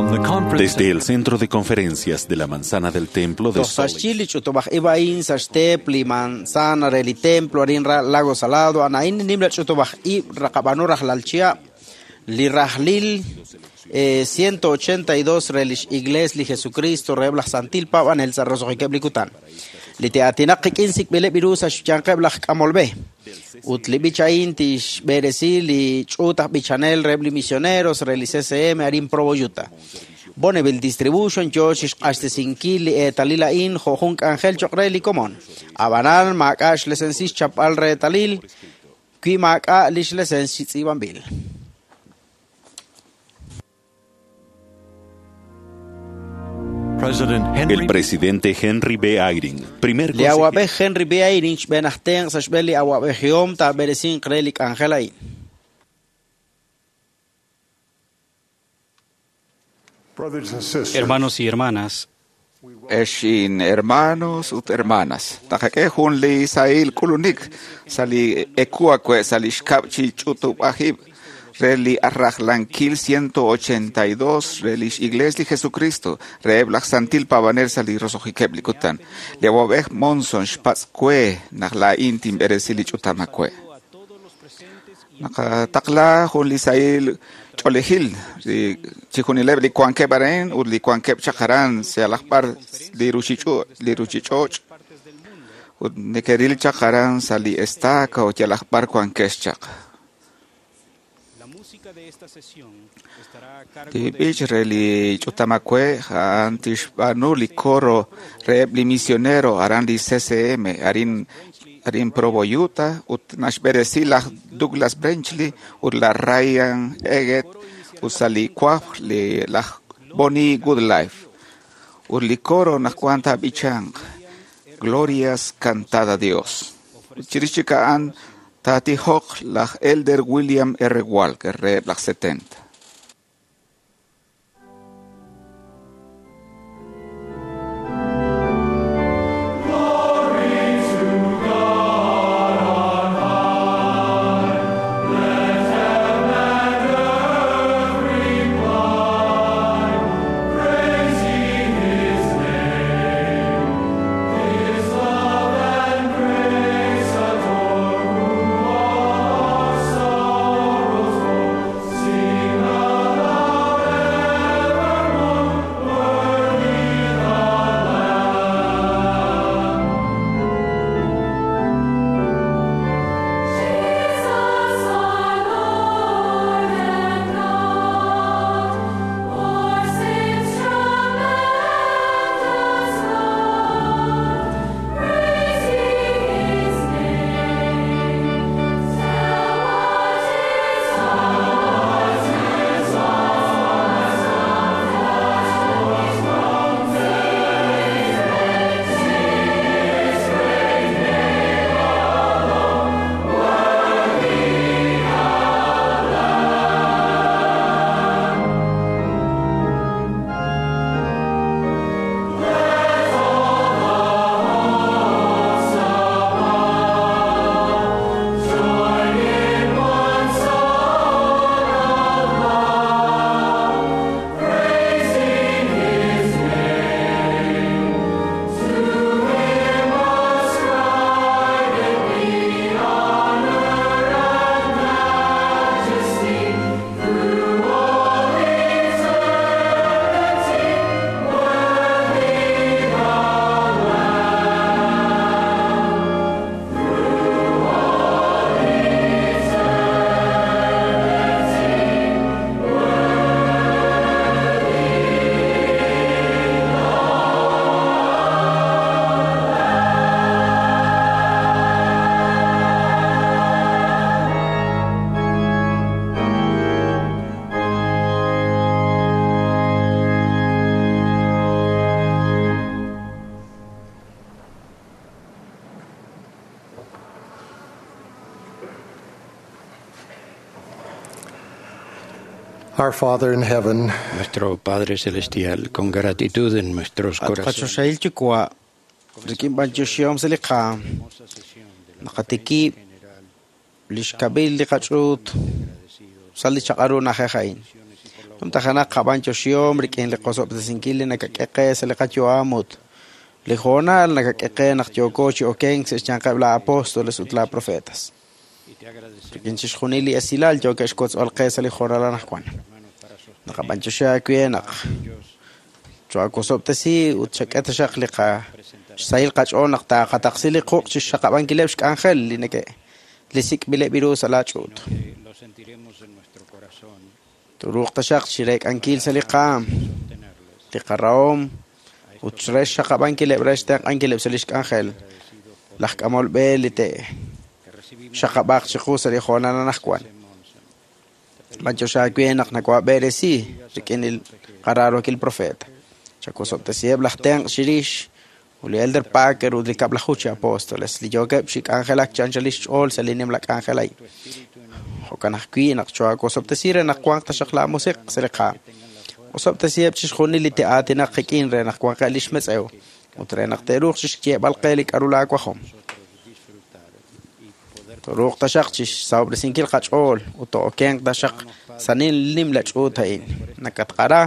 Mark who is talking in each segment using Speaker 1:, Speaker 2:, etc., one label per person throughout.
Speaker 1: From the conference
Speaker 2: Desde el Centro de Conferencias de la Manzana del Templo de
Speaker 3: Toj sa
Speaker 2: Salt
Speaker 3: xyi li ch'utub'aj ib' a'in sa xteep li manzana re li templo arin Lago Salado ana'in nim la ch'utub'aj ib' raqab'anu rajlal chihab' li rajlil 182 re lix Iglesia li Jesucristo reheb' laj Santil Paab'anel sa' roso'jikeb' li kutan. Li te'aatinaq qik'in sik'b'ileb' iru sa' xyanqeb' laj k'amolb'e. Ut li b'ich a'in tixb'eresi li ch'uut aj b'ichanel reheb' li misioneros re li CCM arin Provo, Utah. Bonneville Distribution yo chixq'axtesinkil li eetalil a'in jo' jun k'anjel choq' re li komon. Ab'anan maak'a' xlesensis xchapb'al reetalil wi maak'a' lix lesens chi tz'iib'anb'il.
Speaker 1: President Henry
Speaker 2: El presidente Henry B. Eyring, primer
Speaker 3: Li
Speaker 2: consejero
Speaker 3: awab'ej Henry B. Eyring xb'een aj tenq' sa' xb'een li awab'ejihom taab'eresinq re li k'anjel a'in.
Speaker 4: Brothers and sisters,
Speaker 5: Hermanos y hermanas,
Speaker 6: Exin hermanos ut hermanas. Taqak'e jun li sahil k'ulunik sa' li ekuakwe sa' li xkab' chi ch'utub'ajib' re li arrajlankil 182 re lix Iglesia li Jesucristo reheb' laj Santil Paab'anel sa' li roso'jikeb' li kutan. Li awab'ej Monson xpatz'kwe naq laa'in tinb'eresi li ch'utamakwe. Naqataqla jun li sahil ch'oolejil li chijunileb' li wankeb' aran ut li wankeb' chaq aran sa' laj b'ar li ruchich'och' ut neke'ril chaq aran sa' li estaca ut yalaj b'ar wankex chaq.
Speaker 5: la música de esta sesión estará a cargo
Speaker 6: Li
Speaker 5: de
Speaker 6: b'ich re li ch'utamakwe a'an tixb'aanu li coro reheb' li misionero aran li CCM arin Provo, Utah ut naxb'eresi laj Douglas Brenchley ut laj Ryan Eggett ut sa' li wajb' li laj Bonnie Goodlife. Ut li coro naq wan taab'ichanq Glorias cantad a Dios. Ut chirix chik a'an taatijoq laj Elder William R. Walker reheb' laj 70.
Speaker 7: Jesus, our Lord and God, for sin's tremendous love, praise ye His name. Tell what is
Speaker 4: Our Father in heaven,
Speaker 8: Nuestro Padre Celestial, con gratitud en nuestros
Speaker 3: At
Speaker 8: corazones.
Speaker 3: qachoxahil yuwa' rik'in b'antioxihom sa' li qaam naqatikib' li xkab'il li qach'uut sa' li chaq'aru na'ajej a'in. Numtajenaq qab'antioxihom rik'in li qosob'tesinkil li nakak'e qe sa' li qayu'am ut li hoonal nakak'e qe naq yooko chi okenk sa' xyanqeb' la apóstoles ut la profetas. Rik'in chixjunil li esilal yookeb' xkotzb'al qe sa' li hoonal anaqwan. Naqab'antioxi aawe naq choakosob'tesi ut xak'e taxaq li qa xsahil qach'ool naq taaqataqsi li quq' chi xxaqab'ankileb' xk'anjel li neke li sik'b'ileb' ru sa' laach'uut. Turuuq taxaq chireek'ankil sa' li qaam, li qarahom ut re xxaqab'ankileb' re xtenq'ankileb' sa' li xk'anjel. Laj k'amol b'e li te'xaqab'aq chiqu sa' li hoonal anaqwan. B'antiox aawe naq nakoab'eresi rik'in li qaraarokil profeta. Chakosob'tesiheb' laj tenq' chirix ut li Elder Packer ut li kab'laju chi apóstoles li yookeb' chi k'anjelak chi anchal xch'ool sa' li nimla k'anjel a'in. Jo'kan ajwi' naq choakosob'tesi re naq wanq taxaq laamusiq' sa' li qaam. Osob'tesiheb' chixjunil li te'aatinaq qik'in re naq wanqeb' li xmetz'ew ut re naq te'ruuq chixyeeb'al qe li k'aru laawajom. Toruuq taxaq chixsahob'resinkil qach'ool ut to'okenq taxaq sa' nimla ch'uut a'in. Nakatqara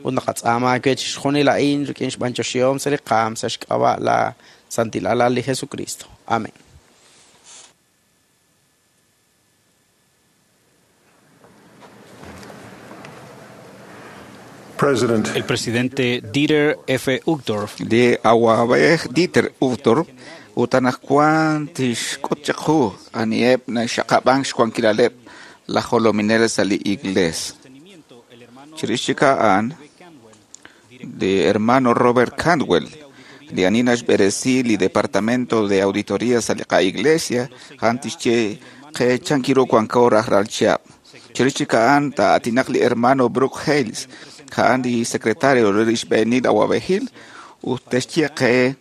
Speaker 3: ut naqatz'aama aawe chixjunil a'in rik'in xb'antioxihom sa' li qaam sa' xk'ab'a' la Santil Alal li Jesucristo. Amén.
Speaker 4: President
Speaker 5: El presidente Dieter F. Uchtdorf
Speaker 6: Li awab'ej Dieter Uchtdorf ut anaqwan tixk'ut chiqu aniheb' naxaqab'ank xwankilaleb' laj jolominel sa' li iglees. Chirix chik a'an, li hermano Robert Cantwell, li ani naxb'eresi li Departamento de Auditoría sa' li qa'iglesia, a'an tixye qe chankiru wanko rajlal chihab'. Chirix chik a'an taa'aatinaq li hermano Brooke Hales, a'an li secretario re li xb'eenil awab'ejil, ut tixye qe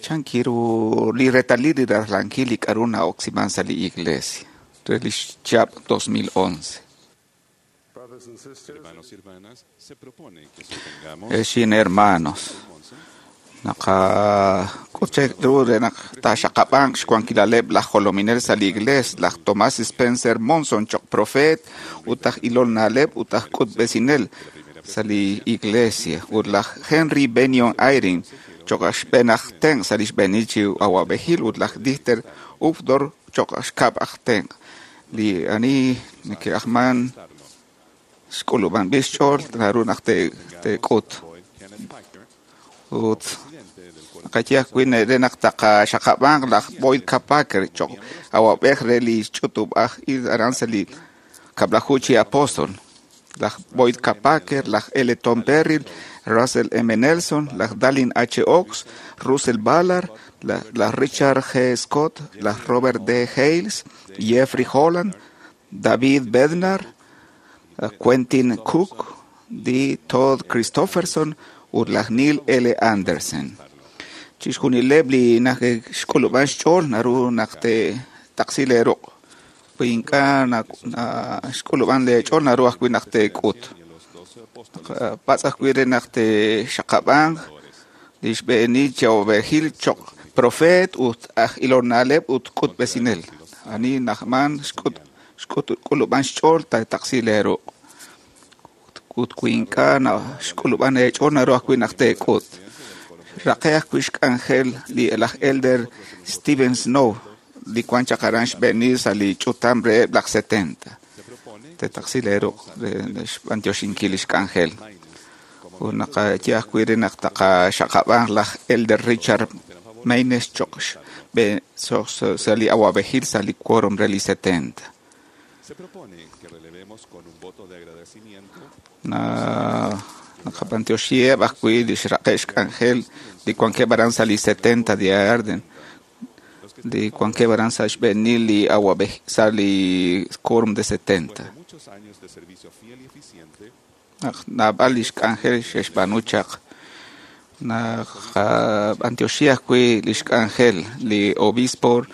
Speaker 6: chankiru li retalil li rajlankil li k'aru na'oksiman sa' li iglesia re li chihab' 2011.
Speaker 4: Brothers and sisters,
Speaker 2: Hermanos y hermanas, se propone que sostengamos
Speaker 6: Exin hermanos, naqak'ut ru re naq taaxaqab'anq xwankilaleb' laj jolominel sa' li iglees, laj Thomas Spencer Monson choq' profeet ut aj ilol na'leb' ut aj k'utb'esinel sa' li iglesia, ut laj Henry Benyon Eyring choq' aj xb'een aj tenq' sa' li xb'eenil chi awab'ejil ut laj Dieter Uchtdorf choq' aj xkab' aj tenq'. Li ani neke'ajman xk'ulub'anb'il xch'ool naru naq te'k'ut.
Speaker 2: Boyd Kenneth Packer,
Speaker 6: Ut
Speaker 2: presidente del cuerpo
Speaker 6: naqaye ajwi' re naq taqaxaqab'anq laj Boyd K. Packer choq' awab'ej re li ch'utub'aj il aran sa' li kab'laju chi apóstol. Laj Boyd K. Packer, laj L. Tom Perry, Russell M. Nelson, laj Dallin H. Oaks, Russell Ballard, laj Richard G. Scott, laj Robert D. Hales, Jeffrey Holland, David Bednar, Quentin Cook, D. Todd Christofferson ut laj Neil L. Andersen. Chixjunileb' li xk'ulub'an xch'ool naru naq te'taqsi leeruq'. Wi ink'a' xk'ulub'an leech'ool naru ajwi' naq teek'ut. Patz' ajwi' re naq te'xaqab'anq li xb'eenil chi awab'ejil choq' profeet ut aj ilol na'leb' ut k'utb'esinel. Ani najman xk'ulub'an xch'ool taataqsi leeruq'. Ut wi ink'a' xk'ulub'an eech'ool naru ajwi' naq teek'ut. Raqe ajwi' xk'anjel li laj Elder Steven Snow li wan chaq aran xb'eenil sa' li ch'utam reheb' laj 70. Teetaqsi leeruq' re xb'antioxinkil li xk'anjel. Ut naqaye ajwi' re naq taqaxaqab'anq laj Elder Richard Maynes choq' sa' li awab'ejil sa' li quórum re li 70.
Speaker 2: Se propone que relevemos con un voto de agradecimiento
Speaker 6: Naqab'antioxiheb' ajwi' li xraqe' xk'anjel li wankeb' aran sa' li 70 de Arden, li wankeb' aran sa' xb'eenil li awab'ej sa' li quórum de 70.
Speaker 2: de muchos años de servicio fiel y eficiente
Speaker 6: Naq naab'al li xk'anjel xe'xb'aanu chaq. Naqab'antioxi ajwi' li xk'anjel li obispo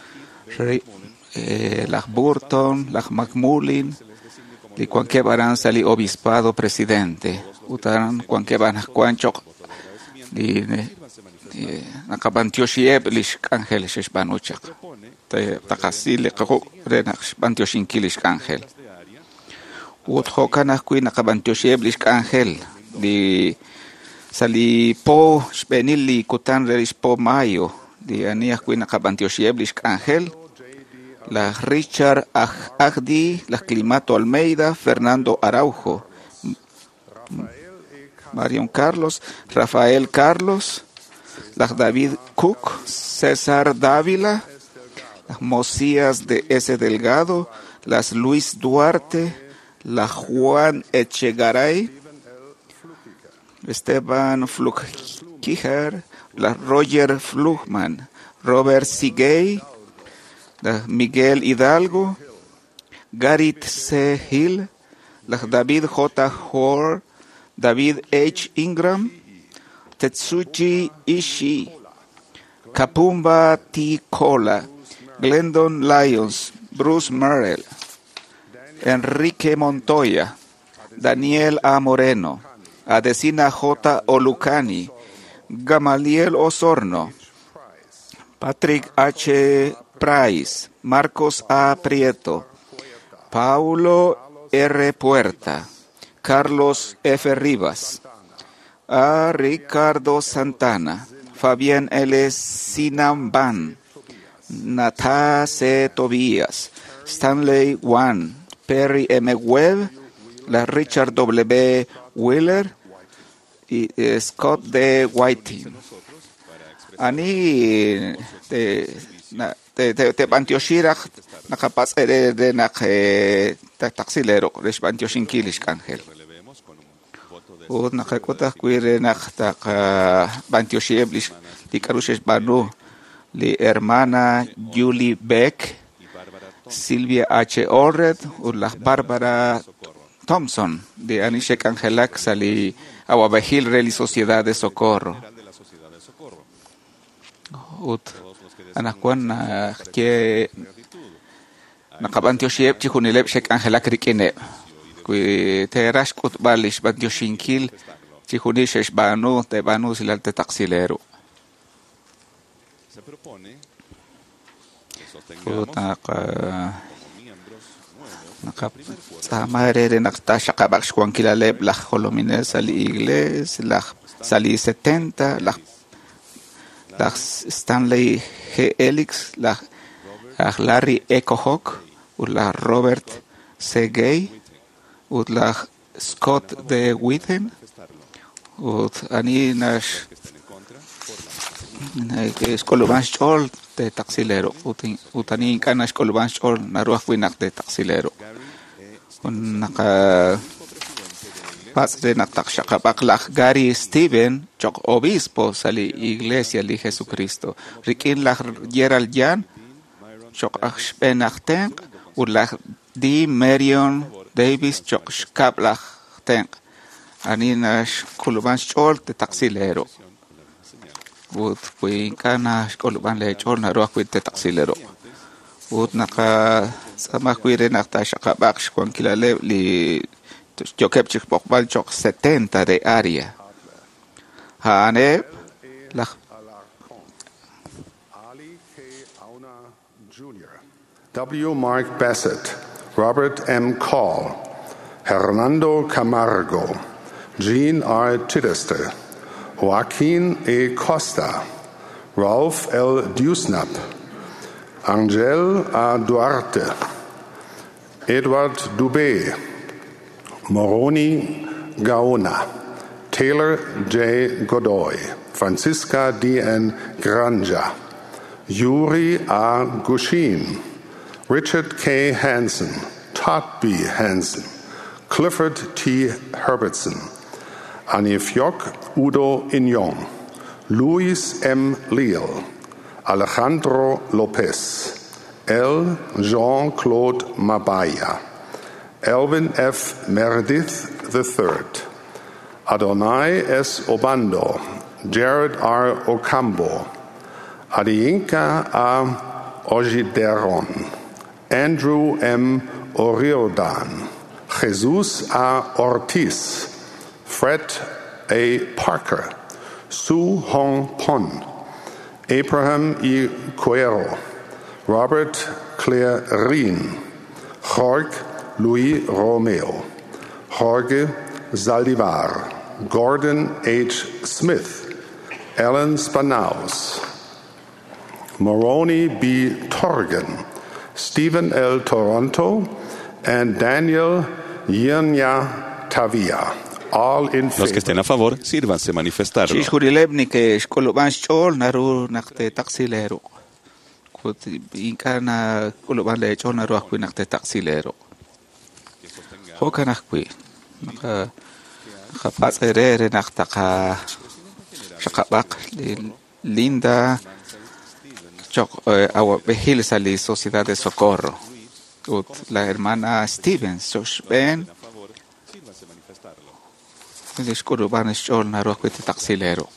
Speaker 6: laj Burton, laj McMullin, li wankeb' aran sa' li obispado presidente. Ut aran wankeb' anaqwan choq' li naqab'antioxiheb' li xk'anjel xe'xb'aanu chaq. Taqasi li quq' re naq xb'antioxinkil li xk'anjel.
Speaker 2: de área
Speaker 6: Ut jo'kan ajwi' naqab'antioxiheb' lix k'anjel li sa' li po xb'eenil li kutan re lix po mayo li ani ajwi' naqab'antioxiheb' lix k'anjel laj Richard Agdi, laj Climato Almeida, Fernando Araujo, Marion Carlos, Rafael Carlos, laj David Cook, César Dávila, laj Mosías de S. Delgado, las Luis Duarte, la Juan Echegaray, Esteban Flugkiger, la Roger Flugman, Robert Sigay, la Miguel Hidalgo, Gareth C. Hill, la David J. Hoare, David H. Ingram, Tetsuji Ishii, Kapumba T. Kola, Glendon Lyons, Bruce Merrill, Enrique Montoya, Daniel A. Moreno, Adesina J. Olucani, Gamaliel Osorno, Patrick H. Price, Marcos A. Prieto, Paulo R. Puerta, Carlos F. Rivas, A. Ricardo Santana, Fabián L. Sinamban, Natá C. Tobías, Stanley Wan, Perry M. Webb, la Richard W. Wheeler y Scott D. Whiting. Ani te b'antioxiraj naqapatz' re naq taqsilero re xb'antioxinkil lix k'anjel. Ut naqak'ut ajwi' re naq taqb'antioxiheb' lix li k'a'ru xe'xb'aanu li hermana Julie Beck, Silvia H. Allred ut laj Barbara Thompson de ani xe'k'anjelak sa' li awab'ejil re li Sociedad de Socorro. Ut anaqwan ye naqab'antioxiheb' chijunileb' xe'k'anjelak rik'ineb'. Wi teeraj xk'utb'al lix b'antioxinkil chijunil xe'xb'aanu teeb'aanu usilal tetaqsileru.
Speaker 2: Se propone que
Speaker 6: Ut
Speaker 2: sostengamos
Speaker 6: naq
Speaker 2: como miembros nuevos
Speaker 6: naqatz'aama re naq taaxaqab'aq xwankilaleb' laj jolominel sa' li iglees, laj sa' li 70, laj Stanley G. Elix, laj Larry E. Kohok, ut laj Robert C. Gay, ut laj Scott D. Witten, ut ani nax
Speaker 2: que estén en contra por la misma señal.
Speaker 6: xk'ulub'an xch'ool tetaqsilero ut ani ink'a' naxk'ulub'an xch'ool naru ajwi' naq tetaqsilero.
Speaker 2: Gary E.
Speaker 6: Ut naqapatz' re naq taqxaqab'aq laj Gary Steven choq' obispo sa' li Iglesia li Jesucristo rik'in laj Gerald Yan choq' aj xb'een aj tenq' ut laj D. Marion Davis choq' xkab' laj tenq'. Ani naxk'ulub'an xch'ool tetaqsilero.
Speaker 2: con la misma señal.
Speaker 6: Ut wi ink'a' naxk'ulub'an leech'ool naru ajwi' tetaqsilero. Ut naqatz'aama ajwi' re naq taaxaqab'aq xwankilaleb' li yookeb' chi xb'oqb'al choq' 70 de área. A'aneb' laj
Speaker 4: Alarcón, Ali K. Auna Jr., W. Mark Bassett, Robert M. Call, Hernando Camargo, Jean R. Chittister, Joaquin A. Costa, Ralph L. Dewsnap, Angel A. Duarte, Edward Dubé, Moroni Gaona, Taylor J. Godoy, Francisca D. N. Granja, Yuri A. Gushin, Richard K. Hansen, Todd B. Hansen, Clifford T. Herbertson, Anifjok Udo Inyong, Luis M. Leal, Alejandro Lopez, L. Jean-Claude Mabaya, Elvin F. Meredith III, Adonai S. Obando, Jared R. Ocambo, Adiyinka A. Ojideron, Andrew M. O'Riordan, Jesus A. Ortiz, Fred A. Parker, Su Hong Pon, Abraham E. Cuero, Robert Clarin, Jorge Luis Romeo, Jorge Zaldivar, Gordon H. Smith, Ellen Spanaus, Moroni B. Torgen, Stephen L. Toronto, and Daniel Yirnya Tavia. All in
Speaker 2: Los que
Speaker 4: favor.
Speaker 2: estén a favor, sírvanse manifestarlo.
Speaker 6: Chixjunileb' neke'xk'ulub'an xch'ool naru naq te'taqsi leeruq'. Ut ink'a' nak'ulub'an leech'ool naru ajwi' naq te'taqsi leeruq'. Jo'kan ajwi' naqapatz' eere re naq taqaxaqab'aq li Linda choq' awab'ejil sa' li Sociedad de Socorro. Ut la hermana Stevens choq' xb'een li xk'ulub'an xch'ool naru ajwi' te'taqsi leeruq'.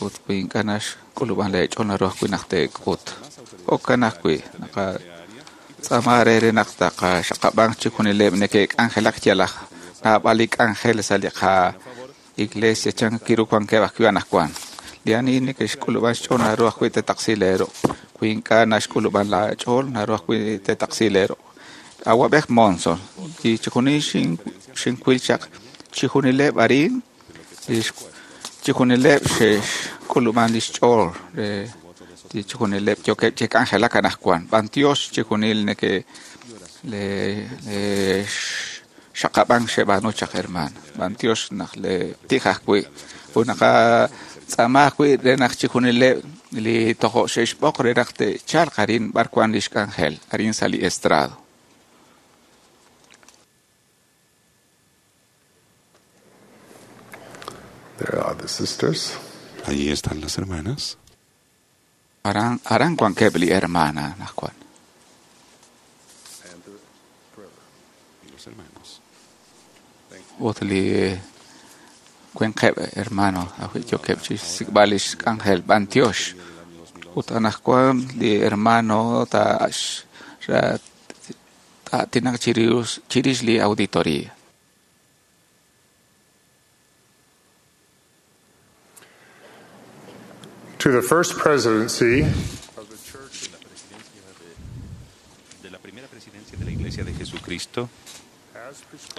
Speaker 6: Ut wi ink'a' naxk'ulub'an leech'ool naru ajwi' naq te'k'ut. Jo'kan ajwi' naqatz'aama re re naq taqaxaqab'an chixjunileb' neke'k'anjelak yalaq naab'al li k'anjel sa' li qa-iglesia chan kiru wankeb' ajwi' anaqwan. Li ani neke'xk'ulub'an xch'ool naru ajwi' te'taqsi leeruq'. Wi ink'a' naxk'ulub'an laach'ool naru ajwi' te'taqsi leeruq'. Awab'ej Monson, li chixjunil xinwil chaq chixjunileb' arin chixjunileb' xe'xk'ulub'an lix ch'ool re li chixjunileb' yookeb' chi k'anjelak anaqwan. B'antiox chixjunil neke le le xaqab'an xeb'aanu chaq hermano. B'antiox naq le tij ajwi' ut naqatz'aama ajwi' re naq chixjunileb' li tojo' xe'xb'oq re naq te'chalq arin b'ar wan lix k'anjel arin sa' li estrado.
Speaker 4: There are the sisters.
Speaker 2: Allí están las hermanas.
Speaker 6: Aran aran wankeb' li hermana anaqwan.
Speaker 2: Y los hermanos.
Speaker 6: Ut li winqeb' hermano ajwi' yookeb' chi xsik'b'al lix k'anjel b'antiox. Ut anaqwan li hermano ta'aatinaq chirix li auditoría.
Speaker 4: To the First Presidency
Speaker 5: De la primera presidencia de la Iglesia de Jesucristo,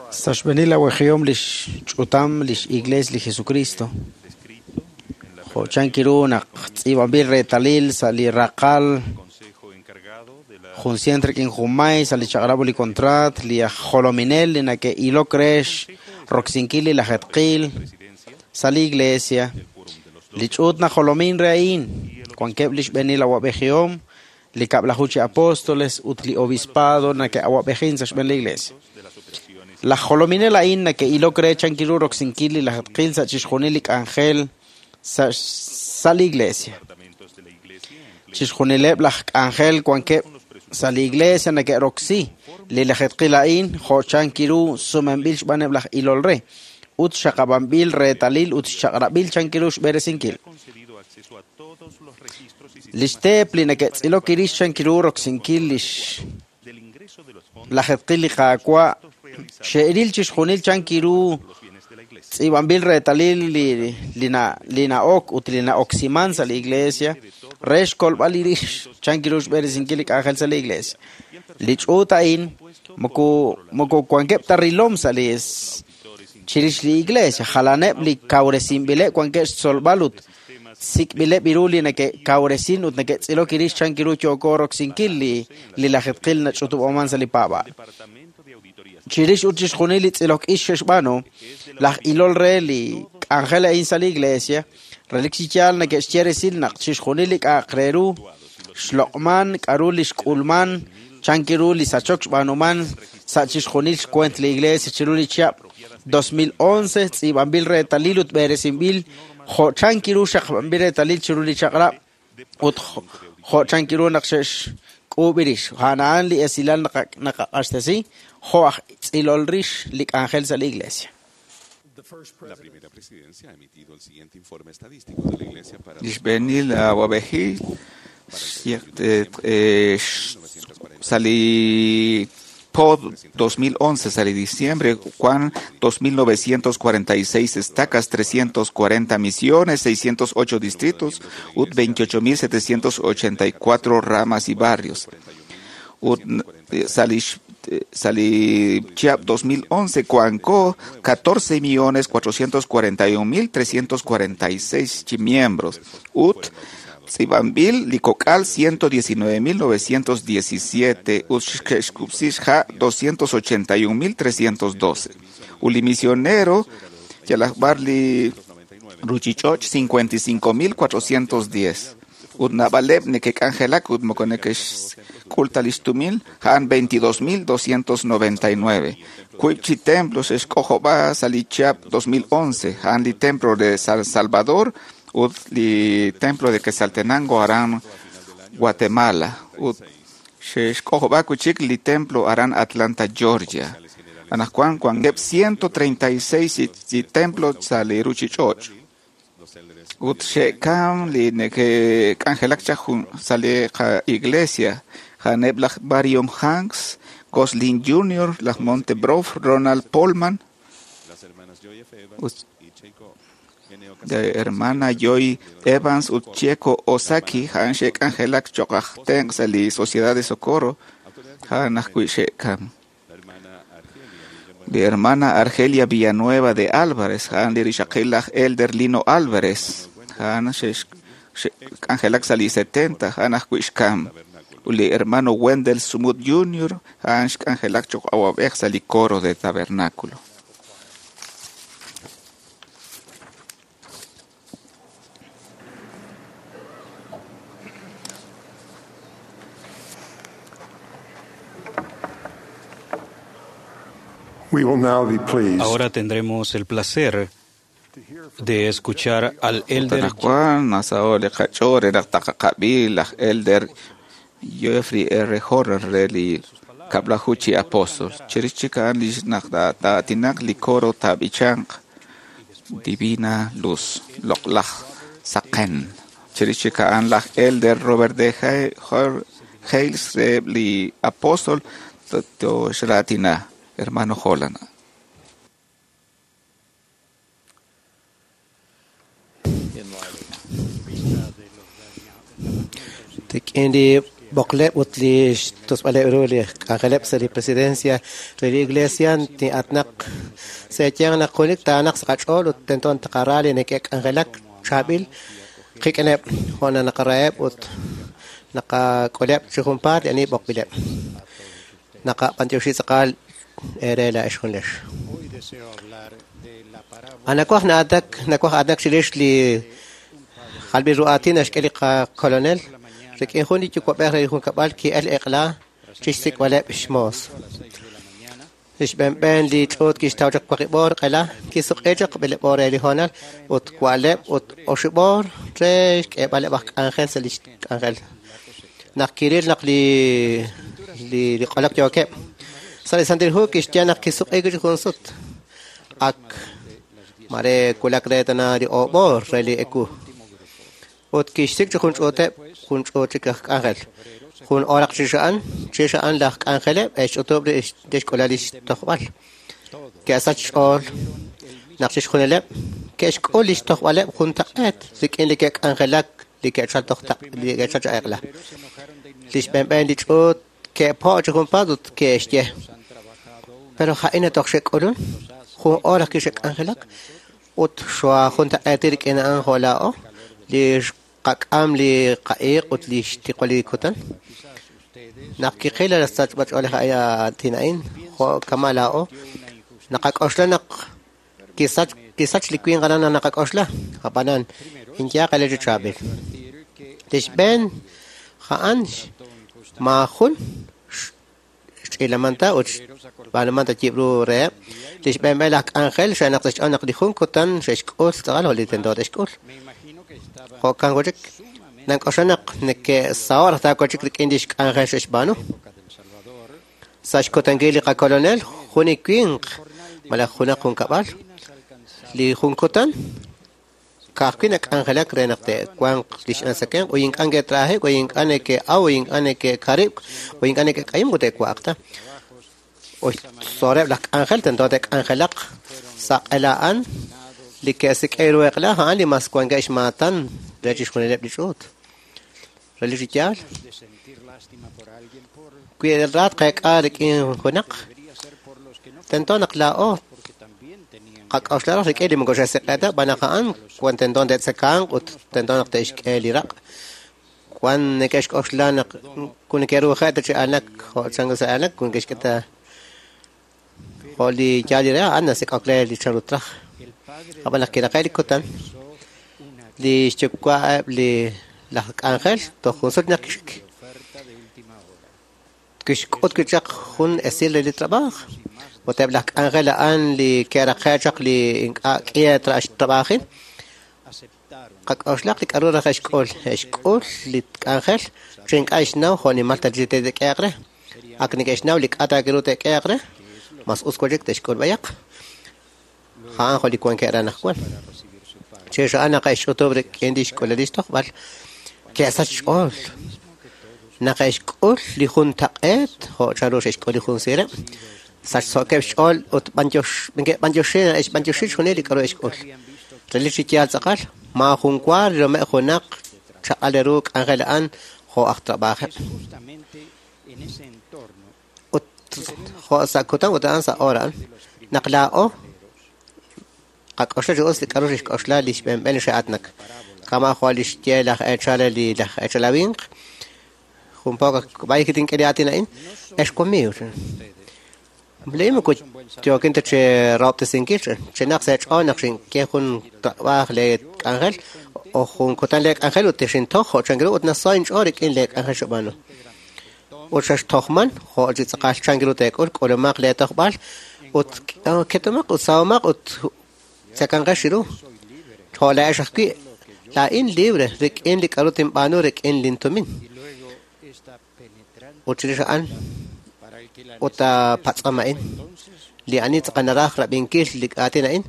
Speaker 3: Sa' xb'eenil awejihom lix ch'utam lix Iglesia li Jesucristo.
Speaker 5: descrito en la
Speaker 3: Jo' chan kiru naq tz'iib'anb'il reetalil sa' li raqal
Speaker 5: consejo encargado de la
Speaker 3: jun cien rik'in junmay sa' li chaq'rab' li contrat li aj jolominel li nake'ilok re roksinkil li lajetqil
Speaker 5: presidencia
Speaker 3: sa' li Iglesia.
Speaker 5: del Quórum de los
Speaker 3: Li ch'uut najolomin re a'in wankeb' li xb'eenil awab'ejihom li kab'laju chi apóstoles ut li obispado nake'awab'ejin sa' xb'een li Iglesia.
Speaker 5: de las operaciones
Speaker 3: Laj jolominel a'in nake'ilok re chan kiru roksinkil li lajetqil sa' chixjunil li k'anjel sa' sa' li Iglesia.
Speaker 5: departamentos de la Iglesia en
Speaker 3: Chixjunileb' laj k'anjel wankeb' sa' li Iglesia nake'roksi li lajetqil a'in jo' chan kiru sumenb'il xb'aaneb' laj ilol re ut xaqab'anb'il reetalil ut xchaq'rab'il chan kiru xb'eresinkil.
Speaker 5: concedido acceso a todos los registros y
Speaker 3: Lix teep li nake'tz'ilok irix chan kiru roksinkil lix
Speaker 5: del ingreso de los fondos
Speaker 3: lajetqil li Qaawa' xe'ril chixjunil chan kiru
Speaker 5: los bienes de la Iglesia.
Speaker 3: tz'iib'anb'il reetalil li li na li na'ok ut li na'oksiman sa' li Iglesia re xkolb'al irix chan kiru xb'eresinkil li k'anjel sa' li Iglesia. Li ch'uut a'in moko moko wankeb' ta rilom sa' li chirix li Iglesia jalaneb' li kawresinb'ileb' wankeb' xtzolb'al ut sik'b'ileb' iru li nake'kawresin ut nake'tz'ilok irix chan kiru yooko roksinkil li li lajetqil nach'utub'oman sa' li paab'aal.
Speaker 5: Departamento de Auditorías
Speaker 3: Chirix ut chixjunil li tz'ilok ix xe'xb'aanu, laj ilol re li k'anjel a'in sa' li Iglesia, relik chi yaal nake'xye resil naq chixjunil li k'a'aq re ru xloq'man, k'aru li xk'ulman, chan kiru li sachok xb'aanuman sa' chixjunil xkuent li Iglesia chiru li chihab' 2011 tz'iib'anb'il reetalil ut b'eresinb'il jo' chan kiru xaqb'anb'il reetalil chiru li chaq'rab' ut jo' chan kiru naq xe'xk'uub' rix. A'an li esilal naqaq'axtesi jo' aj tz'ilol rix li k'anjel sa' li Iglesia.
Speaker 2: La primera presidencia ha emitido el siguiente informe estadístico de la Iglesia para
Speaker 6: Li xb'eenil awab'ejil sa' li po 2011 sa' li diciembre Juan 2.946 estacas, 340 misiones, 608 distritos, ut 28.784 ramas y barrios. Ut sa' li Sa' li chihab' 2011 wanko 14,441,346 chi miembros ut tz'iib'anb'il li kok'al 119,917 ut xe'xkub'si xha' 281,312. Ut li misionero yalaq b'ar li ruchich'och' 55,410. Ut naab'aleb' neke'k'anjelak ut moko neke'xk'ul ta lix tumin a'an 22,299. Wiib' chi templo xe'xk'ojob'a sa' li chihab' 2011 a'an li templo de San Salvador ut li templo de Quetzaltenango aran Guatemala ut xe'xk'ojob'a wi' chik li templo aran Atlanta, Georgia. Anaqwan wankeb' 136 chi templo sa' li ruchich'och'. Ut xe'kam li neke'k'anjelak chaq jun sa' li qa-iglesia a'aneb' laj Marion Hanks, Gosling Jr., laj Monte Brough, Ronald Polman, ut de hermana Joy Evans ut Chieko Osaki a'an xe'k'anjelak cho'q aj tenq' sa' li Sociedad de Socorro a'an ajwi' xe'kam. Li hermana Argelia Villanueva de Álvarez a'an li rixaqil laj Elder Lino Álvarez a'an xe'k'anjelak sa' li 70 a'an ajwi' xkam. Ut li hermano Wendell Sumut Jr. a'an xk'anjelak cho'q awab'ej sa' li coro de tabernáculo.
Speaker 4: We will now be pleased
Speaker 5: Ahora tendremos el placer de escuchar al elder
Speaker 6: Anaqwan nasaho' li qach'ool re naq taqaqab'i laj Elder Jeffrey R. Horner re li kab'laju chi apóstol. Chirix chik a'an li naq taatinaq li coro taab'ichanq Divina Luz, loq'laj saqen. Chirix chik a'an laj Elder Robert D. Hales re li apóstol toxraatina, hermano Holland.
Speaker 1: Rik'in li b'oqleb' ut li xtusb'aleb' ru li k'anjeleb' sa' li presidencia re li iglesia tin'atnaq se'yanq naq junelik taanaq sa' qach'ool ut tento taqara li neke'k'anjelak chaab'il qik'ineb' jo' naq naqaraheb' ut naqak'uleb' chi junpaat li ani b'oqb'ileb'. Naqab'antioxi tz'aqal eere laa'ex junlex. Anawaj na'atak nawaj aatinak chirix li jalb'il ru aatin naxk'e li qakolonel rik'in jun li yuwa'b'ej re li junkab'al ki'el eq'la chixsik'b'aleb' xmoos. Lix b'enb'en li ch'uut kixtaw chaq waqib' oor q'ela, kisuq'i chaq b'eleb' oor re li hoonal ut wa'leb' ut oxib' oor re xk'eeb'aleb' aj k'anjel sa' lix k'anjel. Naq kiril naq li li q'olok yookeb'. Sa' li Santil Hu kixye naq kisuq'i chi jun sut. Ak mare wulak re tana li oob' oor re li ewu. Ut kixsik' chi jun ch'uuteb' jun ch'uut chik aj k'anjel. Jun oraq chix a'an laj k'anjeleb' e'xch'utub' lix k'ulal lix tojb'al. Ke'sach xch'ool naq chixjunileb' ke'xk'ul lix tojb'aleb' juntaq'eet rik'in li ke'k'anjelak li ke'chal toj li ke'chal chi eq'la. Lix b'enb'en li ch'uut ke'po' chi junpaat ut ke'xye. Pero ja'in toj xe'k'ulun jun oor ajwi' xe'k'anjelak ut xwa juntaq'eeti rik'in a'an jo' laa'o li qak'am li qa'iiq ut li xtiqwal li kutan. Naq kiqil la sachb'ach'oolej aatin a'in jo' kama' laa'o naqak'oxla naq kisach li winq aran naq naqak'oxla ab'anan inyaq ele chi chaab'il. Lix b'een a'an maajun xch'ilamanta ut xb'aanumanta yib' ru reheb'. Lix b'eenb'en laj k'anjel xe'naq sa' xch'ool naq li jun kutan xe'xk'ul tz'aqal jo' li tento te'xk'ul. Jo'kan wi' chik nank'oxla naq neke'saho' raj taawa chik rik'in lix k'anjel xe'xb'aanu. Sa' xkutankil li qakolonel jun li winq malaj junaq junkab'al li jun kutan ka'ajwi' nak'anjelak re naq te'wanq lix tzakemq ut ink'a' neke'tra'ajik ut ink'a' neke'aw ut ink'a' neke'karib'k ut ink'a' neke'k'ayink ut te'wa'aq ta. Ut xtzoleb' laj k'anjel tento te'k'anjelaq sa' q'ela a'an li ke'sik'e ru eq'la a'an li mas wankeb' xmaatan re chixjunileb' li ch'uut. Relik chi yaal. Wi ra tqeek'a rik'in junaq, tento naq laa'o qak'oxla raj rik'in li moko xe'seq'e ta, xb'aan naq a'an wan tento te'tzekanq ut tento naq te'xk'e li raq'. Wan neke'xk'oxla naq ku neke'ruuje' ta chi aanak jo' chanru sa' aanak, ku neke'xk'e ta jo' li yaal li re a'an nasik'ok re li chanru traj. Ab'an naq kiraqe' li kutan, li xyuwa'eb' li laj k'anjel toj jun sut naq kixk'ut wi' chaq jun esil re li trabaaj. Ut eb' laj k'anjel a'an li ke'raqe' chaq li ink'a' k'iha trab'ajil, qak'oxlaq li k'a'ru raj xk'ul. Xk'ul li k'anjel chi ink'a' xnaw jo' nimal ta chi te'k'ehaq re. Ak neke'xnaw li k'a' taak'e te'k'ehaq re, mas us wan chik te'xk'ul b'ayaq. A'an jo' li wankeb' re anaqwan. Chirix a'an naq xch'utub' rik'in li xk'ulel li xtojb'al, ke'sach xch'ool. Naq xk'ul li juntaq'eet jo' chanru xe'xk'ul li jun siireb', sachso'keb' xch'ool ut b'antioxi xjunil li k'a'ru xk'ul. Relik chi yaal tz'aqal, maajun wa rilomeb' junaq chaq'al ru k'anjel a'an jo' aj trab'ajeb'. Ut jo' sa' kutan ut a'an sa' hora a'an, naq laa'o qak'oxla chi us li k'a'ru xk'oxla li xb'enb'en li xe'atnak. Kama' jo' li xye laj eechal li laj eechalawinq, jun poco b'ay kitink'e li aatin a'in, ex wamiiw. Li moko yookin ta chi rahob'tesinkil, chinaq sa' eech'ool naq xink'e jun trab'aaj lee k'anjel o jun kutan lee k'anjel ut xintoj jo' chank ru ut naso inch'ool rik'in lee k'anjel xeb'aanu. Ut xextojman jo' chi tz'aqal chank ru teek'ul, k'ulumaq lee tojb'al ut ketomaq ut sahomaq ut tzekanqex ru. Jo' laa'ex ajwi', laa'in libre rik'in li k'a'ru tinb'aanu rik'in lintumin. Ut chirix a'an ut patz'om a'in, li ani tz'aqal naraj rab'inkil li aatin a'in,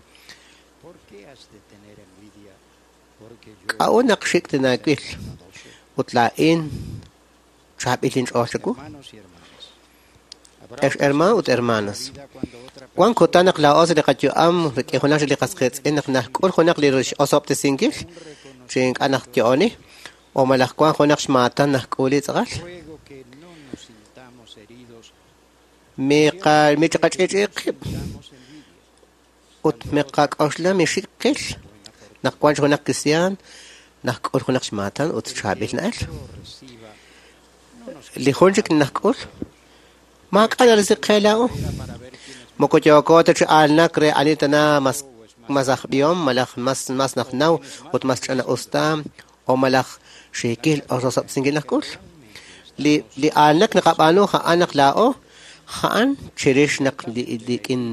Speaker 1: k'a'ut naq xik' tinaawil ut laa'in chaab'il inch'ool chawu? Ex hermano ut hermanas, wan kutan naq laa'o sa' li qayu'am rik'in junaq li qas qiitz'in naq najk'ul junaq li osob'tesinkil chi ink'a' naq yo'oni, o malaj wan junaq xmaatan najk'uli tz'aqal. Miqach'i'ch'i'i qib' ut miqak'oxla mixik qil naq wan junaq kristiaan najk'ul junaq xmaatan ut chaab'il na'el. Li jun chik najk'ul maak'a' narisi qe laa'o. Moko yooko ta chi aanak re ani tana mas aj b'ihom malaj mas najnaw ut mas ch'ina-us ta o malaj xiikil osob'tesinkil najk'ul. Li aanak naqab'aanu a'an naq laa'o a'an chirix naq li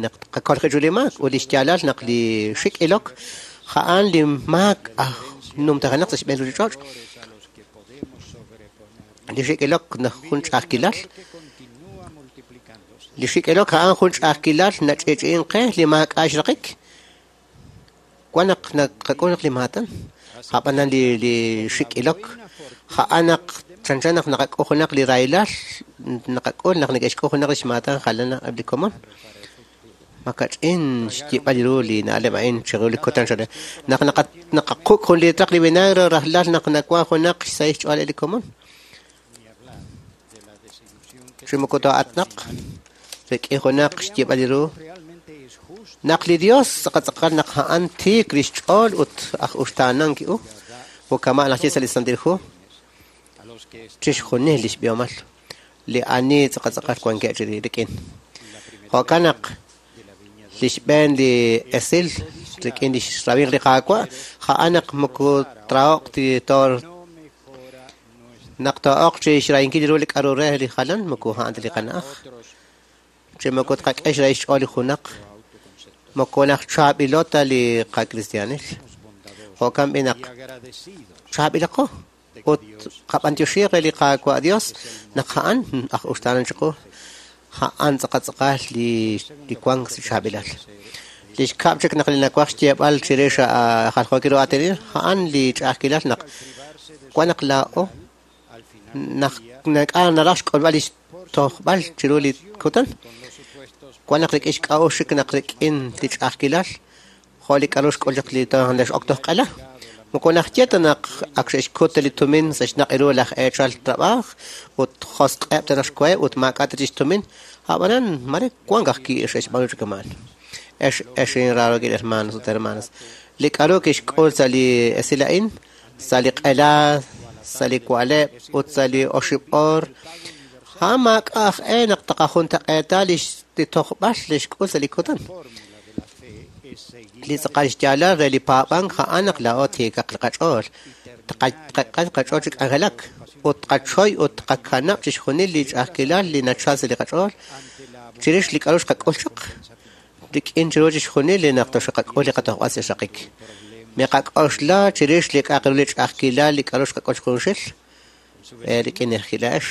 Speaker 1: naq qakolqi chu li maak ut li xyaalal naq li xik' ilok a'an li maak aj numtajenaq sa' xb'een ruuchich'och'. Li xik' ilok naq jun ch'a'ajkilal. Li xik' ilok a'an jun ch'a'ajkilal nach'i'ch'i'in qe li maak'a' xraqik. Wan naq naqak'ul naq li maatan, a'b'anan li xik' ilok a'an naq chanchan naq naqak'ul junaq li rahilal, naqak'ul naq neke'xk'ul junaq li xmaatan jalan eb' li komon. Makach'in xyib'al ru li na'leb' a'in chiru li kutan xale. Naq naqaquk' jun litraq li vinagre rajlal naq nawan junaq xsahil xch'ool li komon. Chi moko to'atnaq rik'in junaq xyib'al ru. Naq li Dios tz'aqal naq a'an tiik li xch'ool ut aj uxtaanan ki'u, ut kama' naq sa' li Santil Hu, chixjunil li xb'ihomal, li ani tz'aqal wankeb' chi rik'in. Jo'kan naq li xb'een li esil rik'in li xrawinq li Qaawa', a'an naq moko traoq ti tor naq to'oq chi xrahinkil ru li k'a'ru re li jalan moko a'an ta li qana'aj. Chi moko tqak'e xrahil xch'ool li junaq, moko naq chaab'ilo ta li qakristianil. Jo'kan b'i naq chaab'ilaqo ut qab'antioxi re li Qaawa' Dios naq a'an aj uxtaanan chiqu, a'an tz'aqal li wank sa' chaab'ilal. Li xkab' chik naq li nawaj xyeeb'al chirix jaljookil ru aatin a'an li ch'a'ajkilal naq wan naq laa'o naq nak'a naraj xk'ulb'al li xtojb'al chiru li kutan, wan naq rik'in xk'a'uxl chik naq rik'in li ch'a'ajkilal jo' li k'a'ru xk'ul chaq li xok toj q'ela. Moko naxye ta naq ak xe'xkut li tumin sa' xnaq' ru laj eechal trab'aaj ut josq'eb' ta naq xkoheb' ut maak'a' ta chik xtumin. Ab'anan mare wank ajwi' xe'xb'aanu chi kama'an. Ex inraarokil hermanos ut hermanas, li k'a'ru kixk'ul sa' li esil a'in, sa' li q'ela, sa' li wa'leb' ut sa' li 9 oor, a'an maak'a' aj e naq taqajuntaq'eeta li tojb'al li xk'ul sa' li kutan. Li tz'aqal xyaalal re li paab'ank a'an naq laa'o tiikaq li qach'ool, tqak'e qach'ool chi k'anjelak ut tqachoy ut tqakanab' chixjunil li ch'a'ajkilal li nachal sa' li qach'ool chirix li k'a'ru xqak'ul chaq rik'in chiru chixjunil li naq toxqak'ul li qatojb'al sa' xraqik. Miqak'oxla chirix li k'a'aq ru li ch'a'ajkilal li k'a'ru xqak'ul junxil rik'in laax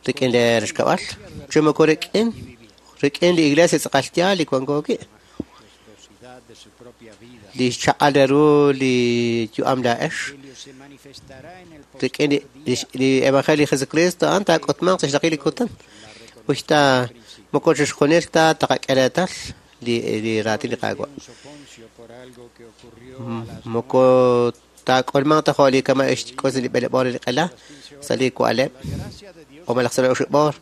Speaker 1: rik'in li rixkab'al chi moko rik'in li iglesia tz'aqal yaal li wanko wi'. Li xchaq'al ru li yu'am laax rik'in li evangelio de Jesucristo a'an taak'utmanq sa' xraqik li kutan. Uxta moko chixjunil ta taqak'e reetal li raatin li Qaawa'. Moko taak'ulmanq ta jo' li kama' xk'ul sa' li b'eleb'oor li q'ela sa' li wa'leb' o malaj sa' li 9 oor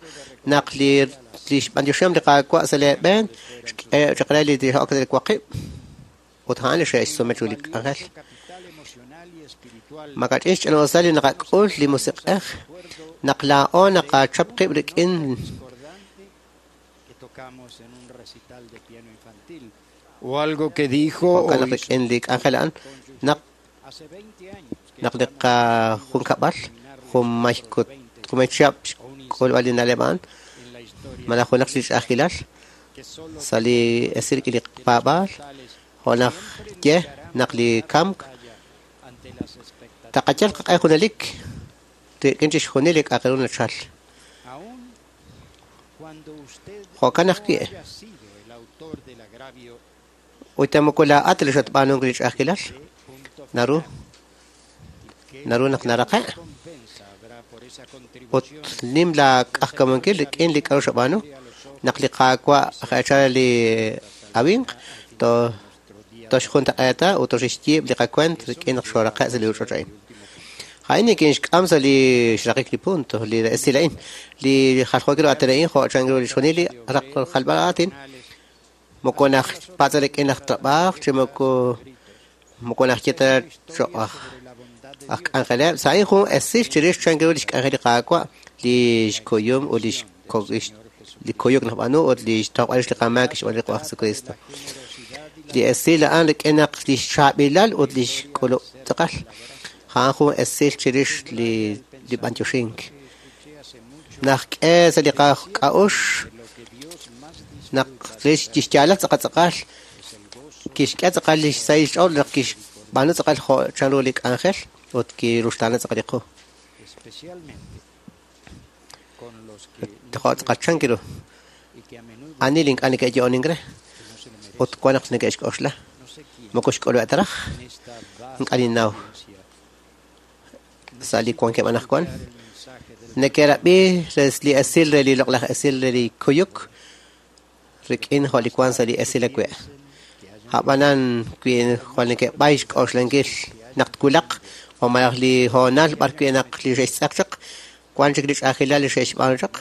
Speaker 1: naq li xb'antioxihom li Qaawa' sa' leeb'een xk'e chaq re li ok sa' li waqib' ut a'an li xe'xsume chiru li k'anjel. Makach'in xch'ina'usal li naqak'ul li musiq'ej naq laa'o naqachap qib' rik'in
Speaker 8: o algo que dijo
Speaker 1: o naq rik'in li k'anjel a'an naq li qajunkab'al junmay chihab' xk'ulb'al li na'leb' a'an malaj junaq li ch'a'ajkilal sa' li esil rik'in li paab'aal jo' naq ye naq li kamk taqayal qaq'e junelik rik'in chixjunil li k'a'aq ru nachal. Jo'kan ajwi' ut moko laa'at li xatb'aanunk li ch'a'ajkilal naru naq naraqe' ut nim la k'ajk'amunkil rik'in li k'a'ru xab'aanu naq li Qaawa' aj li awinq toxjuntaq'eeta ut toxixyiib' li qakuent rik'in naq xoraqe' sa' li ruuchich'och' a'in. A'in nikinxk'am sa' li xraqik li punto li esil a'in li jaljookil ru aatin a'in jo' chan ru chixjunil li jalb'al aatin moko naj patz' rik'in laj trab'aaj chi moko naxye ta cho'q aj k'anjeleb' sa' a'in jun esil chirix chan ru li xk'anjel li Qaawa' li xkuyum ut li kuyuk najb'aanu ut li xtojb'al rix li qamaak xb'aan li Qaawa' Jesucristo. Li esil a'an rik'in naq li xchaab'ilal ut li xk'ulub' tz'aqal a'an jun esil chirix li b'antioxink. Naq k'e sa' li qak'a'ux naq li xyaalal tz'aqal tz'aqal kixk'e tz'aqal li xsahil xch'ool naq kixb'aanu tz'aqal jo' chan ru li k'anjel ut kiruxtaana tz'aqal li qu. Jo' tz'aqal chan kiru ani li ink'a' neke'yo'onink re ut wan naq neke'xk'oxla moko xk'ulub'e ta raj ink'a' ninnaw sa' li wankeb' anaqwan neke'rab'i li esil re li loq'laj esil re li kuyuk rik'in jo' li wan sa' li esil awe'. Ab'anan wi jwal neke'b'ay xk'oxlankil naq twulaq o malaj li hoonal b'ar wi' naq li xe'xtz'eq chaq wan chik li ch'a'ajkilal li xe'xb'aanu chaq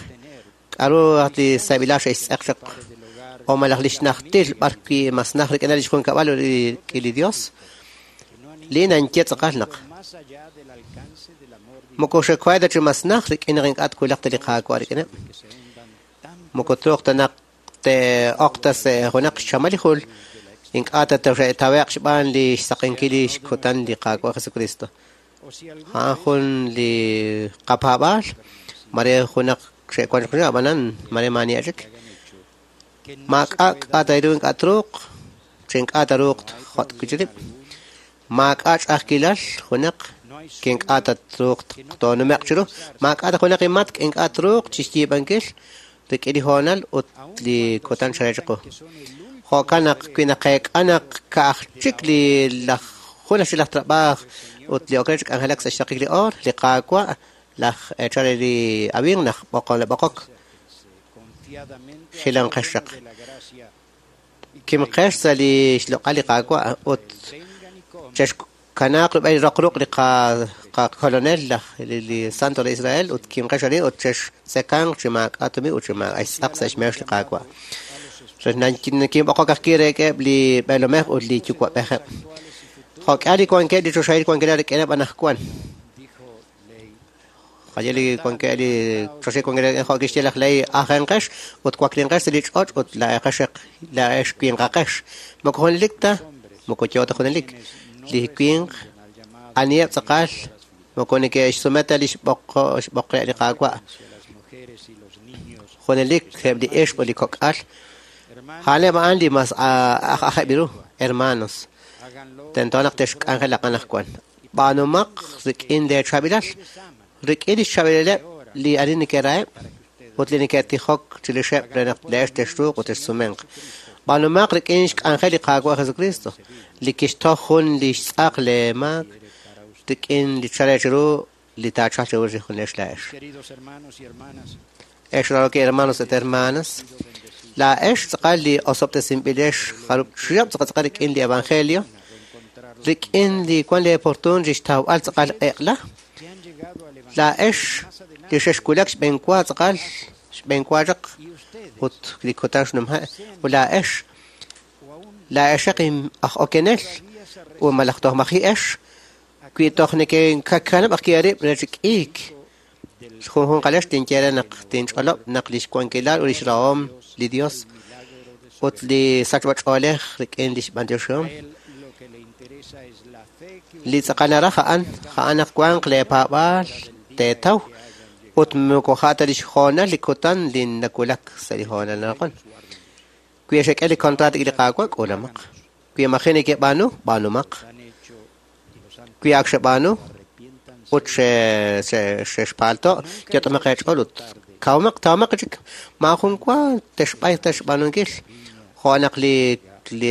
Speaker 1: k'a'ru li sab'ilal xe'xtz'eq chaq o malaj li xnajtil b'ar wi' mas naj rik'in li xjunkab'al ut rik'in li Dios li nanye tz'aqal naq moko xe'kohe ta chi mas naj rik'in naq ink'a' twulaq ta li Qaawa' rik'ineb' moko truuq ta naq te'oq ta sa' junaq xchamal li jul ink'a' ta toxe'tawe'q xb'aan li xsaqenkil li xkutan li Qaawa' Jesucristo. A'an jun li qapaab'aal mare junaq xe'wan chaq ab'anan mare maani chik maak'a' k'a' ta ru ink'a' truuq chi ink'a' ta ruuq jot' wi' chi rib' maak'a' ch'a'ajkilal junaq ink'a' ta truuq toonume'q chiru maak'a' ta junaq imatk ink'a' truuq chixyiib'ankil rik'in li hoonal ut li kutan chare chiqu. Jo'kan naq wi naqeek'a naq ka'aj chik li laj jun aj laj trab'aaj ut li ok re chi k'anjelak sa' xraqik li oor li Qaawa' laj eechal re li awinq naq b'oqok jilanqex chaq. Kimqex sa' li xloq'al li Qaawa' ut Kanaaq rub'el roq ruq' li qakolonel laj li Santo re Israel ut kimqex arin ut chextzekanq chi maak'a' tumin ut chi maak'a' xtz'aq sa' xmeex li Qaawa'. Nakinb'oqok ajwi' reheb' li b'eelomej ut li yuwa'b'ejeb'. Jo'k'ihal li wankeb' li choxahil wankilal rik'ineb' anaqwan. Jaye li wankeb' li choxahil wankilal jo' kixye laj Lehi, ajenqex ut waklinqex sa' li ch'och' ut laa'ex winqaqex. Moko junelik ta, moko yoo ta junelik. Li winq aniheb' tz'aqal moko neke'xsume ta li xb'oqeb' li Qaawa'. Junelik eb' li ixq ut li kok'al. A'aneb' a'an li mas aj ajeb' ru, hermanos. Tento naq texk'anjelaq anaqwan. B'aanumaq rik'in leechaab'ilal, rik'in li xchaab'ilaleb' li ani nekeraheb' ut li neke'tijok chirixeb' re naq le'ex texruuq ut texsumenq. B'aanumaq rik'in xk'anjel li Qaawa' Jesucristo, li kixtoj jun li xtz'aq leemaak rik'in li chale chiru li taachalq chiru li junex laa'ex. Ex raroki hermanos et hermanas, laa'ex tz'aqal li osob'tesinb'ilex jarub' chihab' tz'aqal rik'in li evangelio, rik'in li wan leeportun xtawb'al tz'aqal eq'la, laa'ex li xexwulak xb'enwa tz'aqal xb'enwa chaq ut li kutan xnumje' ut laa'ex laa'exaq aj okenel ut malaj toj maji'ex wi toj neke'kakanab' ajwi' eerib' re chi k'iik. Junjunqalex tinye re naq tinch'olob' naq li xwankilal ut li xrahom li Dios ut li sachb'ach'oolej rik'in li xb'antioxihom li tz'aqal naraj a'an a'an naq wanq leepaab'aal teetaw ut moko ja' ta li xhoonal li kutan li nawulak sa' li hoonal anaqwan. Wi xek'e li contrato rik'in li Qaawa', k'uulamaq. Wi maji' nekeb'aanu, b'aanumaq. Wi ak xeb'aanu ut xexpaalto', yot'omaq eech'ool ut kawmaq tawmaq chik maajun wa texb'ayq ta xb'aanunkil. Jo' naq li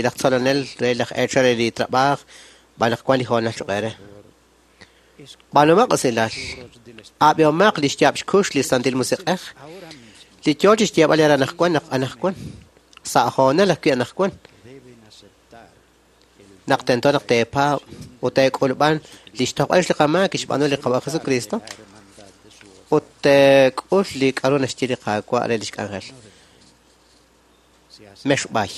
Speaker 1: laj tzolonel re laj eechal re li trab'aaj b'an naq wan li hoonal choq' eere. B'aanumaq usilal. Ab'ihomaq li xyaab' xkux li Santil Musiq'ej. Li yoo chi xyeeb'al eere anaqwan naq anaqwan. Sa' hoonal ajwi' anaqwan. Naq tento naq teepaab' ut teek'ulb'an li xtojb'al li qamaak kixb'aanu li Qaawa' Jesucristo ut teek'ul li k'aru naxye li Qaawa' re li xk'anjel. Mexb'ay.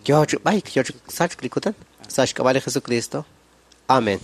Speaker 1: Yoo chi b'ayk, yoo chi sachk li kutan sa' xk'ab'a' li Jesucristo. Amen.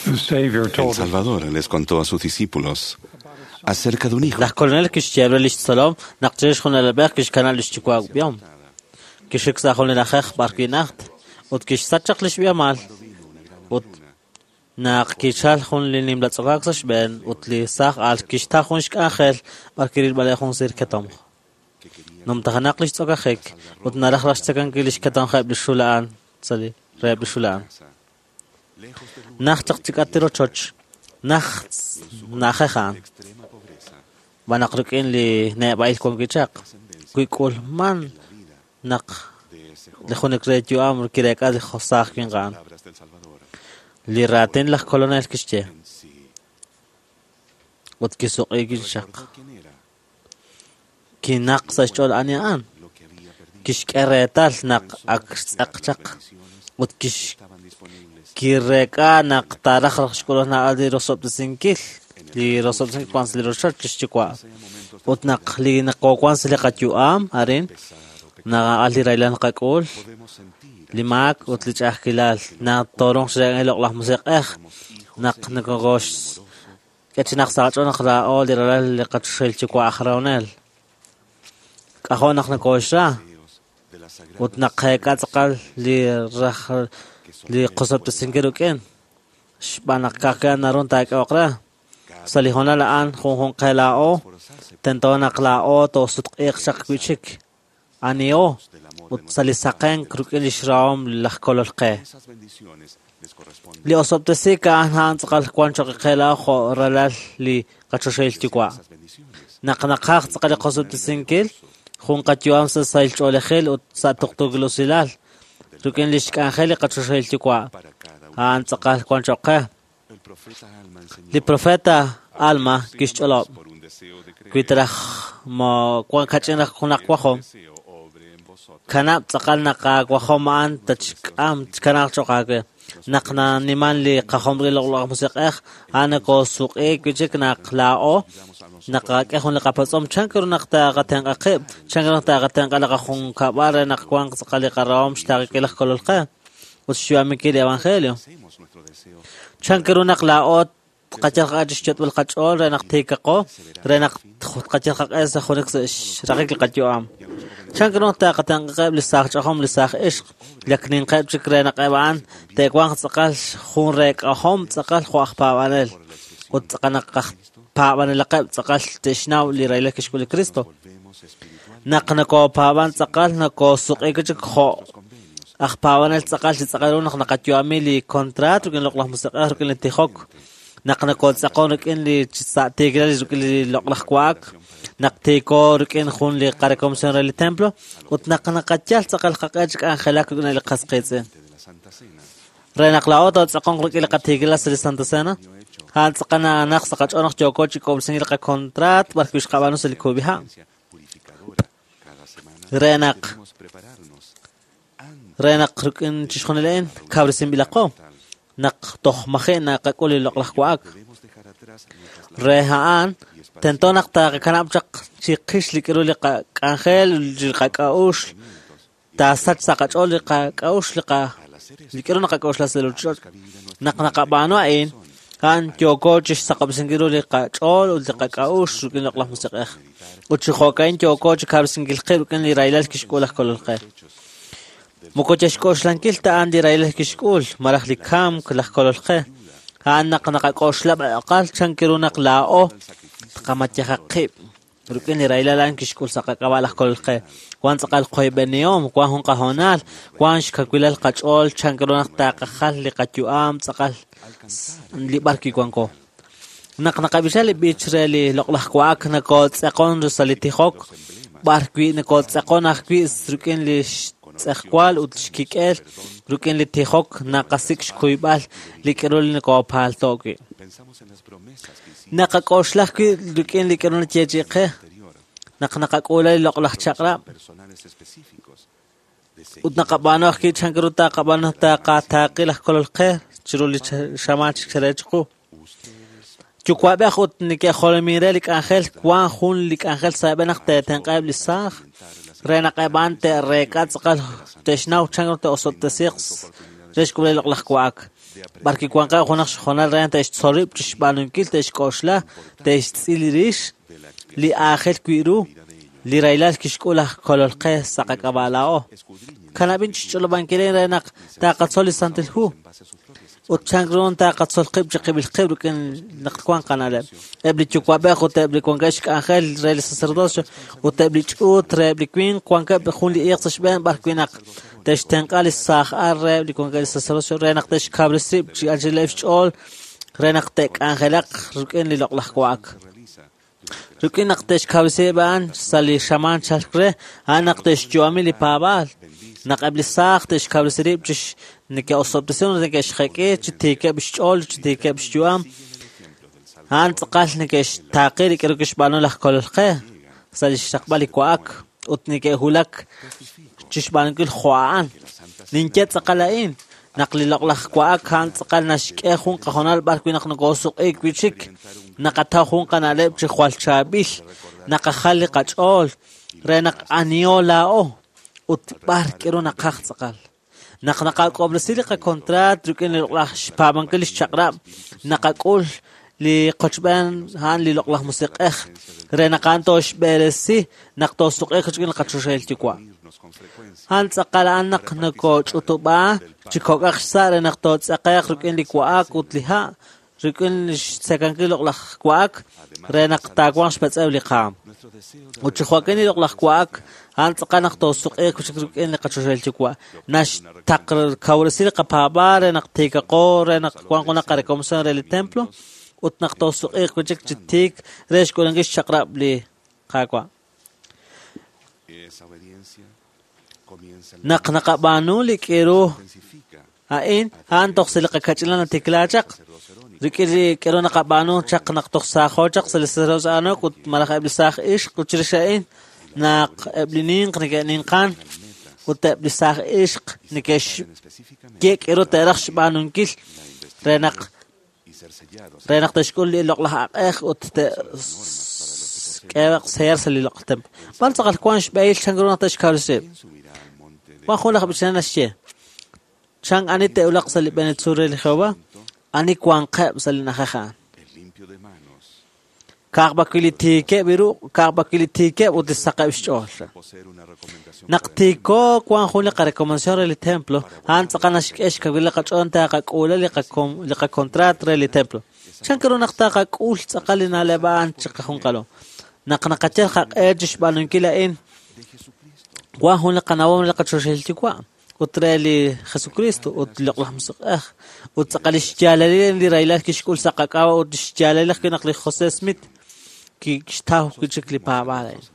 Speaker 4: The Savior
Speaker 2: El
Speaker 4: told
Speaker 2: Salvador les contó a sus discípulos acerca de un hijo
Speaker 9: Laj Kolonel kixye re lix tzolom naq chirix jun alab'ej kixkanab' lix yuwa' b'ihom. Kixik sa' jun li na'ajej b'ar wi' najt ut kixsach chaq lix b'ihomal. Ut naq kichal jun li nimla tz'okaak sa' xb'een ut li saaj al kixtaw jun xk'anjel b'ar kirilb'aleb' jun siir ketomq. Numtajenaq lix tz'okajik ut naraj raj xtzakankil lix ketomjeb' li xul a'an sa' li reheb' li xul a'an. Najt chaq chik'at li rochoch, najt na'ajej a'an. B'an naq rik'in li neb'a'il wan wi' chaq, wi k'ulman naq li junik re yu'am kireek'a li saaj winq a'an. Li raatin laj Kolonel kixye ut kisuq'iik chaq. Kinaq sa' xch'ool ani a'an. Kixk'e reetal naq ak xtz'aq chaq ut kireek'a naq taaraj raj xk'ulb'al naab'al li rosob'tesinkil li rosob'tesinkil wan sa' li rochoch lix yuwa'. Ut naq li naqowan sa' li qayu'am arin naqa'al li rahilal naqak'ul, li maak ut li ch'a'ajkilal naq toorunq xreek'ankil li Loq'laj Musiq'ej naq nokox k'e chi naq sa' qach'ool naq laa'o li ralal li qachoxahil yuwa' aj rahonel. K'ajo' naq nokoxra ut naqeek'a tz'aqal li raj li qosob'tesinkil rik'in xb'aan naq ka'ajwi' a'an naru taak'ehoq re. Sa' li hoonal a'an junjunq qe laa'o tento naq laa'o toosutq'iiq chaq wi'chik aniho ut sa' li saqenk rik'in lix rahom laj Kolol qe. Li osob'tesiik a'an a'an tz'aqal wan choq' qe laa'o jo' ralal li qachoxahil yuwa'. Naq naqaj tz'aqal li qosob'tesinkil, jun qayu'am sa' sahil ch'oolejil ut sa' tuqtuukil usilal rik'in lix k'anjel li qachoxahil yuwa'. A'an tz'aqal wan choq' qe. Li profeta Alma kixch'olob' wi taraj mo wan kach'in raj junaq wajom kanab' tz'aqal naq aawajom a'an tachk'am tkanaq choq' aawe. Naq naniman li qajom rik'in li Loq'laj Musiq'ej, a'an nokosuq'iik wi'chik naq laa'o naqak'e jun li qapatz'om chan ru naq taqatenq'a qib', chan ru naq taqatenq'a li qajunkab'al re naq wanq tz'aqal li qarahom xtaaqikil laj Kolol qe ut xyu'aminkil li Evangelio. Chan ru naq laa'o tqayal qaq'e chixyot'b'al qach'ool re naq tiikaqo, re naq tqayal qaq'e sa' junik sa' xraqik li qayu'am. Chan ru naq taqatenq'aqeb' li saaj ch'ajom, li saaj ixq, li ak ninqeb' chik re naq eb' a'an te'wanq tz'aqal jun reek'ahom tz'aqal jo' aj paab'anel ut tz'aqal naq aj paab'anelaqeb' tz'aqal te'xnaw li rahilal kixk'ul li Kristo. Naq nokopaab'an tz'aqal nokosuq'iik chik jo' aj paab'anel tz'aqal chi tz'aqal ru naq naqayu'ami li contrato rik'in li Loq'laj Musiq'ej rik'in li tijok, naq nokotz'aqon rik'in li sa' tiikilal rik'in li loq'laj wa'ak, naq tiiko rik'in jun li qarekomisión re li templo, ut naq naqayal tz'aqal qaq'e chi k'anjelak rik'in li qas qiitz'in. Re naq laa'o tootz'aqonq rik'in li qatiikilal sa' li Santa Cena, a'an tz'aqal naq sa' qach'ool naq yooko chi k'ob'resinkil li qakontraat b'ar wi' xqab'aanu sa' li kub'iha'. Re naq rik'in chixjunil a'in kawresinb'ilaqo naq toj maji' naqak'ul li loq'laj wa'ak. Re a'an tento naq taqakanab' chaq chiqix li k'aru li qak'anjel, li qak'a'uxl, taasach sa' qach'ool li qak'a'uxl, li k'aru naqak'a'uxla sa' li ruuchich'och'. Naq naqab'aanu a'in, a'an yooko chixsaqob'resinkil ru li qach'ool ut li qak'a'uxl rik'in li Loq'laj Musiq'ej. Ut chi jo'ka'in yooko chi kawresinkil qib' rik'in li rahilal kixk'ul laj Kolol qe. Moko chixk'oxlankil ta a'an li rahilal kixk'ul, malaj li kamk laj Kolol qe. A'an naq naqak'oxla b'aqal chan ru naq laa'o tqamayaja qib' rik'in li rahilal a'an kixk'ul sa' qak'ab'a' laj Kolol qe. Wan tz'aqal qoyb'enihom, wan jun qahoonal, wan xkawilal qach'ool chan ru naq taqajal li qayu'am tz'aqal li b'ar wi' wanko. Naq naqab'icha li b'ich re li loq'laj wa'ak nokotz'aqon sa' li tijok, b'ar wi' nokotz'aqon ajwi' rik'in li xtz'ejwal ut xkik'el rik'in li tijok naqasik' xkuyb'al li k'aru li nokopaalto' wi'. Naqak'oxla ajwi' rik'in li k'aru nayeechi'i qe naq naqak'uula li loq'laj chaq'rab' ut naqab'aanu ajwi' chan ru taqab'aanu taqataaqi laj Kolol qe chiru li xamaan chik re chiqu. Yuwa'b'ej ut neke'jolomin re li k'anjel wan jun li k'anjel sa' b'een naq te'tenq'aheb' li saaj re naq eb' a'an te'reek'a tz'aqal te'xnaw chan ru te'osob'tesiiq re xk'ulb'al li loq'laj wa'ak. B'ar kiwanqeb' junaq xhoonal re te'xtzol rib' chixb'aanunkil, te'xk'oxla, te'xtz'il rix li aajel wi' ru li rahilal kixk'ul laj Kolol qe sa' qak'ab'a' laa'o. Kanab'in chixch'olob'ankil re naq taqatzol li Santil Hu ut chan ru taqatzol qib' chiqib'il qib' rik'in naq wanq qana'leb'. Eb' li yuwa'b'ej ut eb' li wankeb' xk'anjel re li sacerdocio ut eb' li ch'uut re eb' li winq wankeb' jun li iiq sa' xb'een b'ar wi' naq te'xtenq'a li saaj al re eb' li wankeb' li sacerdocio re naq te'xkawresi rib' chi anchaleb' xch'ool re naq te'k'anjelaq rik'in li loq'laj wa'ak. Rik'in naq te'xkawresi rib' a'an sa' li xamaan chalk re, a'an naq te'xyu'ami li paab'aal. Naq eb' li saaj te'xkawresi rib' chi neke'osob'tesi ut neke'xjek'i chi tiikeb' xch'ool, chi tiikeb' xyu'am, a'an tz'aqal neke'xtaaqi li k'aru kixb'aanu laj Kolol qe sa' li xraqb'al li wa'ak ut neke'wulak chixb'aanunkil jo' a'an. Ninye tz'aqal a'in, naq li loq'laj wa'ak a'an tz'aqal naxk'e jun qahoonal b'ar wi' naq nokosuq'iik wi' chik, naqataw jun qana'leb' chi jwal chaab'il, naqajal li qach'ool re naq aniho laa'o ut b'ar k'aru naqaj tz'aqal. Naq naqak'ob'resi li qakontraat rik'in li loq'laj xpaab'ankil li xchaq'rab', naqak'ul li qochb'een a'an li loq'laj musiq'ej re naq a'an tooxb'eresi naq toosuq'iiq rik'in li qachoxahil Yuwa'. A'an tz'aqal a'an naq nokoch'utub'a chi kok'aq xsa' re naq tootz'aqe'q rik'in li wa'ak ut li ha', rik'in xtzekankil li loq'laj wa'ak re naq taawanq xmetz'ew li qaam. Ut chi jo'kan li loq'laj wa'ak a'an tz'aqal naq toosuq'iiq chik rik'in li qachoxahil Yuwa'. Naxkawresi li qapaab'aal re naq tiikaqo re naq wanq junaq qarekomisión re li templo ut naq toosuq'iiq wi' chik chi tiik re xk'uulankil xchaq'rab' li Qaawa'. Naq naqab'aanu li k'aru a'in, a'an toj sa' li qakach'inal natikla chaq. Rik'in li k'aru naqab'aanu chaq naq toj saajo chaq sa' li sacerdocio Aaronico ut malaj eb' li saaj ixq ut chirix a'in naq eb' li ninq neke'ninqan ut eb' li saaj ixq neke'xye k'aru te'raj xb'aanunkil re naq te'xk'ul li loq'laj aq'ej ut te'k'ehe'q seer sa' li loq'laj templo. B'ar tz'aqal wank xb'ehil chan ru naq te'xkawresi rib'. Wan jun laj b'ichanel naxye, chan ani te'wulaq sa' li b'enetzuul re li Jehova, ani wanqeb' sa' li na'ajej a'an. Ka'aj b'ar wi' li tiikeb' ru, ka'aj b'ar wi' li tiikeb' ut li saqeb' xch'ool. Naq tiiko wank jun li qarekomendación re li templo, a'an tz'aqal naxk'e xkawil li qach'ool taqak'uula li qakontraat re li templo. Chan ru naq taqak'ul tz'aqal li na'leb' a'an chiqajunqalo. Naq naqayal qaq'e chixb'aanunkil a'in, wan jun li qanawom li qachoxahil Yuwa' ut re li Jesucristo ut li loq'laj musiq'ej ut tz'aqal li xyaalalil li rahilal kixk'ul sa' qak'ab'a' ut xyaalalil ajwi' naq li José Smith kixtaw wi' chik li paab'aal a'in.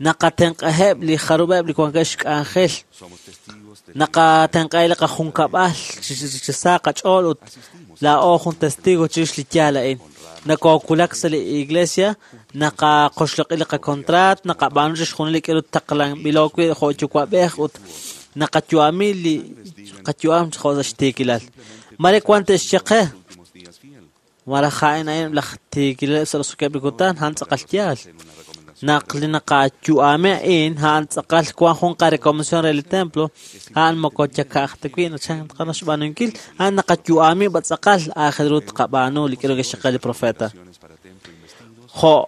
Speaker 9: Naqatenq'aheb' li jarub'eb' li wankeb' xk'anjel, naqatenq'aheb' li qajunkab'al chi sa qach'ool ut laa'o jun testigo chirix li yaal a'in. Nakookulak sa' li iglesia, naqaqoxloq'i li qakontraat, naqab'aanu chixjunil li k'aru taqlanb'ilo wi' jo' yuwa'b'ej ut naqayu'ami li qayu'am jo' sa' xtiikilal. Mare wan te'xye qe, malaj a'in a'in laj tiikilaleb' sa' roso'jikeb' li kutan, a'an tz'aqal yaal. Naq li naqayu'ami a'in, a'an tz'aqal wan jun qarekomisión re li templo, a'an moko yaka'aj ta wi' chan tqana xb'aanunkil, a'an naqayu'ami b'a tz'aqal aajel ru tqab'aanu li k'aru kixye qe li profeta. Jo'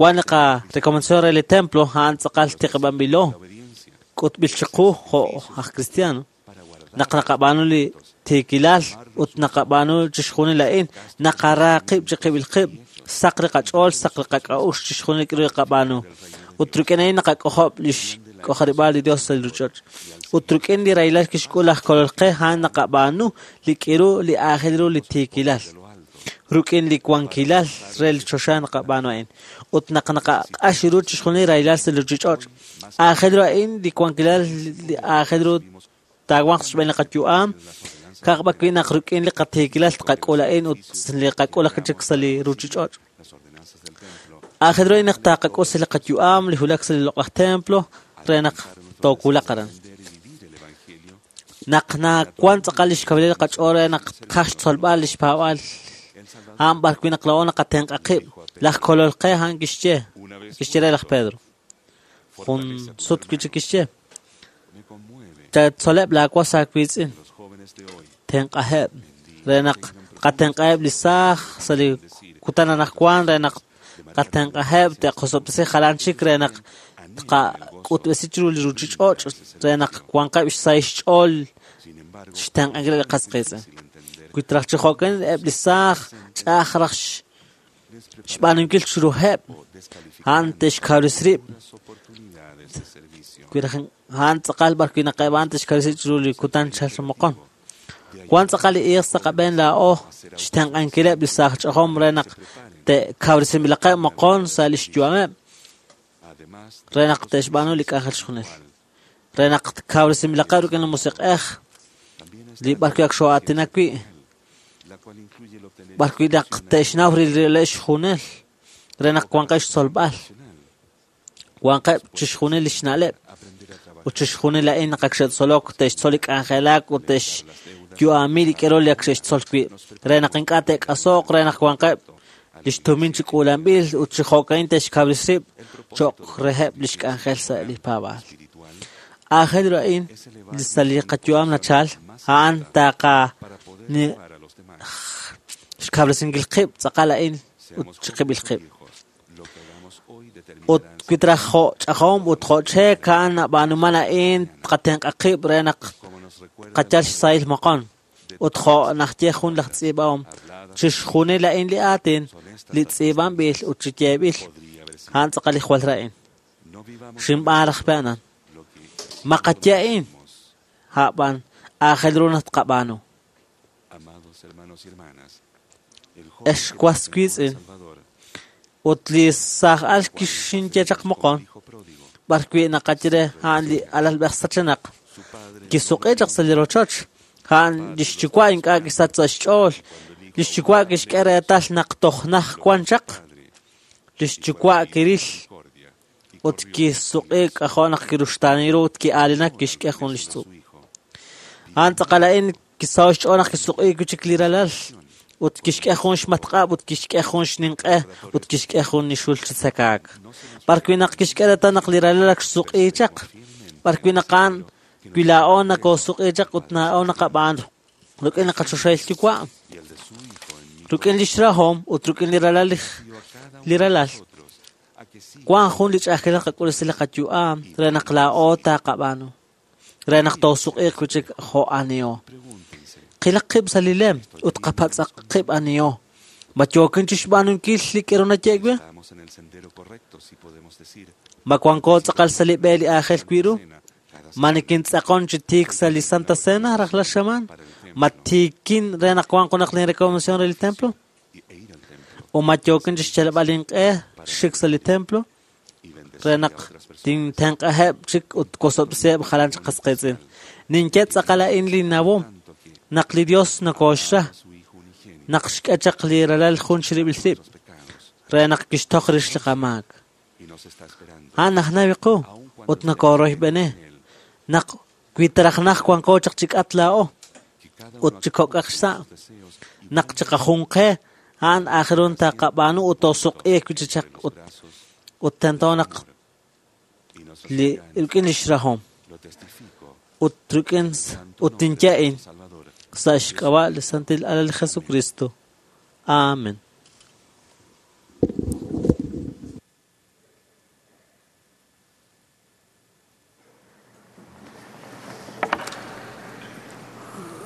Speaker 9: wan li qarekomendación re li templo, a'an tz'aqal tiqib'anb'ilo, k'utb'il chiqu jo' aj cristiano. Naq naqab'aanu li tiikilal ut naqab'aanu chixjunil a'in, naqara qib' chiqib'il qib', saq li qach'ool, saq li qak'a'uxl chixjunil li k'aru qab'aanu. Ut rik'in a'in naqak'ojob' li xk'ojarib'aal li Dios sa' li ruuchich'och'. Ut rik'in li rahilal kixk'ul laj Kolol qe, a'an naqab'aanu li k'aru li aajel ru li tiikilal. Rik'in li wankilal re li choxa naqab'aanu a'in. Ut naq naqaq'ax ru chixjunil li rahilal sa' li ruuchich'och', aajel ru a'in li wankilal li aajel ru taawanq xb'een li qayu'am, ka'aj b'ar wi' naq rik'in li qatiikilal tqak'ul a'in ut li qak'ul ajwi' chik sa' li ruuchich'och'. Aajel ru a'in naq taqak'ul sa' li qayu'am li wulak sa' li loq'laj templo re naq toowulaq aran. Naq nawank tz'aqal li xkawilal li qach'ool re naq tqaj xtzolb'al li xpaab'aal, a'an b'ar wi' naq laa'o naqatenq'a qib'. Laj Kolol qe a'an kixye, kixye re laj Pedro. Jun sut wi' chik kixye, chatzoleb' laawas aawiitz'in. Tenq'aheb' re naq tqatenq'aheb' li saaj sa' li kutan anaqwan re naq tqatenq'aheb' te'qosob'tesi jalan chik re naq tqak'utb'esi chiru li ruuchich'och' re naq wanqeb' xsahil xch'ool xtenq'ankil li qas qiitz'in. Wi traj chi jo'kan eb' li saaj ch'a'aj raj xb'aanunkil chiruheb' a'an te'xkawresi rib'. Wi raj a'an tz'aqal b'arwi' naq eb' a'an te'xkawresi chiru li kutan chalk moqon. Wan tz'aqal li iiq sa' qab'een laa'o xtenq'ankileb' li saaj ch'ajom re naq te'kawresinb'ilaqeb' moqon sa' li xyu'ameb' re naq te'xb'aanu li k'anjel xjunil. Re naq kawresinb'ilaqeb' rik'in li musiq'ej li b'arwi' ak xoo'aatinak wi', b'arwi' naq te'xnaw rileb' xjunel re naq wanqeb' xtzolb'al, wanqeb' chixjunil li xna'leb' ut chixjunil a'in naq ak xe'tzolok te'xtzol li k'anjelak ut te'xyu'ami li k'ero li ak xe'xtzol wi' re naq ink'a' te'k'aso'q re naq wanqeb' li xtumin chi k'uulanb'il ut chi jo'ka'in te'xkawresi rib' cho'q reheb' li xk'anjel sa' li paab'aal. Aajel ru a'in sa' li qayu'am nachal, a'an taaqa xkawresinkil qib' tz'aqal a'in ut chiqib'il qib'. Ut wi traj jo' ch'ajom ut jo' cheek a'an nab'aanuman a'in tqatenq'a qib' re naq qayal xsahil moqon. Ut jo' najye jun laj tz'iib'ahom, chixjunil a'in li aatin li tz'iib'anb'il ut chi yeeb'il, a'an tz'aqal li jwal ra'in. Xinb'aan raj pe a'an. Ma qaye a'in, a'b'an aajel ru naq tqab'aanu. Ex was wiitz'in, ut li saaj al kixinye chaq moqon, b'arwi' naqaye re a'an li alalb'ej sachenaq, kisuq'i chaq sa' li rochoch, a'an li xyuwa' ink'a' kisach sa' xch'ool, li xyuwa' kixk'e reetal naq toj naj wan chaq, li xyuwa' kiril ut kisuq'i k'ajo' naq kiruxtaani ru ut ki'aalinak kixk'e jun li xtz'ub'. A'an tz'aqal a'in kisaho' xch'ool naq kisuq'i wi' chik li ralal ut kixk'e jun xmatq'ab' ut kixk'e jun xninq'e ut kixk'e jun li xul chi tzakaak. B'arwi' naq kixk'e reetal naq li ralal ak xsuq'i chaq, b'arwi' naq a'an wi laa'o nakoosuq'i chaq ut laa'o naqab'aan rik'in li qachoxahil yuwa', rik'in li xrahom ut rik'in li ralal li ralal. Wan jun li ch'a'ajkil qak'ul sa' li qayu'am re naq laa'o taqab'aanu, re naq toosuq'iiq wi' chik jo' aniho. Qilaq qib' sa' li lem ut qapatz'aq qib' aniho. Ma yookin chi xb'aanunkil li k'ero naye'k wi'? Ma wanko tz'aqal sa' li b'e li aajel wi' ru? Ma nikintz'aqon chi tiik sa' li Santa Cena rajlal xamaan? Ma tiikin re naq wanq junaq lin recomendación re li templo? O ma yookin chi xyalb'al inq'e xik sa' li templo re naq tintenq'aheb' chik ut wosob'siheb' jalan chik qas qiitz'in. Ninye tz'aqal a'in li nawom naq li Dios nokooxra, naq xk'e chaq li ralal jun chirib'il rib' re naq kixtoj rix li qamaak. A'an najnawi qu ut nokooroyb'eni naq wi traj naj wanko chaq chi k'at laa'o ut chi kok'aq xsa' naq chiqajunqe a'an aajel ru taqab'aanu ut toosuq'iiq wi' chi chaq ut tento naq li rik'in li xrahom ut rik'in ut ninye a'in sa' xk'ab'a' li Santil Alal Jesucristo. Amen.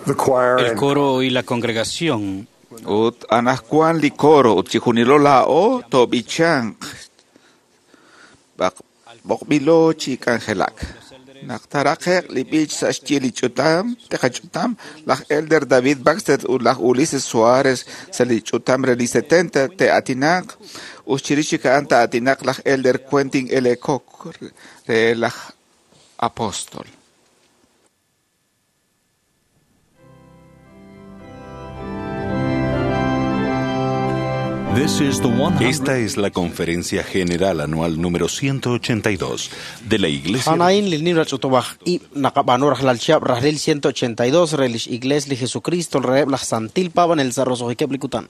Speaker 4: The choir
Speaker 5: El
Speaker 4: and
Speaker 5: coro y la congregación
Speaker 6: Ut anaqwan li coro ut chijunilo laa'o toob'ichanq b'oqb'ilo chi k'anjelak. Naq taraqe'q li b'ich sa' xyi li ch'utam, teqach'utam, laj Elder David Baxter ut laj Ulises Suárez sa' li ch'utam re li 70 te'aatinaq ut chirix chik a'an ta'aatinaq laj Elder Quentin L. Cook re laj Apóstol.
Speaker 2: Esta es la Conferencia General Anual número 182 de la Iglesia.
Speaker 3: A'an a'in li nimla ch'utub'aj ib' naqab'aanu rajlal chihab' rajlil 182 re lix Iglesia li Jesucristo reheb' laj Santil Paab'anel sa' roso'jikeb' li kutan.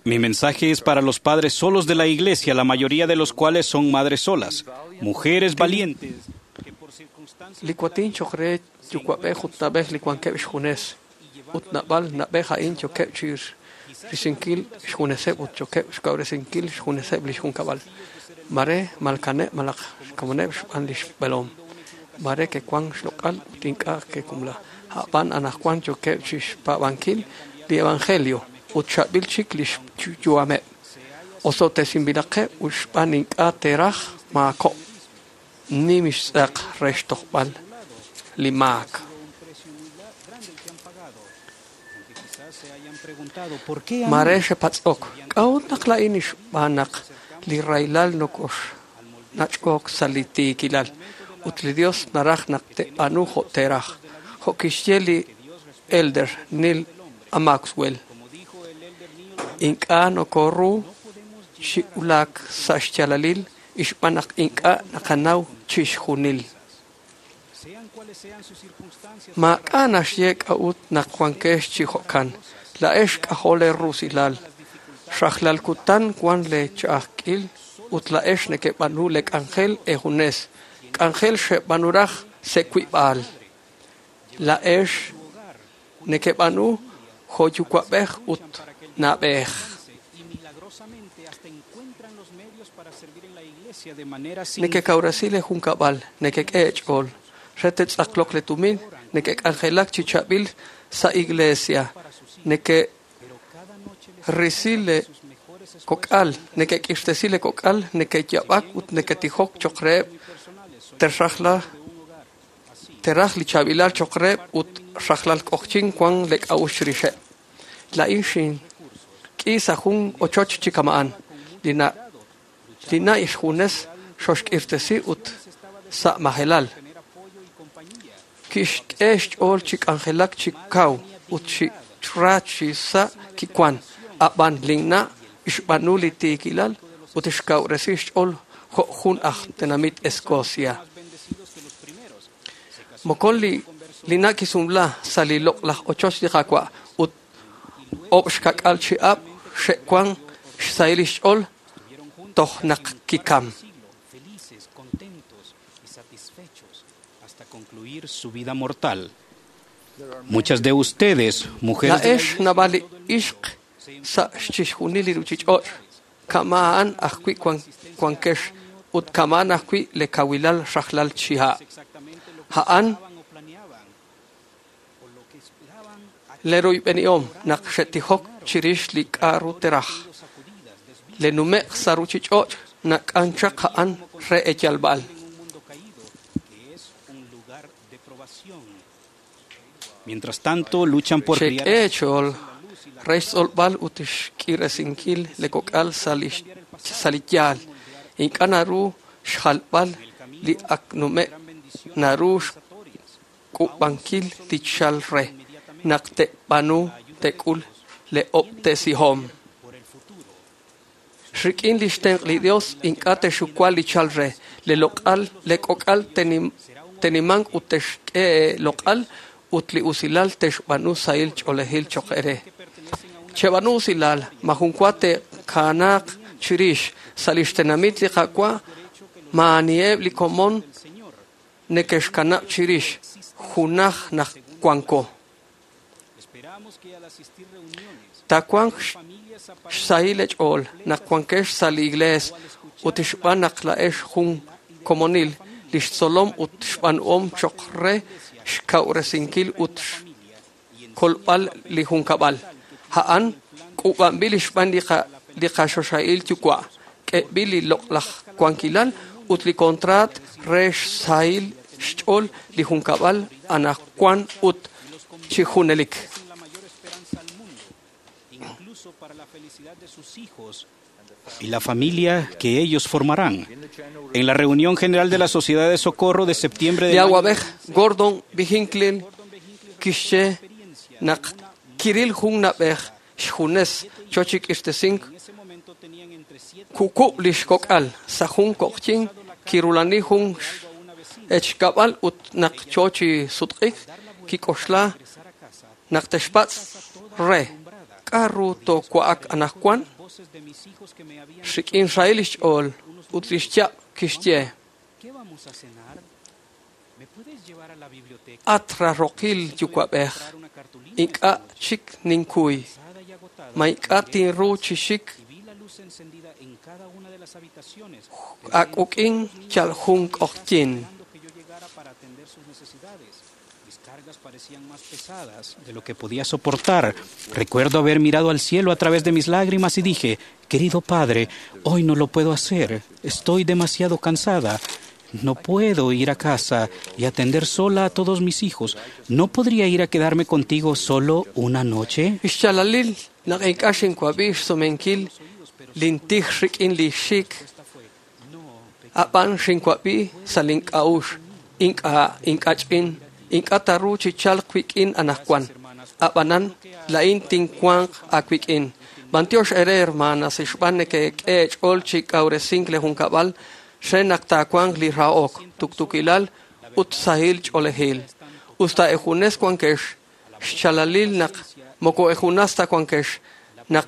Speaker 5: Mi mensaje es para los padres solos de la iglesia, la mayoría de los cuales son madres solas, mujeres valientes.
Speaker 10: Li cuatín choqre yucuabej utnabej li cuanqueb xjunes. Utnabal nabej ain chokeb chir risinkil xjuneseb ut chokeb xkawresinkil xjuneseb li xjunkabal. Mare malkane malaq xkamoneb xb'an li xb'elom. Mare ke kuan xloq'al ut ink'a' ke kumla. A'b'an anajwan chokeb chixpab'ankil li evangelio ut xab'il chik li xyu'ameb. Osotesinb'ilaqeb' ut xb'aan ink'a' teraj maako'. Nim xtz'aq re xtojb'al li maak. Mare xepatz'ok k'a'ut naq la'in xb'aan naq li rahilal nokox nach'ok sa' li tiikilal ut li Dios naraj naq te'b'aanu jo' teraj. Jo' kixye li Elder Neil A. Maxwell. Ink'a' nokoru xi'ulaak sa' xyaalalil xb'aan naq ink'a' naqanaw chixjunil. Maak'a' naxye k'a'ut naq wankex chi jo'kan. La'ex k'ajo' le rusilal. Xajlal kutan wan le ch'a'ajkil ut la'ex nekeb'aanu le k'anjel ejunes. K'anjel xeb'aanuraj se'wib'al. La'ex nekeb'aanu jo' yuwa'b'ej ut na'b'ej. Nekekawresi le junkab'al, nekek'e ch'ool. Re te'tz'aqloq le tumin, nekek'anjelak chi chab'il sa' iglesia. Nekerisi le kok'al, nekek'irtesi le kok'al, nekeyab'ak ut neketijok choq reheb' terajla teraj li chaab'ilal choq reheb' ut rajlal k'ojchin wan le k'a'uxl chirixeb'. La'in xink'i sa' jun ochoch chi kama'an. Li na' xjunes xoxk'irtesi ut sa' majelal. Kixk'e xch'ool chi k'anjelak chi kaw ut chi ra chi sa' kiwan. A'b'an linna' xb'aanu li tiikilal ut xkawresi xch'ool jo' jun aj tenamit Escocia. Mokon li na' kisumla sa' li loq'laj ochoch li Qaawa' ut ob' xkak'al chi ab' xe'wan xsahil li xch'ool toj naq kikam.
Speaker 5: Hasta concluir su vida mortal. Muchas de ustedes, mujeres de la
Speaker 10: La'ex nab'al li ixq sa' chixjunil li ruchich'och' kama'an ajwi' wankex ut kama'an ajwi' le kawilal rajlal chiha'. A'an le ruyb'enihom naq xe'tijok chirix li k'a'ru teraj. Le numeq sa' ruchich'och' nak'anchaq a'an re eyalb'al.
Speaker 5: Mientras tanto, luchan por criar
Speaker 10: Xek'e ch'ool re xtz'olb'al ut xk'iresinkil le kok'al sa' li yaal. Ink'a' naru xjalb'al li ak nume' naru xk'ub'ankil li chal re naq te'b'aanu te'k'ul le ob'tesihom. Rik'in li xtenq' li Dios ink'a' texuwa li chal re le loq'al le k'ok'al tenimanq ut texk'e loq'al ut li usilal texb'aanu sahil ch'oolejil choq ere. Cheb'aanu usilal majunwa te'kanaaq chirix sa' li xtenamit li Qaawa' maaniheb' li komon nekexkanab' chirix junaj naq wanko. Tawanq xsahil ch'ool naq wankex sa' li iglees ut xb'aan naq la'ex jun komonil li xtzolom ut xb'aanuhom choq re xkawresinkil ut xkolb'al li junkab'al. A'an k'ub'anb'il xb'aan li qaxoxahil yuwa' k'eb'il li loq'laj wankilal ut li kontraat re xsahil xch'ool li junkab'al anaqwan ut chi junelik.
Speaker 5: y la familia que ellos formarán. En la reunión general de la Sociedad de Socorro de septiembre
Speaker 10: Li
Speaker 5: del año
Speaker 10: awab'ej Gordon B. Hinckley kixye naq kiril jun nab'ej xjunes chochik'irtesink kukub' li xk'ok'al sa' jun koqchin kirulani jun echkab'al ut naq cho chi sutq'ik kik'oxla naq texpatz' re. K'a' ru toowa'ak anaqwan? Rik'in xrahil li xch'ool ut li xyaab' kixye: At raarookil yuwa'b'ej, ink'a' chik ninkuy. Ma ink'a' tinru chi xik ak'uk'in yal jun q'oqyink.
Speaker 5: Mis cargas parecían más pesadas de lo que podía soportar. Recuerdo haber mirado al cielo a través de mis lágrimas y dije, querido padre, hoy no lo puedo hacer. Estoy demasiado cansada. No puedo ir a casa y atender sola a todos mis hijos. ¿No podría ir a quedarme contigo solo una noche?
Speaker 10: Ixchalalil naq ink'a' xinwab'i xsumenkil lintij rik'in li xik ab'an xinwab'i sa' link'a'uxl ink'a' ink'ach'in ink'a' taru chi chalq wik'in anaqwan ab'anan la'in tinwanq aawik'in. B'antiox ere hermanas xb'aan nekek'e eech'ool chi kawresink li junkab'al re naq taawanq li rahok, tuktukilal ut sahil ch'oolejil. Usta ejunes wankex xchalalil naq moko ejunas ta wankex naq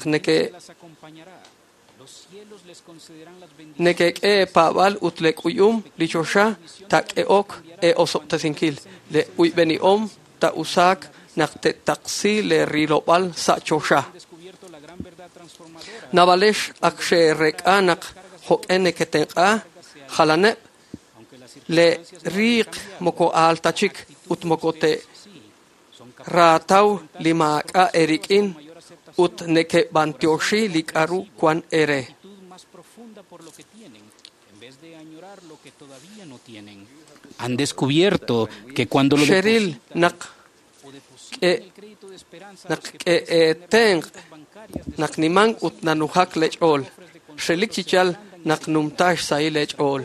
Speaker 10: nekek'e eepaab'al ut lek'uyum li choxa taak'e'ok eeosob'tesinkil le uyb'enihom taa'usaak naq te'taqsi le rilob'al sa' choxa. Naab'alex ak xe'reek'a naq jo'q'e neketenq'a jalaneb' le riiq moko aal ta chik ut moko te'raataw li maak'a' eerik'in ut neke'b'antioxi li k'a'ru wan eere.
Speaker 5: Han descubierto que cuando lo
Speaker 10: Xeril naq k'e'eetenq' naq nimank ut nanujak lech'ool. Xrelik chi yal naq numta xsahil lech'ool.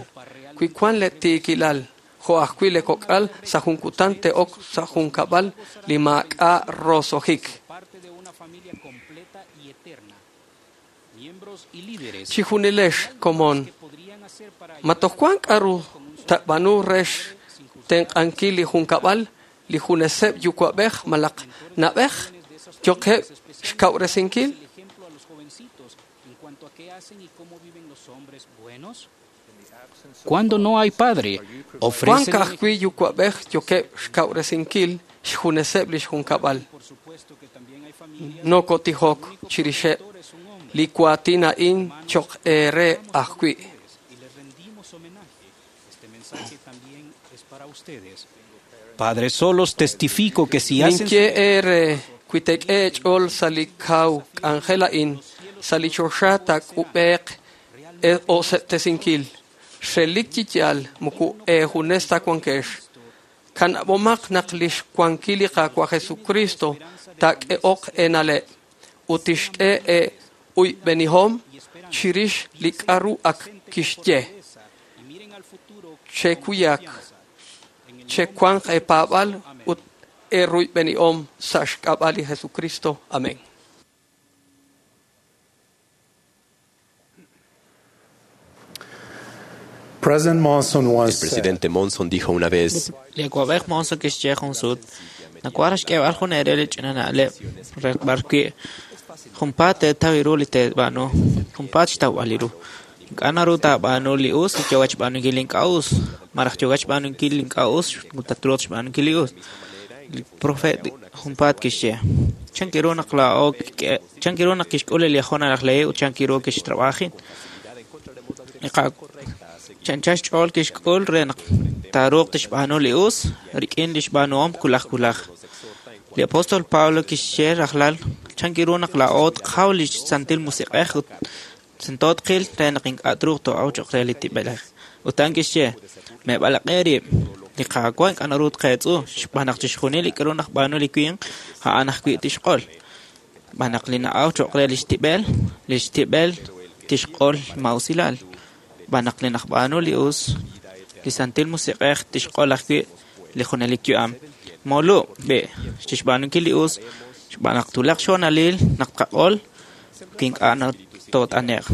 Speaker 10: Wi wan le tiikilal jo' ajwi' le kok'al sa' jun kutan te'ok sa' junkab'al li maak'a' rosojik. Chijunilex komon ma toj wan k'a'ru tab'anu re xtenq'ankil li junkab'al li juneseb' yuwa'b'ej malaq na'b'ej yoqeb' xkawresinkil.
Speaker 5: Cuando no hay padre,
Speaker 10: Wan
Speaker 5: ofrecen
Speaker 10: ka'ajwi' yuwa'b'ej yoqeb' xkawresinkil xjuneseb' li xjunkab'al. Nokotijok chirixeb' li waatin a'in choq eere ajwi'.
Speaker 5: Padres solos testifico que si hacen
Speaker 10: Ninye eere wi teek'e eech'ool sa' li kaw k'anjel a'in sa' li choxa taak'ub'eeq osob'tesinkil. Xrelik chi yaal moko eejunes ta wankex. Kanab'omaq naq li xwankil li Qaawa' Jesucristo taak'e'oq eena'leb' ut tixk'e ee'uyb'enihom chirix li k'a'ru ak kixye. Chekuyak, chewanq eepaab'al ut eeruyb'enihom sa' xk'ab'a' li Jesucristo. Amén.
Speaker 4: President Monson
Speaker 11: El
Speaker 4: once said,
Speaker 11: presidente Monson dijo una vez,
Speaker 12: Li awab'ej Monson kixye jun sut, nawaj xk'eeb'al jun eere li ch'ina na'leb' re b'arwi' junpaat teetaw ru li teeb'aanu, junpaat xtawb'al ru. Ink'a' naru taab'aanu li us li yookat xb'aanunkil li ink'a' us, malaj yookat xb'aanunkil li ink'a' us ut tatruuq xb'aanunkil li us. Li profeet junpaat kixye, chan ru naq laa'o chan ru naq kixk'ul li Liahona laj Lehi ut chan ru kixtrab'ajin. Li chancha xch'ool kixk'ul re naq taaruuq tixb'aanu li us rik'in li xb'aanuhom wulaj wulaj. Li apóstol Pablo kixye rajlal chan ru naq laa'o tqaw li Santil Musiq'ej ut tento tqil re naq ink'a' truuq too'aw cho'q re li tib'elej. Ut a'an kixye, meeb'alaq'e rib', li Qaawa' ink'a' naru tqeetz'u xb'aan naq chixjunil li k'aru najb'aanu li winq a'an ajwi' tixq'ol. Xb'aan naq li na'aw cho'q re li xtib'el, li xtib'el tixq'ol mausilal. Xb'aan naq li najb'aanu li us, li Santil Musiq'ej tixq'ol ajwi' li junelik yu'am. Moolu' b'i' chixb'aanunkil li us xb'aan naq twulaq xhoonalil naq tqaq'ol wi ink'a' toot'ane'q.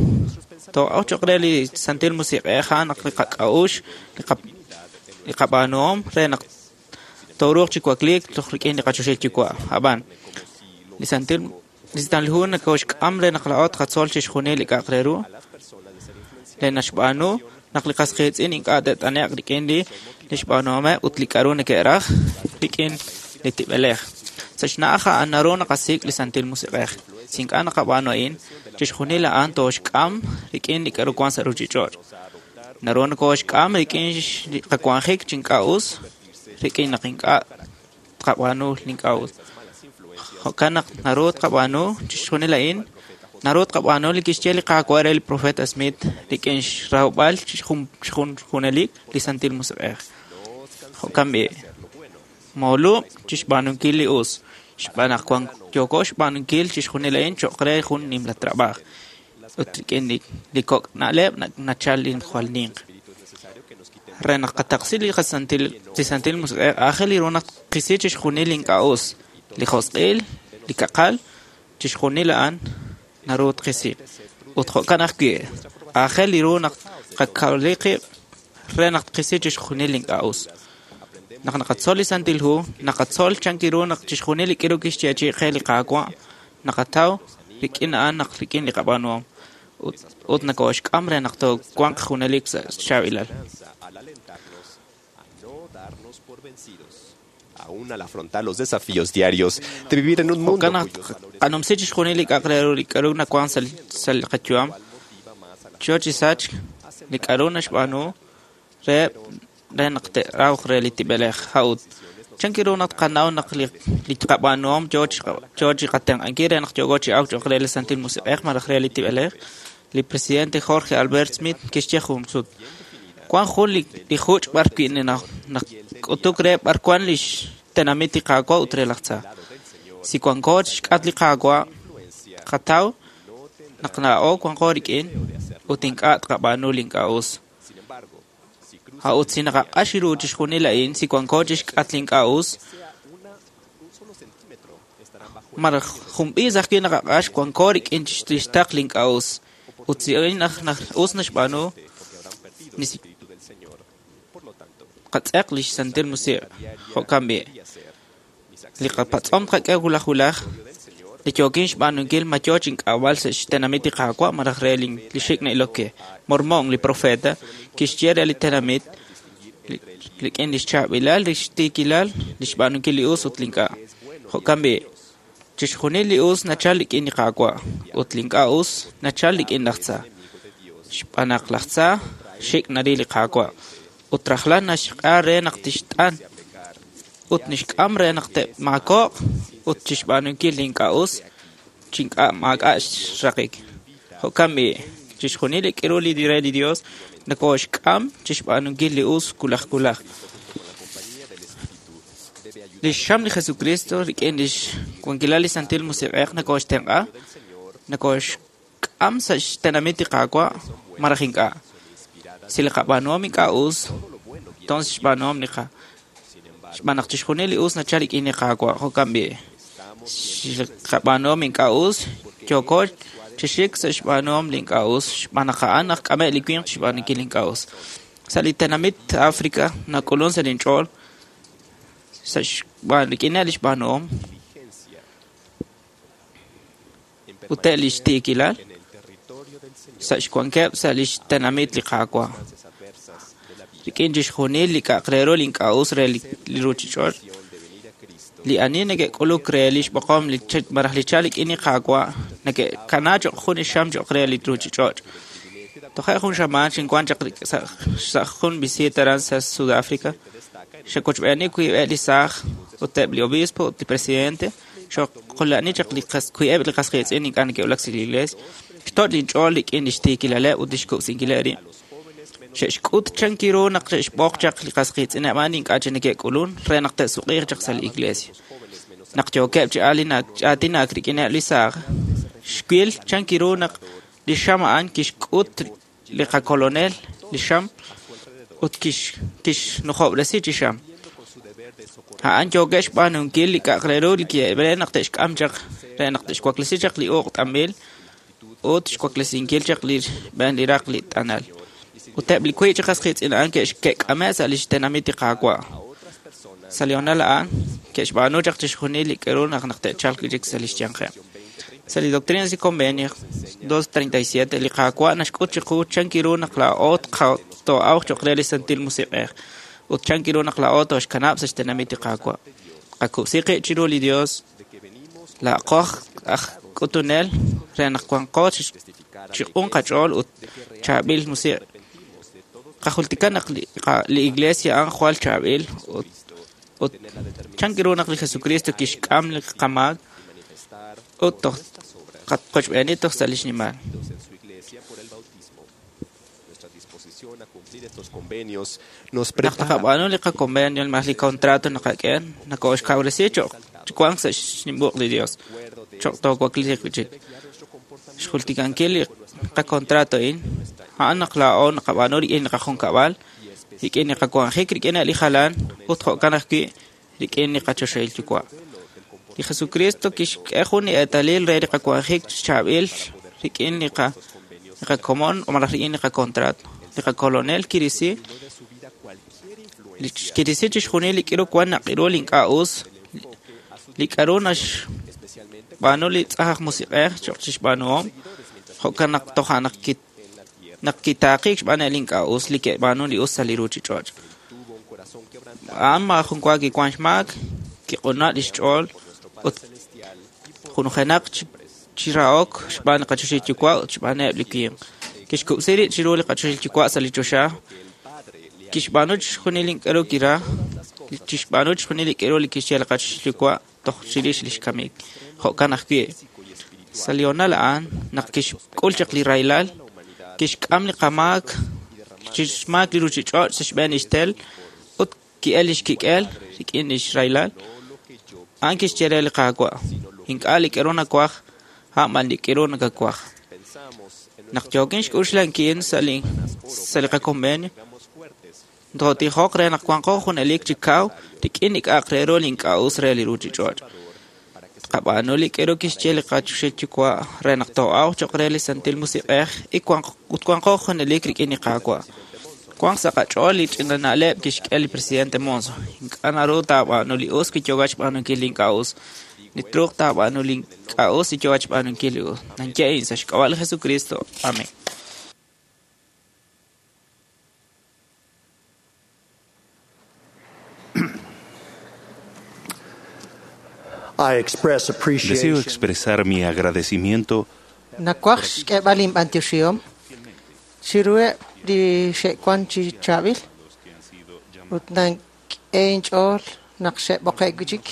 Speaker 12: Too'aw cho'q re li Santil Musiq'ej a'an naq li qak'a'uxl, li qab'aanuhom re naq tooruuq chi wakliik toj rik'in li qachoxahil Yuwa'. Ab'an li Santil Li Santil Hu nokooxk'am re naq laa'o tqatzol chixjunil li k'a'aq re ru li naxb'aanu naq li qas qiitz'in ink'a' te't'ane'q rik'in li xb'aanuhomeb' ut li k'a'ru neke'raj rik'in li tib'elej. Sa' xna'aj a'an naru naqasik' li Santil Musiq'ej. Si ink'a' naqab'aanu a'in, chixjunil a'an tooxk'am rik'in li k'a'ru wank sa' ruuchich'och'. Naru nokooxk'am rik'in li qawanjik chi ink'a' us, rik'in naq ink'a' tqab'aanu li ink'a' us. Jo'kan naq naru tqab'aanu chixjunil a'in, naru tqab'aanu li kixye li Qaawa' re li profeta Smith rik'in xrawb'al chixjunelik li Santil Musiq'ej. Jo'kan b'i', moolub' chixb'aanunkil li us, xb'aan naq yooko xb'aanunkil chixjunil a'in cho'q re jun nimla trab'aaj. Ut rik'in li kok' na'leb' nachal li jwal ninq. Re naq qataqsi li Santil Musiq'ej, aajel ru naq tqisi chixjunil li ink'a' us, li josq'il, li kaqal, chixjunil a'an naru tqisi. Ut jo'kan ajwi', aajel ru naq qakawli qib' re naq tqisi chixjunil li ink'a' us. Naq naqatzol li Santil Hu, naqatzol chan ru naq chixjunil li k'aru kixyeechi'i qe li Qaawa' naqataw rik'in a'an naq rik'in li qab'aanuhom ut nokooxk'am re naq toowanq junelik sa' xchaab'ilal.
Speaker 11: Aún al afrontar los desafíos diarios de vivir en un mundo
Speaker 12: Jo'kan naq tqanumsi chixjunil li k'a'aq re ru li k'aru nawank sa' li qayu'am, yo chi sachk li k'aru naxb'aanu re naq te'rawq re li tib'elej. A'ut, chan ru naq tqanaw naq li qab'aanuhom yo chi qatenq'ankil re naq yooko chi awk cho'q re li Santil Musiq'ej malaj re li tib'elej? Li presidente Jorge Albert Smith kixye jun sut: Wank jun li juch' b'arwi' nak'utuk re b'ar wank li xtenamit li Qaawa' ut re laj tza. Si wanko chixk'atq li Qaawa', tqataw naq laa'o wanko rik'in ut ink'a' tqab'aanu li ink'a' us. A'ut si naqaq'ax ru chixjunil a'in, si wanko chixk'atq li ink'a' us, malaj jun b'iis ajwi' naqaq'ax, wanko rik'in li xtaql li ink'a' us. Ut si a'in us naxb'aanu, qatz'eq li xSantil Musiq'. Jo'kan b'i', li qapatz'om tqak'e wulaj wulaj, li yookin xb'aanunkil ma yo chink'ab'al sa' xtenamit li Qaawa' malaj re li xik' na'ilok ke. Mormón, li profeta, kixye re li tenamit rik'in li xchaab'ilal, li xtiikilal, li xb'aanunkil li us ut li ink'a'. Jo'kan b'i', chixjunil li us nachal rik'in li Qaawa' ut li ink'a' us nachal rik'in laj tza. Xb'aan naq laj tza xik' naril li Qaawa' ut rajlal naxq'a re naq tixt'an ut nixk'am re naq te'maako'q ut chixb'aanunkil li ink'a' us chi ink'a' maak'a' xraqik. Jo'kan b'i', chixjunil li k'aru li re li Dios nokooxk'am chixb'aanunkil li us wulaj wulaj. Li xxam li Jesucristo rik'in li xwankilal li Santil Musiq'ej nokooxtenq'a, nokooxk'am sa' xtenamit li Qaawa' malaj ink'a'. Si li qab'aanuhom ink'a' us, tons xb'aanuhom li qa. Xb'aan naq chixjunil li us nachal rik'in li Qaawa'. Jo'kan b'i', si li qab'aanuhom ink'a' us, yooko chi xik sa' xb'aanuhom li ink'a' us, xb'aan naq a'an najk'ame' li winq chixb'aanunkil li ink'a' us. Sa' li tenamit África nak'ulunk sa' linch'ool sa' rik'ineb' li xb'aanuhom ut eb' li xtiikilal sa' xwankeb' sa' li xtenamit li Qaawa'. Rik'in chixjunil li k'a'aq re ru li ink'a' us re li ruuchich'och', li ani neke'k'uluk re li xb'oqom malaj li chalk rik'in li Qaawa' neke'kanaak cho'q jun li xam cho'q re li ruuchich'och'. Toje' jun xamaan xinwank chaq sa' jun visita aran sa' Sudáfrica. Xe'wochb'eeni wiib'eb' li saaj ut eb' li obispo ut li presidente. Xo'qula'ani chaq wiib'eb' li qas qiitz'in ink'a' neke'wulak sa' li iglees. Xtoch' linch'ool rik'in li xtiikilaleb' ut li xkub'sinkileb' rib'. Xe'xk'ut chan ru naq xe'xb'oq chaq li qas qiitz'ineb' a'an ink'a' chik neke'k'ulunk re naq te'suq'iiq chaq sa' li iglesia. Naq yookeb' chi aatinak rik'ineb' li saaj, xwil chan ru naq li xam a'an kixk'ut li qakolonel li xam ut kixnujob'resi chi xam. A'an yookeb' xb'aanunkil li k'a'aq re ru li re naq te'xk'am chaq re naq te'xwaklesi chaq li uq' t'anb'il ut xwaklesinkil chaq li xb'een li raq li t'anal. Ut eb' li wiib' chi qas qiitz'in a'an ke'k'ame' sa' li xtenamit li Qaawa'. Sa' li honal a'an ke'xb'aanu chaq chixjunil li k'aru naq te'chalq wi' chik sa' li xyanqeb'. Sa' li Doctrinas y Convenios 2.37, li Qaawa' naxk'ut chiqu chan ru naq laa'o too'awq cho'q re li Santil Musiq'ej ut chan ru naq laa'o tooxkanab' sa' xtenamit li Qaawa'. Qakub'si qib' chiru li Dios, laa'qo aj k'utunel re naq wanqo chi q'un qach'ool ut chaab'il musiq'. Qajultika naq li Iglesia a'an jwal chaab'il ut chan ru naq li Jesucristo kixk'am li qamaak ut toj qochb'eeni toj sa' li xnimal. Naq taqab'aanu li qaconvenio malaj li contrato naqak'e, nakooxkawresi cho'q wank sa' xnimbuq li Dios, cho'q toowakliiq wi' chik. Xjultikankil li qacontrato a'in, a'an naq laa'o naqab'aanu rik'in li qajunkab'al, rik'in li qawanjik rik'in li jalan ut jo'kan ajwi' rik'in li qachoxahil yuwa'. Li Jesucristo kixk'e jun li eetalil re li qawanjik chaab'il rik'in li qakomon malaj rik'in li qacontrato. Li qakolonel kirisi chixjunil li k'aru wan naq'iru li ink'a' us, li k'aru naxb'aanu li tz'aj aj musiq'ej cho'q chixb'aanuhom, jo'kan naq toja' naq kitaaqiik xb'aan li ink'a' us li ke'b'aanu li us sa' li ruuchich'och'. A'an maajun wa kiwan xmaak, kiq'una li xch'ool ut junujenaq chi rahok xb'aan li qachoxahil yuwa' ut xb'aaneb' li winq. Kixkub'si rib' chiru li qachoxahil yuwa' sa' li choxa, kixb'aanu chixjunil li k'aru kiraj, chixb'aanu chixjunil li k'aru li kixye li qachoxahil yuwa' toj chirix li xkamik. Jo'kan ajwi', sa' li honal a'an, naq kixk'ul chaq li rahilal, kixk'am li qamaak, xmaak li ruuchich'och' sa' xb'een li xtel ut ki'el li xkik'el rik'in li xrahilal. A'an kixye re li Qaawa', ink'a' li k'aru nawaj, a'an b'an li k'aru nakawaj. Naq yookin xk'uxlankil sa' li qaconvenio, tootijoq re naq wanqo junelik chi kaw rik'in li k'a'aq re ru li ink'a' us re li ruuchich'och'. Tqab'aanu li k'aru kixye li qachoxahil yuwa' re naq too'awq cho'q re li Santil Musiq'ej ut wanqo junelik rik'in li Qaawa'. Wanq sa' qach'ool li ch'ina na'leb' kixk'e li presidente Monson. Ink'a' naru taab'aanu li us wi yookat xb'aanunkil li ink'a' us. Li truuq taab'aanu li ink'a' us wi yookat xb'aanunkil li us. Nanye a'in sa' xk'ab'a' li Jesucristo. Amén.
Speaker 13: Deseo expresar mi agradecimiento
Speaker 14: Nawaj xk'eeb'al inb'antioxihom chiruheb' li xe'wan chi chaab'il ut nank'e inch'ool naq xe'b'oqe' wi' chik.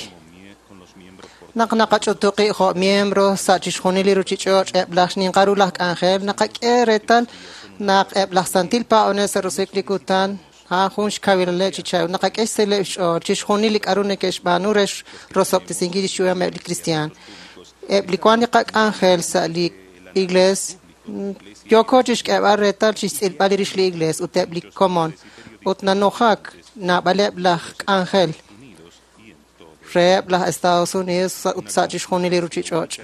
Speaker 14: Naq naqach'utu qib' jo' miembro sa' chixjunil li ruuchich'och' eb' laj xninqal ru laj k'anjel naqak'e reetal naq eb' laj santil paab'anel sa' roso'jik li kutan a'an jun xkawilaleb' chi chaab'il. Naqak'e xseeleb' xch'ool chixjunil li k'aru neke'xb'aanu re rosob'tesinkil lix yu'ameb' li kristiaan. Eb' li wan li qak'anjel sa' li iglees yooko chixk'eeb'al reetal chixtz'ilb'al rix li iglees ut eb' li komon ut nanujak naab'aleb' laj k'anjel reheb' laj Estados Unidos ut sa' chixjunil li ruuchich'och'.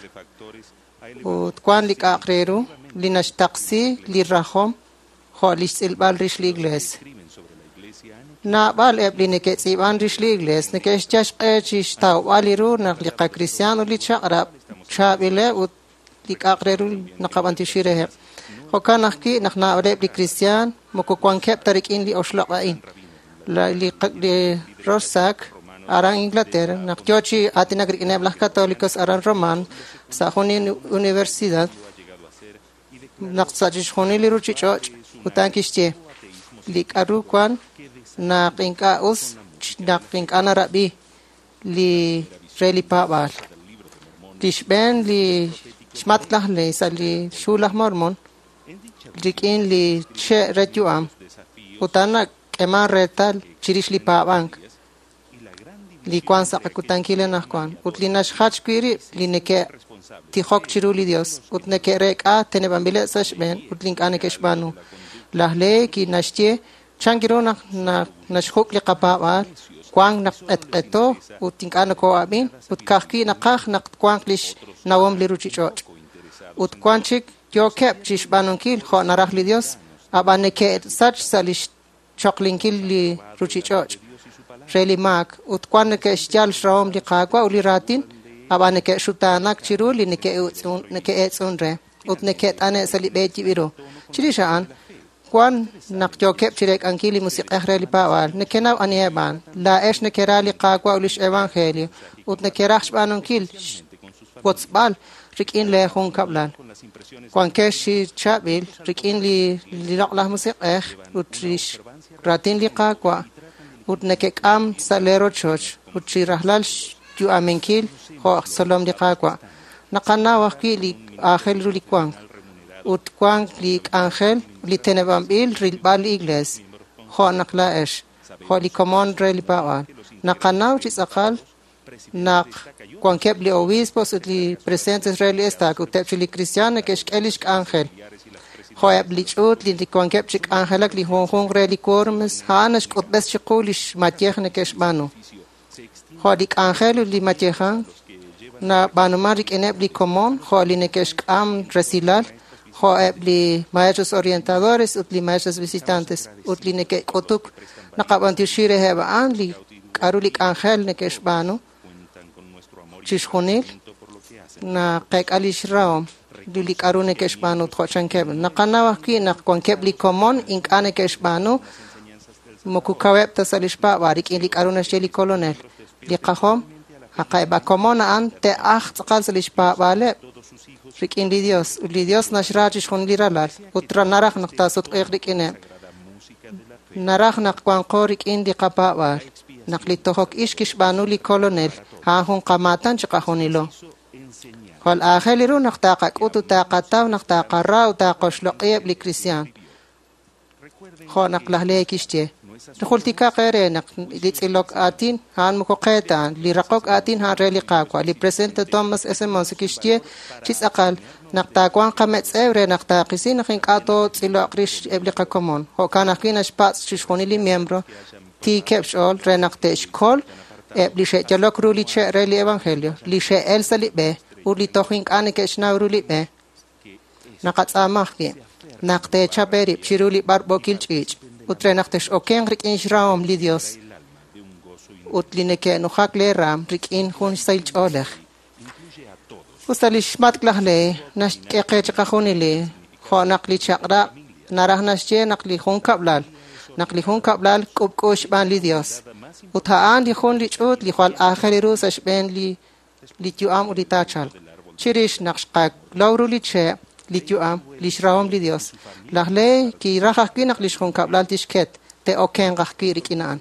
Speaker 14: Ut wan li k'a'aq re ru li naxtaqsi li rajom jo' li xtz'ilb'al rix li iglees. Naab'al eb' li neke'tz'iib'an rix li iglees neke'xyal xq'e chixtawb'al li ru naq li qakristiaan ut li chaq'rab' chaab'ileb' ut li k'a'aq re ru naqab'antioxi reheb'. Jo'kan ajwi' naq naab'aleb' li kristiaan moko wankeb' ta rik'in li oxloq' a'in. Li Rorschach aran Inglaterra naq yoo chi aatinak rik'ineb' laj Católicos aran Roman sa' jun universidad naq sa' chixjunil li ruuchich'och' ut a'an kixye li k'aru wan naq ink'a' us naq ink'a' narab'i li re li paab'aal. Li xb'een li xmatk laj Lehi sa' li xhu laj Mormon rik'in li che' re yu'am ut a'an nak'eman reetal chirix li paab'ank li wan sa' qakutankil anaqwan ut li naxjach wi' rib' li neke'tijok chiru li Dios ut neke'reek'a teneb'anb'ileb' sa' xb'een ut li ink'a' neke'xb'aanu. Laj Lehi kinaxye chan ru naq naxjuk' li qapaab'aal wank naq q'etq'eto ut ink'a' nokoo'ab'in ut ka'ajwi' naqaj naq twanq lix nawom li ruuchich'och'. Ut wan chik yookeb' chixb'aanunkil jo' naraj li Dios, ab'an neke'sach sa' lix choqlinkil li ruuchich'och' re li maak ut wan neke'xyal xrahom li Qaawa' ut li raatin Ab'an neke'xutaanak chiru li neke'eetz'un re ut neke't'ane' sa' li b'e yib'il ru. Chirix a'an, wan naq yookeb' chireek'ankil li musiq'ej re li paab'aal. Nekenaw aniheb' a'an. Laa'ex nekera li Qaawa' ut lix evangelio ut nekeraj xb'aanunkil xwotzb'al rik'in lee junkab'lal. Wankex chi chaab'il rik'in li loq'laj musiq'ej ut lix raatin li Qaawa' ut nekek'am sa' lee rochoch ut chi rajlal xyu'aminkil jo' xtzolom li Qaawa'. Naqanaw ajwi' li aajel ru li wank ut wank li k'anjel li teneb'anb'il rilb'al li iglees, jo' naq laa'ex, jo' li komon re li paab'aal. Naqanaw chi tz'aqal naq wankeb' li obispos ut li presidentes re li estaca ut eb' chi li cristian neke'xk'e lix k'anjel. Jo' eb' li ch'uut li wankeb' chi k'anjelak li junjunq re li quórums, a'an naxk'utb'es chiqu lix mayej neke'xb'aanu. Jo' li k'anjel ut li mayejan nab'aanuman rik'ineb' li komon, jo' li neke'xk'am resilal, jo' eb' li maestros orientadores ut li maestros visitantes ut li neke'k'utuk. Naqab'antioxi reheb' a'an li k'a'ru li k'anjel neke'xb'aanu chixjunil naqek'a lix rahom li k'a'ru neke'xb'aanu jo' chankeb'. Naqanaw ajwi' naq wankeb' li komon ink'a' neke'xb'aanu moko kaweb' ta sa' lix paab'aal rik'in li k'a'ru naxye li kolonel. Li qajom aqa'eb' a komon a'an te'aj tz'aqal sa' lix paab'aaleb' rik'in li Dios. Ut li Dios naxra chixjunil li ralal ut naraj naq taasutq'iiq rik'ineb'. Naraj naq wanqo rik'in li qapaab'aal. Naq li tojok ix kixb'aanu li kolonel, a'an jun qamaatan chiqajunilo. Jwal aajel ru naq taqak'ut ut taqataw naq taqara ut taqoxloq'iheb' li kristiaan. Jo' naq laj Lehi kixye. Jultikaq eere naq li tz'ilok aatin a'an moko qe ta, li raqok aatin a'an re li Qaawa'. Li presidente Thomas S. Monson kixye chi tz'aqal naq taawanq qametz'ew re naq taaqisi naq ink'a' tootz'iloq rix eb' li qakomon. Jo'kan ajwi' naxpatz' chixjunil li miembro tiikeb' xch'ool re naq te'xkol eb' li xe'yalok ru li che' re li evangelio, li xe'el sa' li b'e ut li toj ink'a' neke'xnaw ru li b'e. Naqatz'aama ajwi' naq teechap eerib' chiru li b'arb'ookil ch'iich' ut re naq tex'okenq rik'in xrahom li Dios ut li neke'nujak lee raam rik'in jun xsahil ch'oolej. Ut sa' lix matk' laj Lehi naxk'e qe chiqajunili jo' naq li chaq'rab' naraj naxye naq li junkab'lal naq li junkab'lal k'ub'k'u xb'aan li Dios. Ut a'an li jun li ch'uut li jwal aajel ru sa' xb'een li yu'am ut li taachalq. Chirix naq xqalow ru li che' li yu'am, lix rahom li Dios. Laj Lehi kiraj ajwi' naq lix junkab'lal tixket, te'okenq ajwi' rik'in a'an.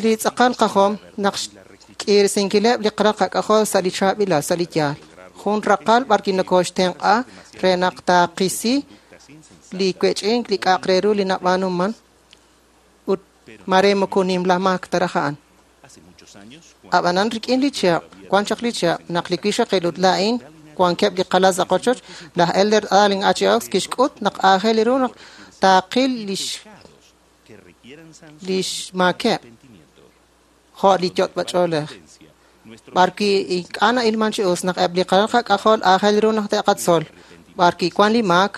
Speaker 14: Li tz'aqal qajom naq xk'irisinkileb' li qaraq qak'ajol sa' li chaab'ilal, sa' li yaal. Jun raqal b'ar nokoxtenq'a re naq taaqisi li wech'ink li k'a'aq re ru li nab'aanuman ut mare moko nimla maak taraj a'an. Ab'anan rik'in li chihab', wan chaq li chihab' naq li wixaqil ut laa'in wankeb' li qalal sa' qochoch, laj Elder Dallin H. Oaks kixk'ut naq aajel ru naq taaqil lix maakeb' jo' li yot'b'ach'oolej. B'ar wi' ink'a' na'ilman chi us naq eb' li qalal qak'ajol aajel ru naq te'qatzol. B'ar wi' wan li maak,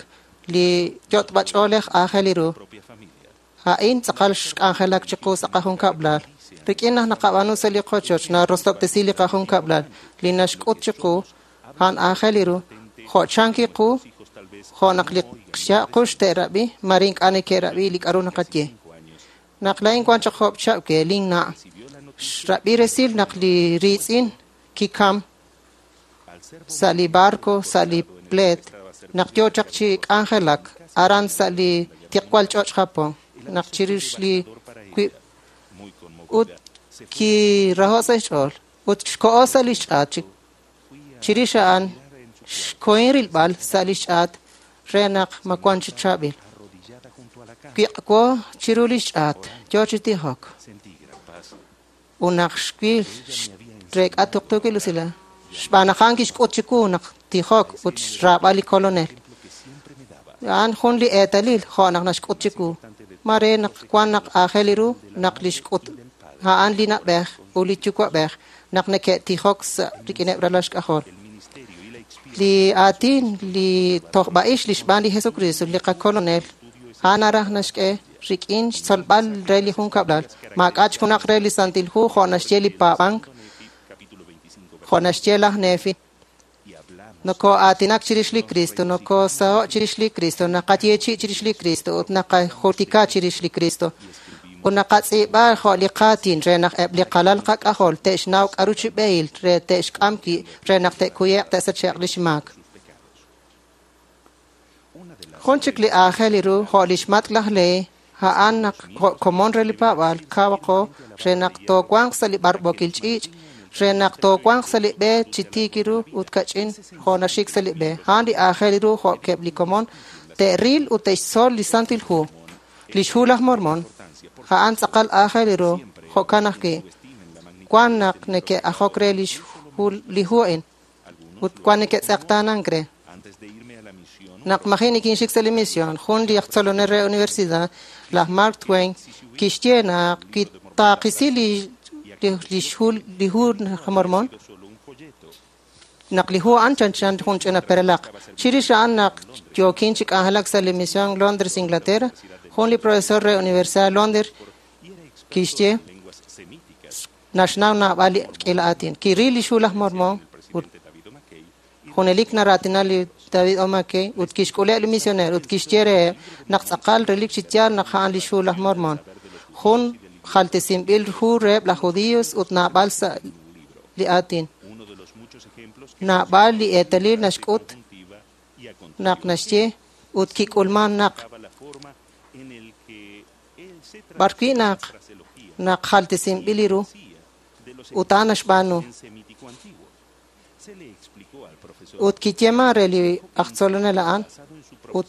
Speaker 14: li yot'b'ach'oolej aajel ru. A'in tz'aqal xk'anjelak chiqu sa' qajunkab'lal. Rik'in naq naqab'aanu sa' li qochoch narosob'tesi li qajunkab'lal li naxk'ut chiqu a'an aajel ru. Jo' chanki qu, jo' naq li xyaq' te'rab'i, mare ink'a' neke'rab'i li k'a'ru naqaye. Naq laa'in wan chaq job' chihab' ke linna' xrab'i resil naq li riitz'in kikam sa' li barco, sa' li pleet, naq yoo chaq chi k'anjelak aran sa' li tiqwal ch'och' Japón, naq chirix li wib' ut kiraho' sa' xch'ool ut xko'o sa' li xch'aat chirix a'an xkohin rilb'al sa' li xch'aat re naq ma wan chi chaab'il. Wiq'wo chiru li xch'aat yoo chi tijok. Ut naq xwil xreek'a tuqtuukil usilal. Xb'aan naq a'an kixk'ut chiwu naq tijok ut xraab'al li kolonel. A'an jun li eetalil jo' naq naxk'ut chiwu. Mare naq wan naq aajel ru naq li xk'ut a'an li na'b'ej ut li yuwa'b'ej naq neke'tijok sa' rik'ineb' ralal xk'ajol. Li aatin li tojb'a'ix li xb'aan li Jesucristo li qakolonel a'an naraj naxk'e rik'in xtzolb'al re li junkab'lal. Maak'a' junaq re li Santil Hu jo' naxye li paab'ank. Jo' naxye laj Nefi, nokoo'aatinak chirix li Kristo, nokoosaho' chirix li Kristo, naqayeechi' chirix li Kristo ut naqajultika chirix li Kristo. Ut naqatz'iib'a jo' li qaatin re naq eb' li qalal qak'ajol te'xnaw k'aru chi b'ehil re te'xk'am wi' re naq te'kuye'q te'sache'q lix maak. Jun chik li aajel ru jo' lix matk' laj Lehi, a'an naq jo' komon re li paab'aal kawaqo re naq toowanq sa' li b'arb'ookil ch'iich', re naq toowanq sa' li b'e chi tiik ru ut kach'in jo' naxik sa' li b'e. A'an li aajel ru jo' keb' li komon te'ril ut te'xtzol li Santil Hu. Lix Hu laj Mormon, a'an tz'aqal aajel ru, jo'kan ajwi'. Wan naq neke'ajok re li hu a'in ut wan neke'tz'eqtaanank re. Naq maji' nikinxik sa' li misión, jun li aj tzolonel re universidad, laj Mark Twain, kixye naq kitaaqisi li hu laj Mormon, naq li hu a'an chanchan jun ch'ina perelaq. Chirix a'an naq yookin chi k'anjelak sa' li misión Londres, Inglaterra, jun li profesor re Universidad Londres kixye naxnaw naab'al li k'iila aatin. Kiril lix hu laj Mormon ut junelik naraatina li David O. McKay ut kixk'uleb' li misioneer ut kixye reheb' naq tz'aqal relik chi yaal naq a'an lix hu laj Mormon. Jun jaltesinb'il hu reheb' laj judíos ut naab'al sa' li aatin. Naab'al li eetalil naxk'ut naq naxye ut kik'ulman naq b'arwi' naq naq jaltesinb'il li ru ut a'an naxb'aanu. Ut kiyeeman re li aj tzolonel a'an ut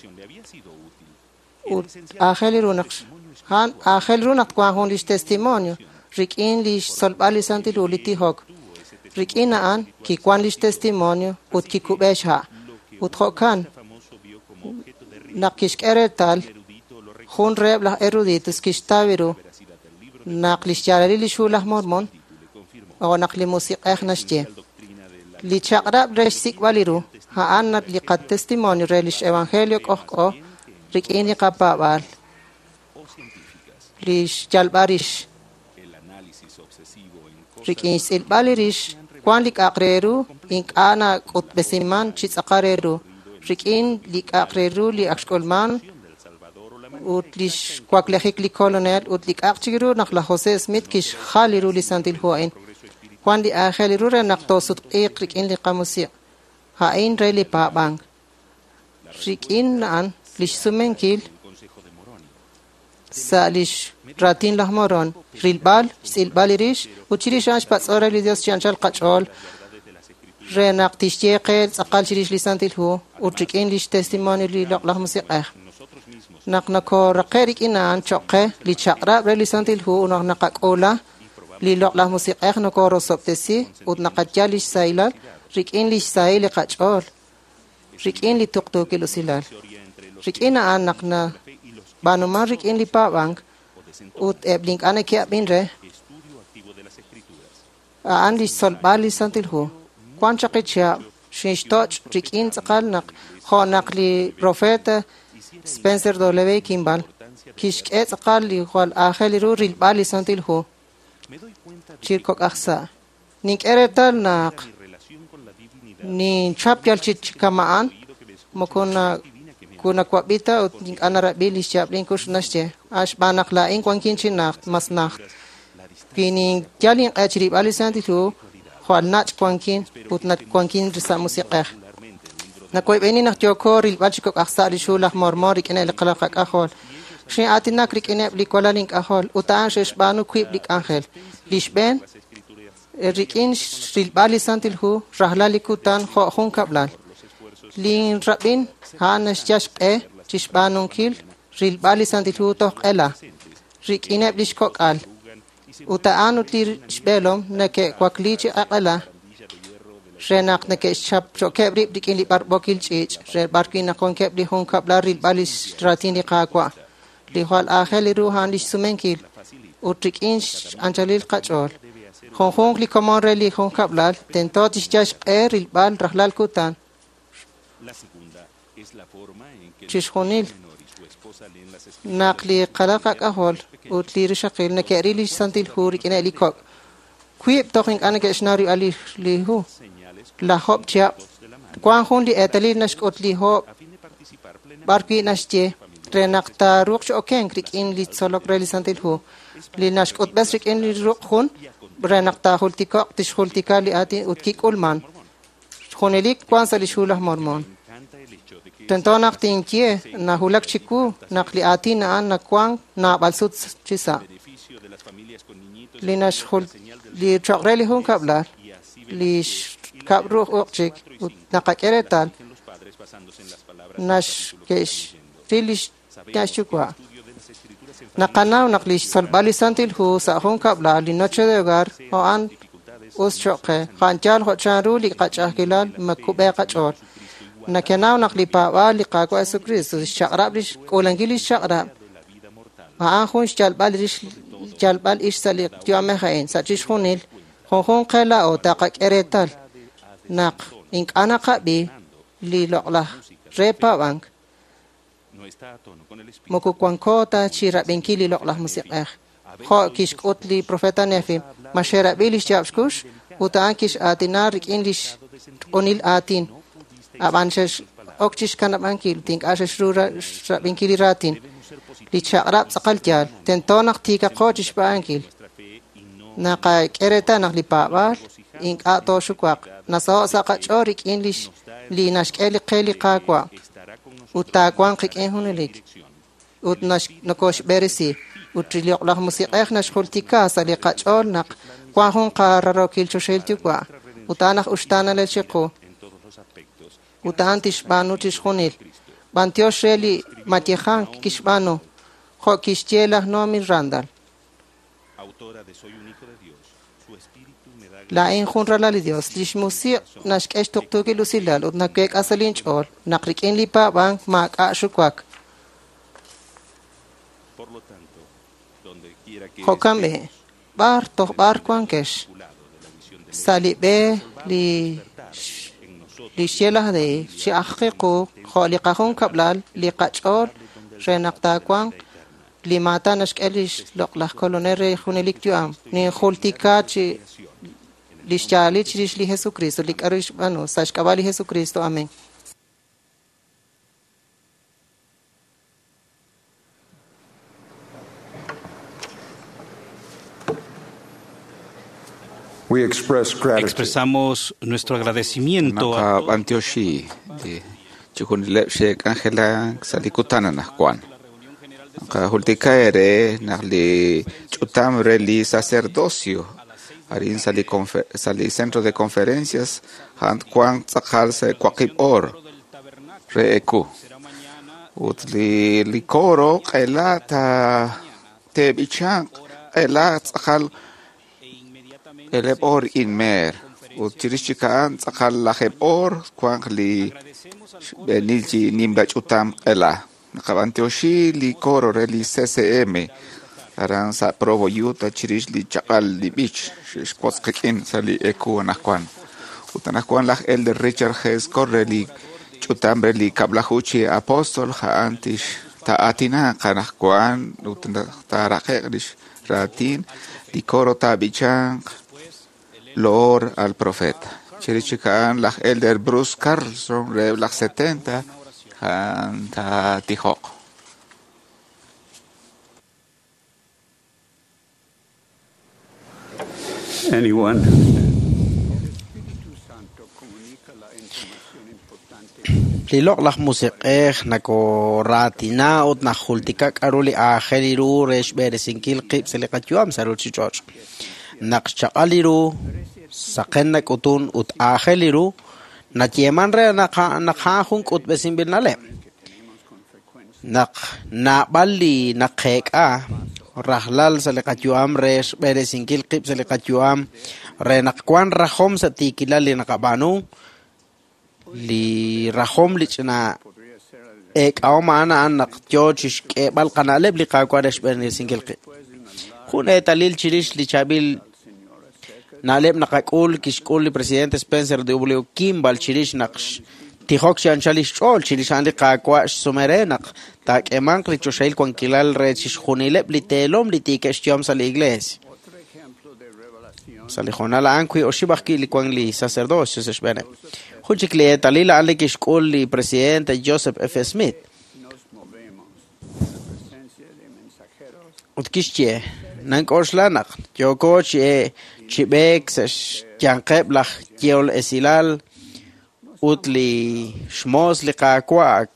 Speaker 14: aajel ru naq a'an aajel ru naq wank jun lix testimonio rik'in lix tzolb'al li Santil Hu li tijok. Rik'in a'an kiwan lix testimonio ut kikub'e xha'. Ut jo'kan naq kixk'e reetal jun reheb' laj eruditos kixtaw ru naq lix yaalalil lix hu laj Mormon o naq li musiq'ej naxye. Li chaq'rab' re xsik'b'al li ru, a'an naq li qatestimonio re lix evangelio k'ojk'o rik'in li qapaab'aal, lix yalb'al rix. Rik'in xtz'ilb'al li rix, wan li k'a'aq re ru ink'a' nak'utb'esiman chi tz'aqal re ru. Rik'in li k'a'aq re ru li ak xk'ulman ut lix waklejik li Kolonel ut li k'a'aq chik ru naq laj Jose Smith kixjal li ru li Santil Hu a'in. Wan li aajel ru re naq toosutq'iiq rik'in li qamusiq'. A'in re li paab'ank. Rik'in a'an lix sumenkil sa' lix raatin laj Moron, rilb'al, xtz'ilb'al li rix, ut chirix a'an xpatz'o re li Dios chi anchal qach'ool re naq tixye qe tz'aqal chirix li Santil Hu ut rik'in lix testimonio li Loq'laj Musiq'ej. Naq nokooraqe' rik'in a'an choq' qe li chaq'rab' re li Santil Hu ut naq naqak'uula li Loq'laj Musiq'ej nokoorosob'tesi ut naqayal lix sahilal rik'in lix sahil li qach'ool, rik'in li tuqtuukil usilal. Rik'in a'an naq nab'aanuman rik'in li paab'ank ut eb' li ink'a' neke'ab'in re, a'an lix tzolb'al li Santil Hu. Wan chaq ichihab' xinxtoch' rik'in tz'aqal naq jo' naq li profeta Spencer W. Kimball kixk'e tz'aqal li jwal aajel ru rilb'al li Santil Hu chi kok'aj sa'. Nink'e reetal naq ninchap yal chi kama'an moko kunawab'i ta ut ink'a' narab'i lix yaab' linkux naxye. Xb'aan naq laa'in wankin chi najt, mas najt. Wi ninyal inq'e chi rilb'al li Santil Hu, jwal nach' wankin ut wankin sa' musiq'ej. Nakoyb'eni naq yooko rilb'al chi kok'aj sa' lix hu laj Mormon rik'ineb' li qalal qak'ajol. Xin'aatinak rik'ineb' li walal ink'ajol ut a'an xe'xb'aanu wiib' li k'anjel. Li xb'een, rik'in rilb'al li Santil Hu rajlal li kutan jo' jun kab'lal. Lin rab'in a'an naxyal xq'e chi xb'aanunkil rilb'al li Santil Hu toj q'ela rik'ineb' lix kok'al. Ut a'an ut li xb'eelom neke'wakli chi q'eq'ela re naq neke'xchapchokeb' rib' rik'in li b'arb'ookil ch'iich' re b'arwi' naq wankeb' li jun kab'lal rilb'al lix raatin li Qaawa'. Li jwal aajel ru a'an lix sumenkil ut rik'in x'anchalil qach'ool. Junjunq li komon re li jun kab'lal tento tixyal xq'e rilb'al rajlal kutan. Chixjunil naq li qalal qak'ajol ut li rixaqil neke'ril lix Santil Hu rik'ineb' li kok'. Wiib' toj ink'a' neke'xnaw rilb'al li hu. Laj Job chihab' wank jun li eetalil naxk'ut li hoob' b'arwi' naxye re naq taaruuq chi okenk rik'in li tzolok re li Santil Hu. Li naxk'utb'es rik'in li ruq' jun re naq taajultiko'q tixjultika li aatin ut kik'ulman. Junelik wank sa' lix Hu laj Mormon. Tento naq tinye nawulak chiwu naq li aatin a'an nawank naab'al sut chi sa'. Li naxjul li choq' re li junkab'lal li xkab' ruq' uq' chik ut naqak'e reetal naxke'xril lix yuwa'. Naqanaw naq li xtzolb'al li Santil Hu sa' junkab'lal li noche de hogar a'an us choq' qe. A'an yaal jo' chanru li qach'a'ajkilal makub'e qach'ool. Nakenaw naq li paab'aal li Qaawa' Jesucristo xchaq'rab' lix k'uulankil lix chaq'rab' a'an jun xyalb'al rix yalb'al ix sa' li yu'amej a'in sa' chixjunil junjunq qe laa'o taqak'e reetal naq ink'a' naqab'i li loq'laj re paab'ank moko wanko ta chi rab'inkil li loq'laj musiq'ej. Jo' kixk'ut li profeta Nefi, ma xe'rab'i lix yaab' xkux ut a'an kix'aatina rik'in lix q'unil aatin. Ab'an xe'ok chixkanab'ankil ut ink'a' xe'xru rab'inkil li raatin. Li chaq'rab' tz'aqal yaal, tento naq tiikaqo chixb'aankil. Naqak'e reetal naq li paab'aal ink'a' tooxuwaq. Nasaho' sa' qach'ool rik'in li naxk'e li qe li Qaawa' ut taawanq qik'in junelik ut nokoxb'eresi. Ut li loq'laj musiq'ej naxjultika sa' li qach'ool naq wan jun qararokil choxahil yuwa' ut a'an aj uxtaanalel chiqu ut a'an tixb'aanu chixjunil. B'antiox re li mayejank kixb'aanu jo' kixye laj Naomi Randall. Laa'in jun ralal li Dios. Lix musiq' naxk'e xtuqtuukil usilal ut naweek'a sa' linch'ool naq rik'in li paab'ank maak'a' xuwak. Jo'kan b'i', b'ar toj b'ar wankex sa' li b'e li xye laj Dei chi ajqiqu jo' li qajunkab'lal li qach'ool re naq taawanq li maatan naxk'e lix loq'laj Kolonel re junelik yu'am. Ninjultika chi lix yaalil chirix li Jesucristo, li k'a'ru xb'aanu sa' xk'ab'a' li Jesucristo. Amén.
Speaker 4: We express gratitude.
Speaker 5: Expresamos nuestro agradecimiento a
Speaker 6: Naqab'antioxi li chixjunileb' xe'k'anjelak sa' li kutan anaqwan. Naqajultika ere naq li ch'utam re li sacerdocio arin sa' li sa' li centro de conferencias a'an wank tz'aqal sa' waqib' oor re eku. Ut li coro q'ela te'b'ichanq q'ela tz'aqal eleb' oor inmeer. Ut chirix chik a'an tz'aqal lajeb' oor wanq li xb'eenil chi nimla ch'utam q'ela. Naqab'antioxi li coro re li CCM aran sa' Provo, Utah chirix li chaq'al li b'ich xe'xwotz qik'in sa' li eku anaqwan. Ut anaqwan laj Elder Richard G. Scott re li ch'utam re li kab'laju chi apóstol a'an tix taa'aatinaq anaqwan ut taaraqe'q lix raatin li coro taab'ichanq loor al profeta. Chirix chik a'an laj Elder Bruce Carlson re laj 70 a'an taatijoq.
Speaker 8: Anyone?
Speaker 3: Li loq'laj musiq'ej nakoraatina ut najultika k'a'ru li aajel ru re xb'eresinkil qib' sa' li qayu'am sa' ruchich'och'. Naq xchaq'al li ru, saqen nak'utun ut aajel li ru, nayeeman re naq a'an jun k'utb'esinb'il na'leb'. Naq naab'al li naqeek'a rajlal sa' li qayu'am re xb'eresinkil qib' sa' li qayu'am re naq wan rajom sa' tiikilal li naqab'aanu, li rajom li ch'ina eek'ahom a'an a'an naq yoo chixk'eeb'al qana'leb' li Qaawa' re xb'eresinkil qib'. Jun eetalil chirix li chaab'il na'leb' naqak'ul kixk'ul li presidente Spencer W. Kimball chirix naq tijok chi anchal lix ch'ool chirix a'an li Qaawa' xsume re naq taak'eemanq li choxahil wankilal re chixjunileb' li teelom li tiikeb' xyu'am sa' li iglees. Sa' li hoonal a'an wi oxib' ajwi' li wank li sacerdocio sa' xb'eeneb'. Jun chik li eetalil a'an li kixk'ul li presidente Joseph F. Smith. Ut kixye, nank'oxla naq yooko chi b'eek sa' xyanqeb' laj yehol esilal ut li xmoos li Qaawa' ak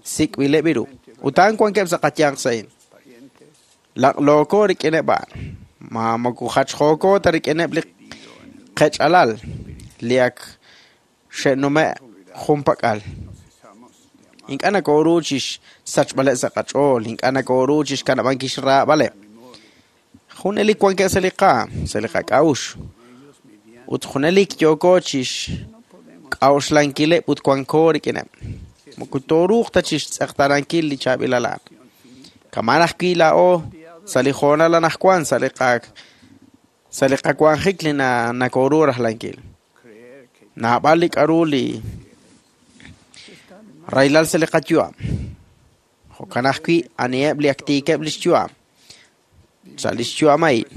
Speaker 3: sik'b'ileb' ru. Ut a'an wankeb' sa' qayanq sa'in. Laq'looko rik'ineb' a'an. Ma moko jachjooko ta rik'ineb' li qech'alal li ak xe'nume' junpak'al. Ink'a' nakooru chixsachb'aleb' sa' qach'ool, ink'a' nakooru chixkanab'ankil xraab'aleb'. Junelik wankeb' sa' li qaam, sa' li qak'a'uxl. Ut junelik yooko chixk'a'uxlankileb' ut wanko rik'ineb'. Moko tooruuq ta chixtz'eqtaanankil li chaab'ilal a'an. Kama'an ajwi' laa'o sa' li hoonal anaqwan sa' li qawanjik li nakooru rajlankil. Naab'al li k'a'ru li rahilal sa' li qayu'am. Jo'kan ajwi' aniheb' li ak tiikeb' lix yu'am. Sa' lix yu'am a'in.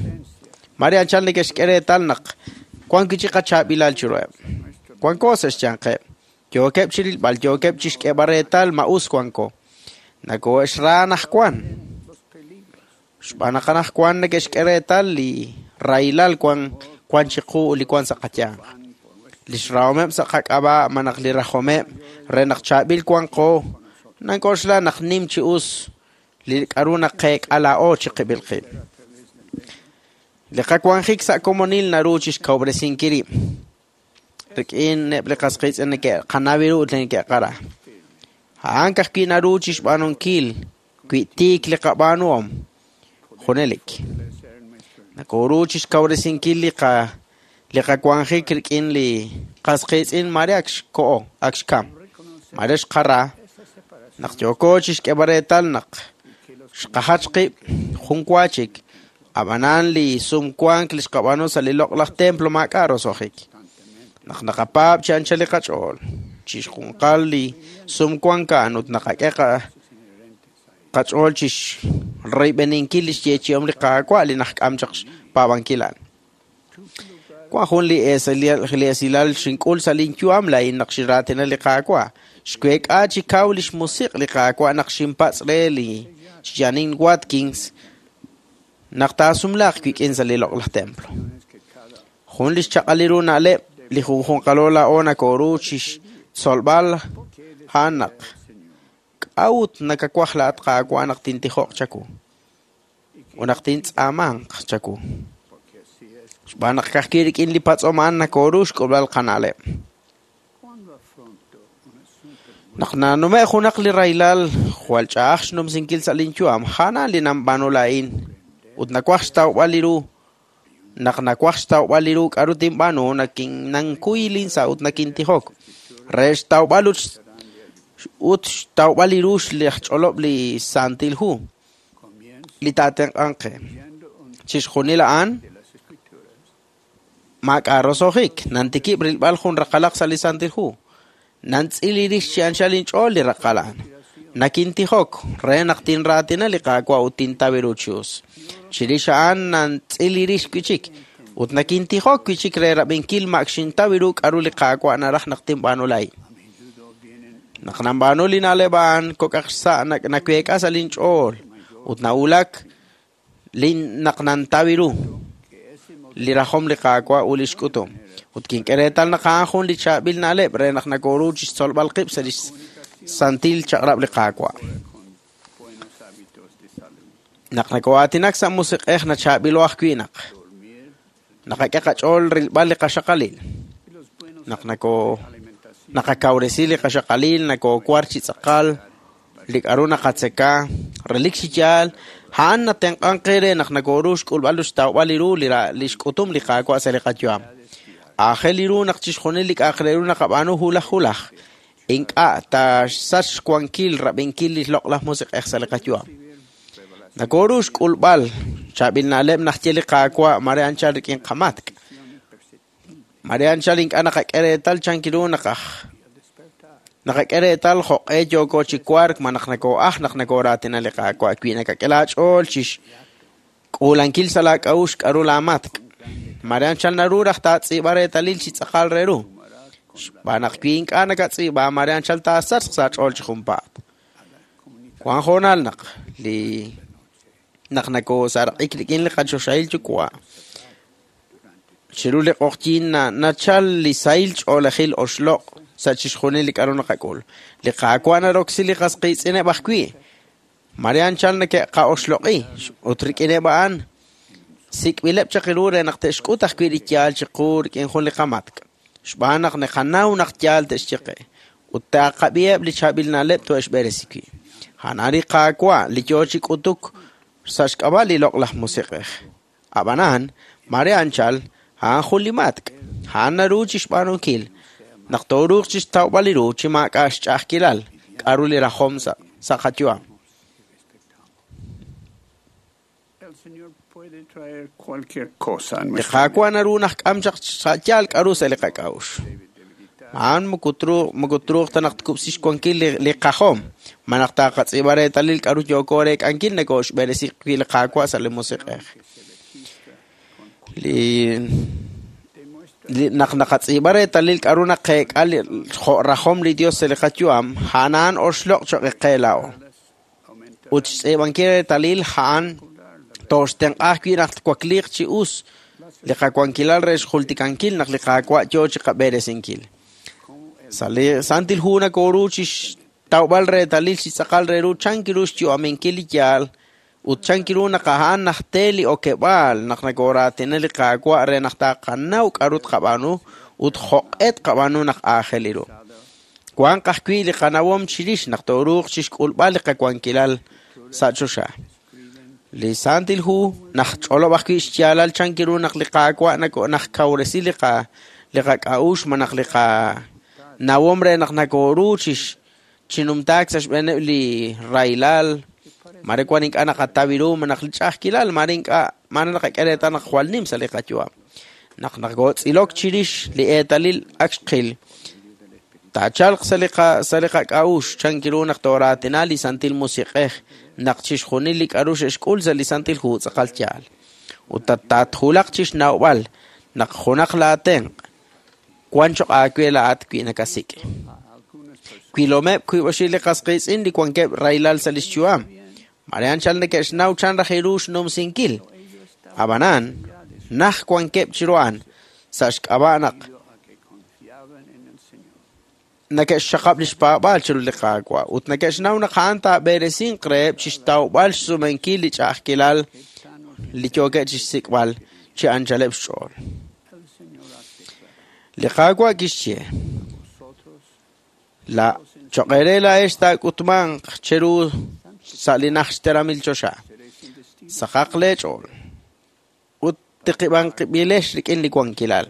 Speaker 3: Mare anchal neke'xk'e reetal naq wank wi' chik qachaab'ilal chiruheb'. Wanko sa' xyanqeb'. Yookeb' chi rilb'al, yookeb' chixk'eeb'al reetal ma us wanko. Nakoo'exra anaqwan. Xb'aan naq anaqwan neke'xk'e reetal li rahilal wan chiqu ut li wan sa' qayanq. Lix rahomeb' sa' qak'ab'a' malaj li rajomeb' re naq chaab'il wanqo, nank'oxla naq nim chi us li k'a'ru naqeek'a laa'o chiqib'il qib'. Li qawanjik sa' komonil naru chixkawob'resinkil rib' rik'in eb' li qas qiitz'in neke'qanaw ru ut li neke'qara. A'an ka'ajwi' naru chixb'aanunkil wi tiik li qab'aanuhom junelik. Nakooru chixkawresinkil li qawanjik rik'in li qas qiitz'in mare ak xko'o, ak xkam, mare xqara, naq yooko chixk'eeb'al reetal naq xqajach qib' jun wa chik, ab'anan li sumwank li xqab'aanu sa' li loq'laj templo maak'a' roso'jik. Naq naqapaab' chi anchal li qach'ool, chixjunqal li sumwank a'an ut naqak'e qach'ool chixreyb'eninkil li xyeechi'om li Qaawa' li najk'am chaq xpaab'ankil a'an. Wan jun li esilal xink'ul sa' linyu'am laa'in naq xinraatina li Qaawa'. Xweek'a chi kaw lix musiq' li Qaawa' naq xinpatz' re li Janine Watkins naq taasumlaaq wik'in sa' li loq'laj templo. Jun li xchaq'al ru na'leb' li junjunqalo laa'o nakooru chixtzolb'al a'an naq k'a'ut nakawaj laa'at Qaawa' naq tintijoq chawu ut naq tintz'aamanq chawu. Xb'aan naq ka'ajwi' rik'in li patz'om a'an nakooru xk'ulb'al qana'leb'. Naq nanume' junaq li rahilal jwal ch'a'aj xnumsinkil sa' linyu'am, a'an li nanb'aanu laa'in ut nawaj xtawb'al li ru. Naq nawaj xtawb'al li ru k'a'ru tinb'aanu, nankuy linsa' ut nakintijok. Re xtawb'al ut xtawb'al li ru xch'olob' li Santil Hu li taatenq'anq qe. Chixjunil a'an maak'a' roso'jik. Nantikib' rilb'al jun raqalaq sa' li Santil Hu. Nantz'il rix chi anchal inch'ool li raqal a'an. Nakintijok re naq tinraatina li Qaawa' ut tintaw ru chi us. Chirix a'an nantz'il rix wi' chik ut nakintijok wi' chik re rab'inkil ma ak xintaw ru k'a'ru li Qaawa' naraj naq tinb'aanu laa'in. Naq nanb'aanu li na'leb' a'an kok'aq xsa' naweek'a sa' linch'ool ut nawulak naq nantaw ru li rajom li Qaawa' ut li xk'utum. Ut kink'e reetal naq a'an jun li chaab'il na'leb' re naq nakooru chixtzolb'al qib' sa' li santil chaq'rab' li Qaawa'. Naq nakoo'aatinak sa' musiq'ej nachaab'ilo ajwi' naq naqak'e qach'ool rilb'al li qaxaqalil. Naq naqakawresi li qaxaqalil, nakoowar chi tz'aqal li k'a'ru naqatzeka, relik chi yaal, a'an natenq'ank qe re naq nakooru xk'ulb'al ut xtawb'al li ru li xk'utum li Qaawa' sa' li qayu'am. Aajel li ru naq chixjunil li k'a'aq re ru naqab'aanu hulaj hulaj. Ink'a' taaxsach xwankil rab'inkil li loq'laj musiq'ej sa' li qayu'am. Nakooru xk'ulb'al chaab'il na'leb' naxye li Qaawa' mare anchal rik'in qamatk'. Mare anchal ink'a' naqak'e reetal chank ru naqak'e reetal jo'q'e yooko chi wark ma naq nakoo'aj naq nakooraatina li Qaawa' wi nakak'e laach'ool chixk'uulankil sa' laak'a'uxl k'a'ru laamatk'. Mare anchal naru raj taatz'iib'a reetalil chi tz'aqal re ru. Xb'aan naq wi ink'a' nakatz'iib'a, mare anchal taasachq sa' aach'ool chi junpaat. Wan hoonal naq li naq nakoosaraq'ik rik'in li qachoxahil yuwa'. Chiru li q'oqyink nachal li sahil ch'oolejil oxloq' sa' chixjunil li k'a'ru naqak'ul. Li Qaawa' naroksi li qas qiitz'ineb' ajwi'. Mare anchal neke'qa'oxloq'i ut rik'ineb' a'an sik'b'ileb' chaq ru re naq te'xk'ut ajwi' li yaal chiqu rik'in jun li qamatk'. Xb'aan naq naqanaw naq yaal te'xye qe ut taaqab'iheb' li chaab'il na'leb' to'e'xb'eresi wi'. A'an li Qaawa' li yoo chi k'utuk sa' xk'ab'a' li loq'laj musiq'ej. Ab'anan, mare anchal, a'an jun li matk'. A'an naru chixb'aanunkil naq tooruuq chixtawb'al li ru chi maak'a' xch'a'ajkilal k'a'ru li rajom sa' qayu'am. Li Qaawa' naru naqk'am chaq sa' yaal k'a'ru sa' li qak'a'uxl. A'an moko truuq ta naq tkub'si xwankil li qajom, ma naq taaqatz'iib'a reetalil k'a'ru yooko reek'ankil nakooxb'eresi wi' li Qaawa' sa' li musiq'ej. Li naq naqatz'iib'a reetalil k'a'ru naqeek'a jo' rajom li Dios sa' li qayu'am, a'an a'an oxloq' choq' qe laa'o. Ut xtz'iib'ankil reetalil a'an tooxtenq'a ajwi' naq twakliiq chi us li qawankilal re xjultikankil naq li Qaawa' yoo chi qab'eresinkil. Sa' li Santil Hu nakooru chi xtawb'al reetalil chi tz'aqal re ru chan kiru xyu'aminkil li yaal ut chan kiru naq a'an najte li okeb'aal naq nakooraatina li Qaawa' re naq taqanaw k'a'ru tqab'aanu ut jo'q'e tqab'aanu naq aajel ru. Wanq ajwi' li qanawom chirix naq tooruuq chixk'ulb'al li qawankilal sa' choxa. Li Santil Hu najch'olob' ajwi' xyaalal chan kiru naq li Qaawa' najkawresi li qak'a'uxl ma naq li qanawom re naq nakooru chinumtaak sa' xb'eeneb' li rahilal, mare wan ink'a' naqataw ru ma naq li ch'a'ajkilal, mare ink'a' mare naqak'e reetal naq jwal nim sa' li qayu'am. Naq nakootz'ilok chirix li eetalil ak xqil, taachalq sa' li qak'a'uxl chan kiru naq tooraatina li Santil Musiq'ej naq chixjunil li k'a'ru xe'xk'ul sa' li Santil Hu tz'aqal yaal. Ut tatwulaq chixnawb'al naq junaq laatenq' wan choq' aawe laa'at wi' nakasik'. Wilomeb' wiib' oxib' li qas qiitz'in li wankeb' rahilal sa' lix yu'am. Mare anchal neke'xnaw chan raj ru xnumsinkil. Ab'anan, naj wankeb' chiru a'an sa' xk'ab'a' naq neke'xxaqab' li xpaab'aal chiru li Qaawa' ut neke'xnaw naq a'an taab'eresinq reheb' chixtawb'al xsumenkil li ch'a'ajkilal li yookeb' chixsik'b'al chi anchaleb' xch'ool. Li Qaawa' kixye, la choq' eere laa'ex taak'utmanq cheru sa' li naj xteramil choxa. Saqaq leech'ool ut tiqib'anqib'ilex rik'in li wankilal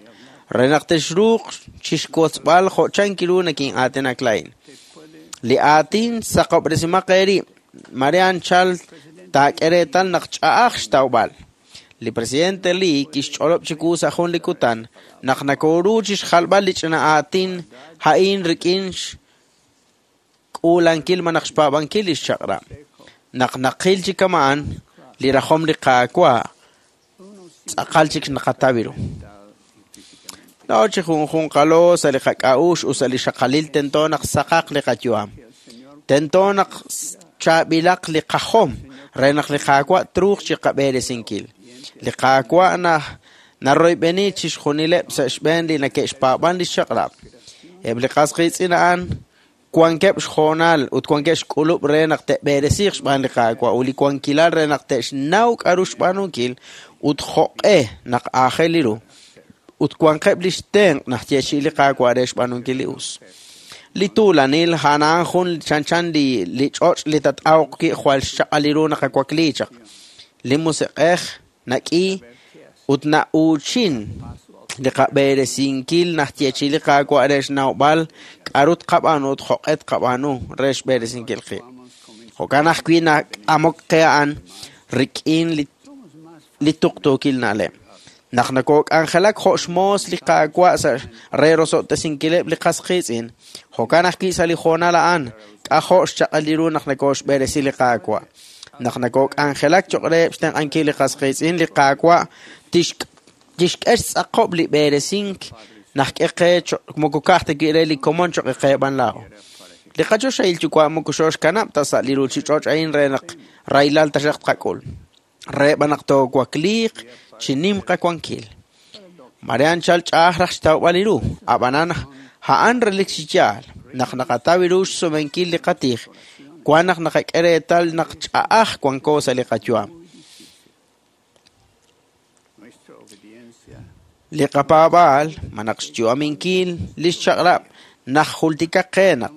Speaker 3: re naq texruuq chixwotzb'al jo' chan kiru nakin'aatinak laa'in. Li aatin saqob'resimaq eerib', mare anchal taak'e reetal naq ch'a'aj xtawb'al. Li presidente Lee kixch'olob' chiwu sa' jun li kutan naq nakooru chixjalb'al li ch'ina aatin a'in rik'in xk'uulankil malaj xpaab'ankil li xchaq'rab'. Naq naqil chi kama'an li rajom li Qaawa' tz'aqal chik naqataw ru. Laa'o chi junjunqalo sa' li qak'a'uxl ut sa' li xaqalil tento naq saqaq li qayu'am. Tento naq chaab'ilaq li qajom re naq li Qaawa' truuq chi qab'eresinkil. Li Qaawa' naroyb'eni chixjunileb' sa' xb'een li neke'xpaab'an li xchaq'rab'. Eb' li qas qiitz'in a'an wankeb' xhoonal ut wankeb' xk'ulub' re naq te'b'eresiiq xb'aan li Qaawa' ut li wankilal re naq te'xnaw k'a'ru xb'aanunkil ut jo'q'e naq aajel ru. Ut wanqeb' li xtenq' naq yeechi'i li Qaawa' re xb'aanunkil li us. Li tuulanil a'an a'an jun chanchan li ch'och' li tat'awq wi' jwal xchaq'al ru naqawakli chaq. Li musiq'ej nak'i ut na'uuchin li qab'eresinkil naq yeechi'i li Qaawa' re xnawb'al k'a'ru tqab'aanu ut jo'q'e tqab'aanu re xb'eresinkil qib'. Jo'kan ajwi' nak'amok qe a'an rik'in li tuqtuukil na'leb'. Naq nakook'anjelak jo' xmoos li Qaawa' sa' re rosob'tesinkileb' li qas qiitz'in, jo'kan ajwi' sa' li hoonal a'an k'ajo' xchaq'al ru naq nakooxb'eresi li Qaawa'. Naq nakook'anjelak choq' reheb' xtenq'ankil li qas qiitz'in, li Qaawa' tixk'e Kixk'e xtz'aqob' li b'eresink naq k'e qe moko ka'aj ta wi' re li komon cho'q qe b'an laa'o. Li qachoxahil yuwa' moko xooxkanab' ta sa' li ruuchich'och' a'in re naq rahilal taxaq tqak'ul. Re b'an naq toowakliiq chi nim qawankil. Mare anchal ch'a'aj raj xtawb'al li ru, ab'anan a'an relik chi yaal naq naqataw ru xsumenkil li qatij, wan naq naqak'e reetal naq ch'a'aj wanko sa' li qayu'am. Li qapaab'aal ma naq xyu'aminkil li xchaq'rab' naq jultikaq qe naq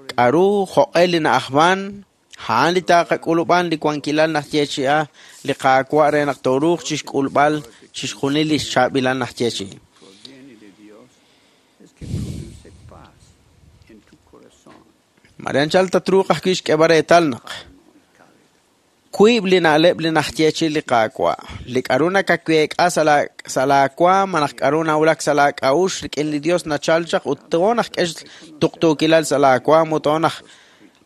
Speaker 3: k'aru jo'q'e li na'ajman a'an li taaqak'ulub'an li wankilal naq yeechi'a li Qaawa' re naq tooruuq chixk'ulb'al chixjunil li xchaab'ilal naq yeechi'i. Mare anchal tatruuq ajwi' xk'eeb'al reetal naq wiib' li na'leb' li najyeechi li Qaawa', li k'aru nakaweek'a sa' laawaam malaj k'aru nawulak sa' laak'a'uxl rik'in li Dios nachal chaq ut toonaj k'e tuqtuukilal sa' laawaam ut toonaj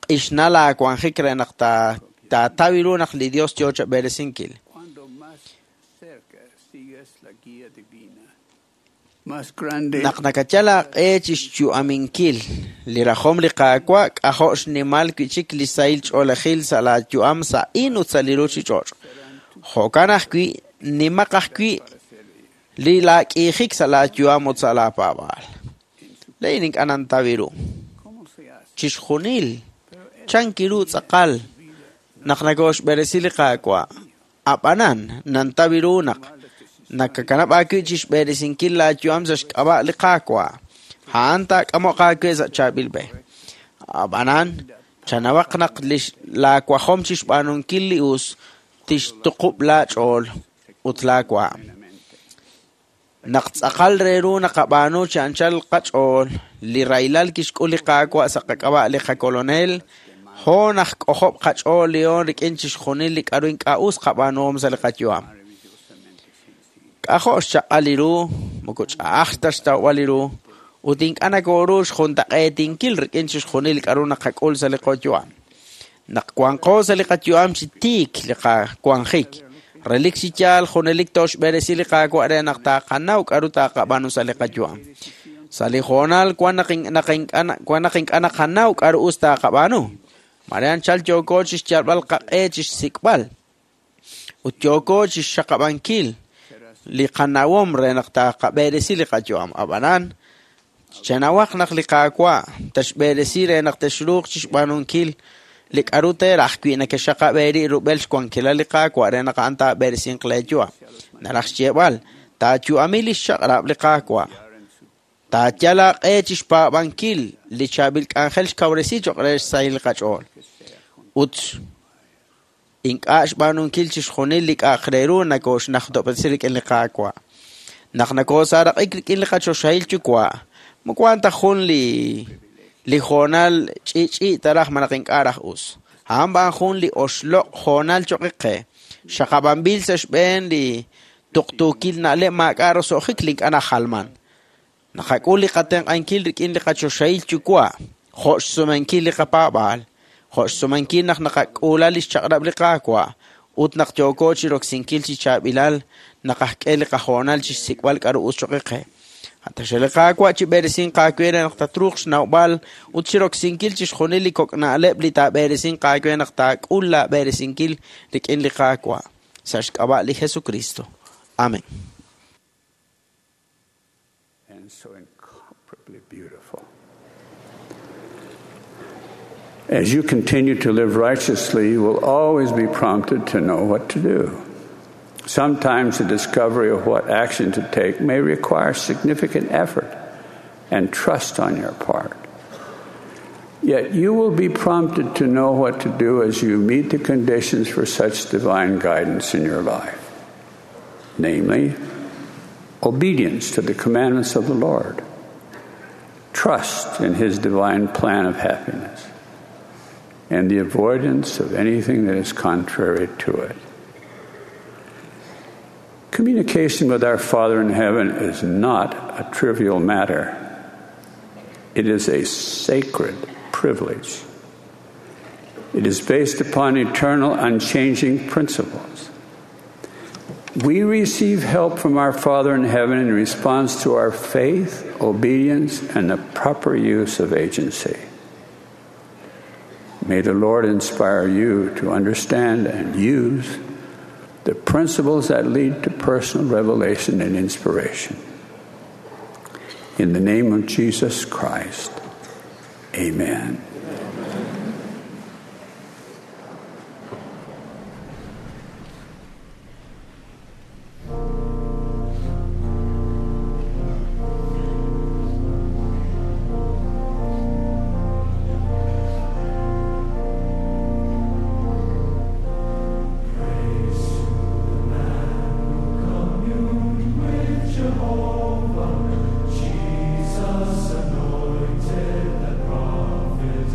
Speaker 3: q'ixna laawanjik re naq taataw ru naq li Dios yoo chab'eresinkil. Naq nakayal aaq'e chi xyu'aminkil li rajom li Qaawa' k'ajo' xnimal wi' chik li sahil ch'oolejil sa' laayu'am sa'in ut sa' li ruuchich'och'. Jo'kan ajwi' nimaq ajwi' li laak'iijik sa' laayu'am ut sa' laapaab'aal. Laa'in ink'a' nantaw ru. Chixjunil chanki ru tz'aqal naq nakooxb'eresi li Qaawa'. Ab'anan nantaw ru naq nakakanab' aawi' chi xb'eresinkil laayu'am sa' xk'ab'a' li Qaawa'. A'an taak'amoq aawe sa' chaab'il b'e. Ab'anan chanawaq naq laawajom chi xb'aanunkil li us tixtuqub' laach'ool ut laawaam. Naq tz'aqal re ru naqab'aanu chi anchal qach'ool li rahilal kixk'ul li Qaawa' sa' qak'ab'a' li qakolonel, hoon aj k'ojob' qach'ool lihoon rik'in chixjunil li k'aru ink'a' us qab'aanuhom sa' li qayu'am. K'ajo' xchaq'al li ru, moko ch'a'aj ta xtawb'al li ru, ut ink'a' nakooru xjuntaq'eetinkil rik'in chixjunil li k'aru naqak'ul sa' li qayu'am. Naq wanqo sa' li qayu'am chi tiik li qawanjik, relik chi yaal junelik tooxb'eresi li Qaawa' re naq taaqanaw k'aru taaqab'aanu sa' li qayu'am. Sa' li hoonal wan naq ink'a' naqanaw k'aru us taaqab'aanu. Mare anchal yooko chi xyalb'al qaq'e chi xsik'b'al ut yooko chi xxaqab'ankil li qanawom re naq taaqab'eresi li qayu'am. Ab'anan chanawaq naq li Qaawa' taxb'eresi re naq texruuq chi xb'aanunkil li k'aru teeraj wi' nakexaqab'eri rub'el xwankilal li Qaawa' re naq a'an taab'eresinq leeyu'am. Naraj xyeeb'al taayu'ami li xchaq'rab' li Qaawa'. Taayal aaq'e chi xpaab'ankil li chaab'il k'anjel xkawresi cho'q re xsahil qach'ool. Ut ink'a' xb'aanunkil chixjunil li k'a'aq re ru nakooxnajtob'resi rik'in li Qaawa'. Naq nakoosaraq'ik rik'in li qachoxahil yuwa', moko wan ta jun li hoonal ch'i'ch'i' taraj malaj ink'a' raj us. A'an b'an jun li oxloq' hoonal cho'q qe. Xaqab'anb'il sa' xb'een li tuqtuukil na'leb' maak'a' roso'jik li ink'a' najalman. Naqak'ul li qatenq'ankil rik'in li qachoxahil yuwa', jo' xsumenkil li qapaab'aal, jo' xsumenkil naq naqak'uula li xchaq'rab' li Qaawa' ut naq yooko chi roksinkil chi chaab'ilal naqajk'e li qahoonal chi xsik'b'al k'aru us cho'q qe. Ataxel li Qaawa' chi b'eresinq aawe re naq tatruuq xnawb'al ut chi roksinkil chixjunil li kok' na'leb' li taab'eresinq aawe naq taak'ul laab'eresinkil rik'in li Qaawa' sa' xk'ab'a' li Jesucristo. Amén.
Speaker 4: And so incomparably beautiful. As you continue to live righteously, you will always be prompted to know what to do. Sometimes the discovery of what action to take may require significant effort and trust on your part. Yet you will be prompted to know what to do as you meet the conditions for such divine guidance in your life, namely, obedience to the commandments of the Lord, trust in His divine plan of happiness, and the avoidance of anything that is contrary to it. Communication with our Father in heaven is not a trivial matter. It is a sacred privilege. It is based upon eternal, unchanging principles. We receive help from our Father in heaven in response to our faith, obedience, and the proper use of agency. May the Lord inspire you to understand and use the principles that lead to personal revelation and inspiration. In the name of Jesus Christ, amen.
Speaker 7: Jehovah, Jesus anointed the prophet.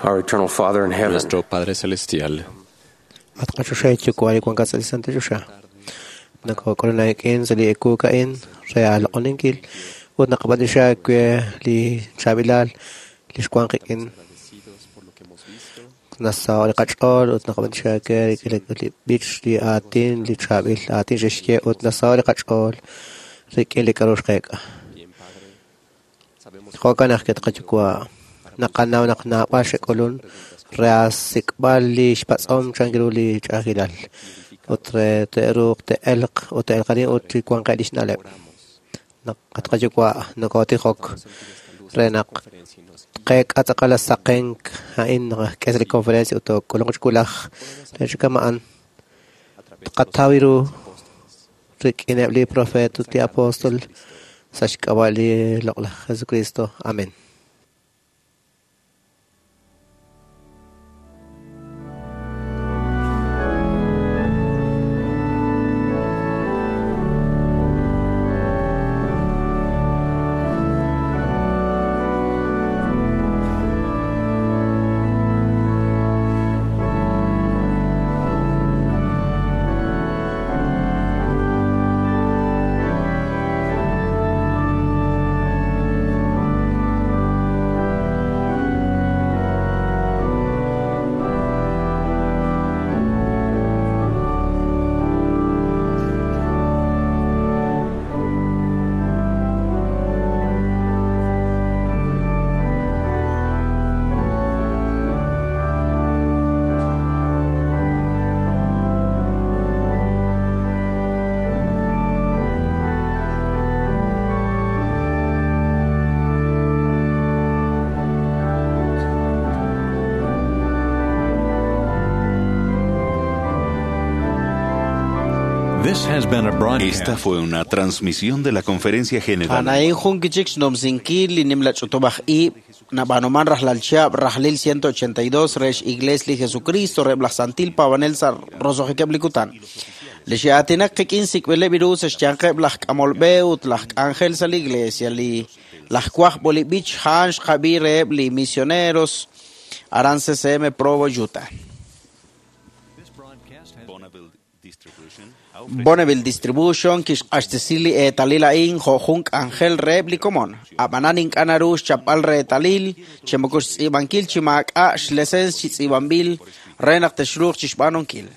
Speaker 15: Our eternal Father in heaven.
Speaker 11: Nuestro Padre Celestial.
Speaker 1: At qachoxahil Yuwa' li wankat sa' li santil choxa. Nakok'ulun aak'in sa' li ewu a'in re aaloq'oninkil ut naqab'antioxi aawe li chaab'ilal li xwan qik'in. Nasaho' li qach'ool ut naqab'antioxi aawe rik'in li b'ich, li aatin, li chaab'il aatin xe'xye ut nasaho' li qach'ool rik'in li k'a'ru xqeek'a. Jo'kan ajwi' at qaYuwa' naqanaw naq naab'al xe'k'ulun re aasik'b'al li xpatz'om chan ru li ch'a'ajkilal ut re te'ruuq te'elq ut te'elqanin ut chi wanqeb' lix na'leb'. Naq at qaYuwa' nokotijok re naq tqeek'a tz'aqal saqenk a'in naq k'e sa' li conferencia ut took'ulunq chi wulaj re chi kama'an tqataw ru rik'ineb' li profeet ut li apóstol sa' xk'ab'a' li loq'laj Jesucristo. Amén.
Speaker 16: This has been a broadcast.
Speaker 13: Esta fue una transmisión de la Conferencia General.
Speaker 3: Anain jun kichik xnomsinkil li nimla ch'utub'aj ib' nab'anuman rajlal chihab' rajlil 182 rex Iglesia li Jesucristo reb' laj Santil Pabanel sa' roso'jikeb' li kutan. Li xe'aatinak qik'in sik'b'ileb' ru sa' xyanqeb' laj k'amol b'e ut laj k'anjel sa' li Iglesia li laj Kwaj Bolib'ich a'an xqab'i reheb' li misioneros aran CCM Provo, Utah. Bonneville Distribution kixq'axtesi li eetalil a'in jo' jun k'anjel reheb' li komon. Ab'anan ink'a' naru xchapb'al reetalil chi moko xtz'iib'ankil chi maak'a' xlesens chi tz'iib'anb'il re naq texruuq chixb'aanunkil.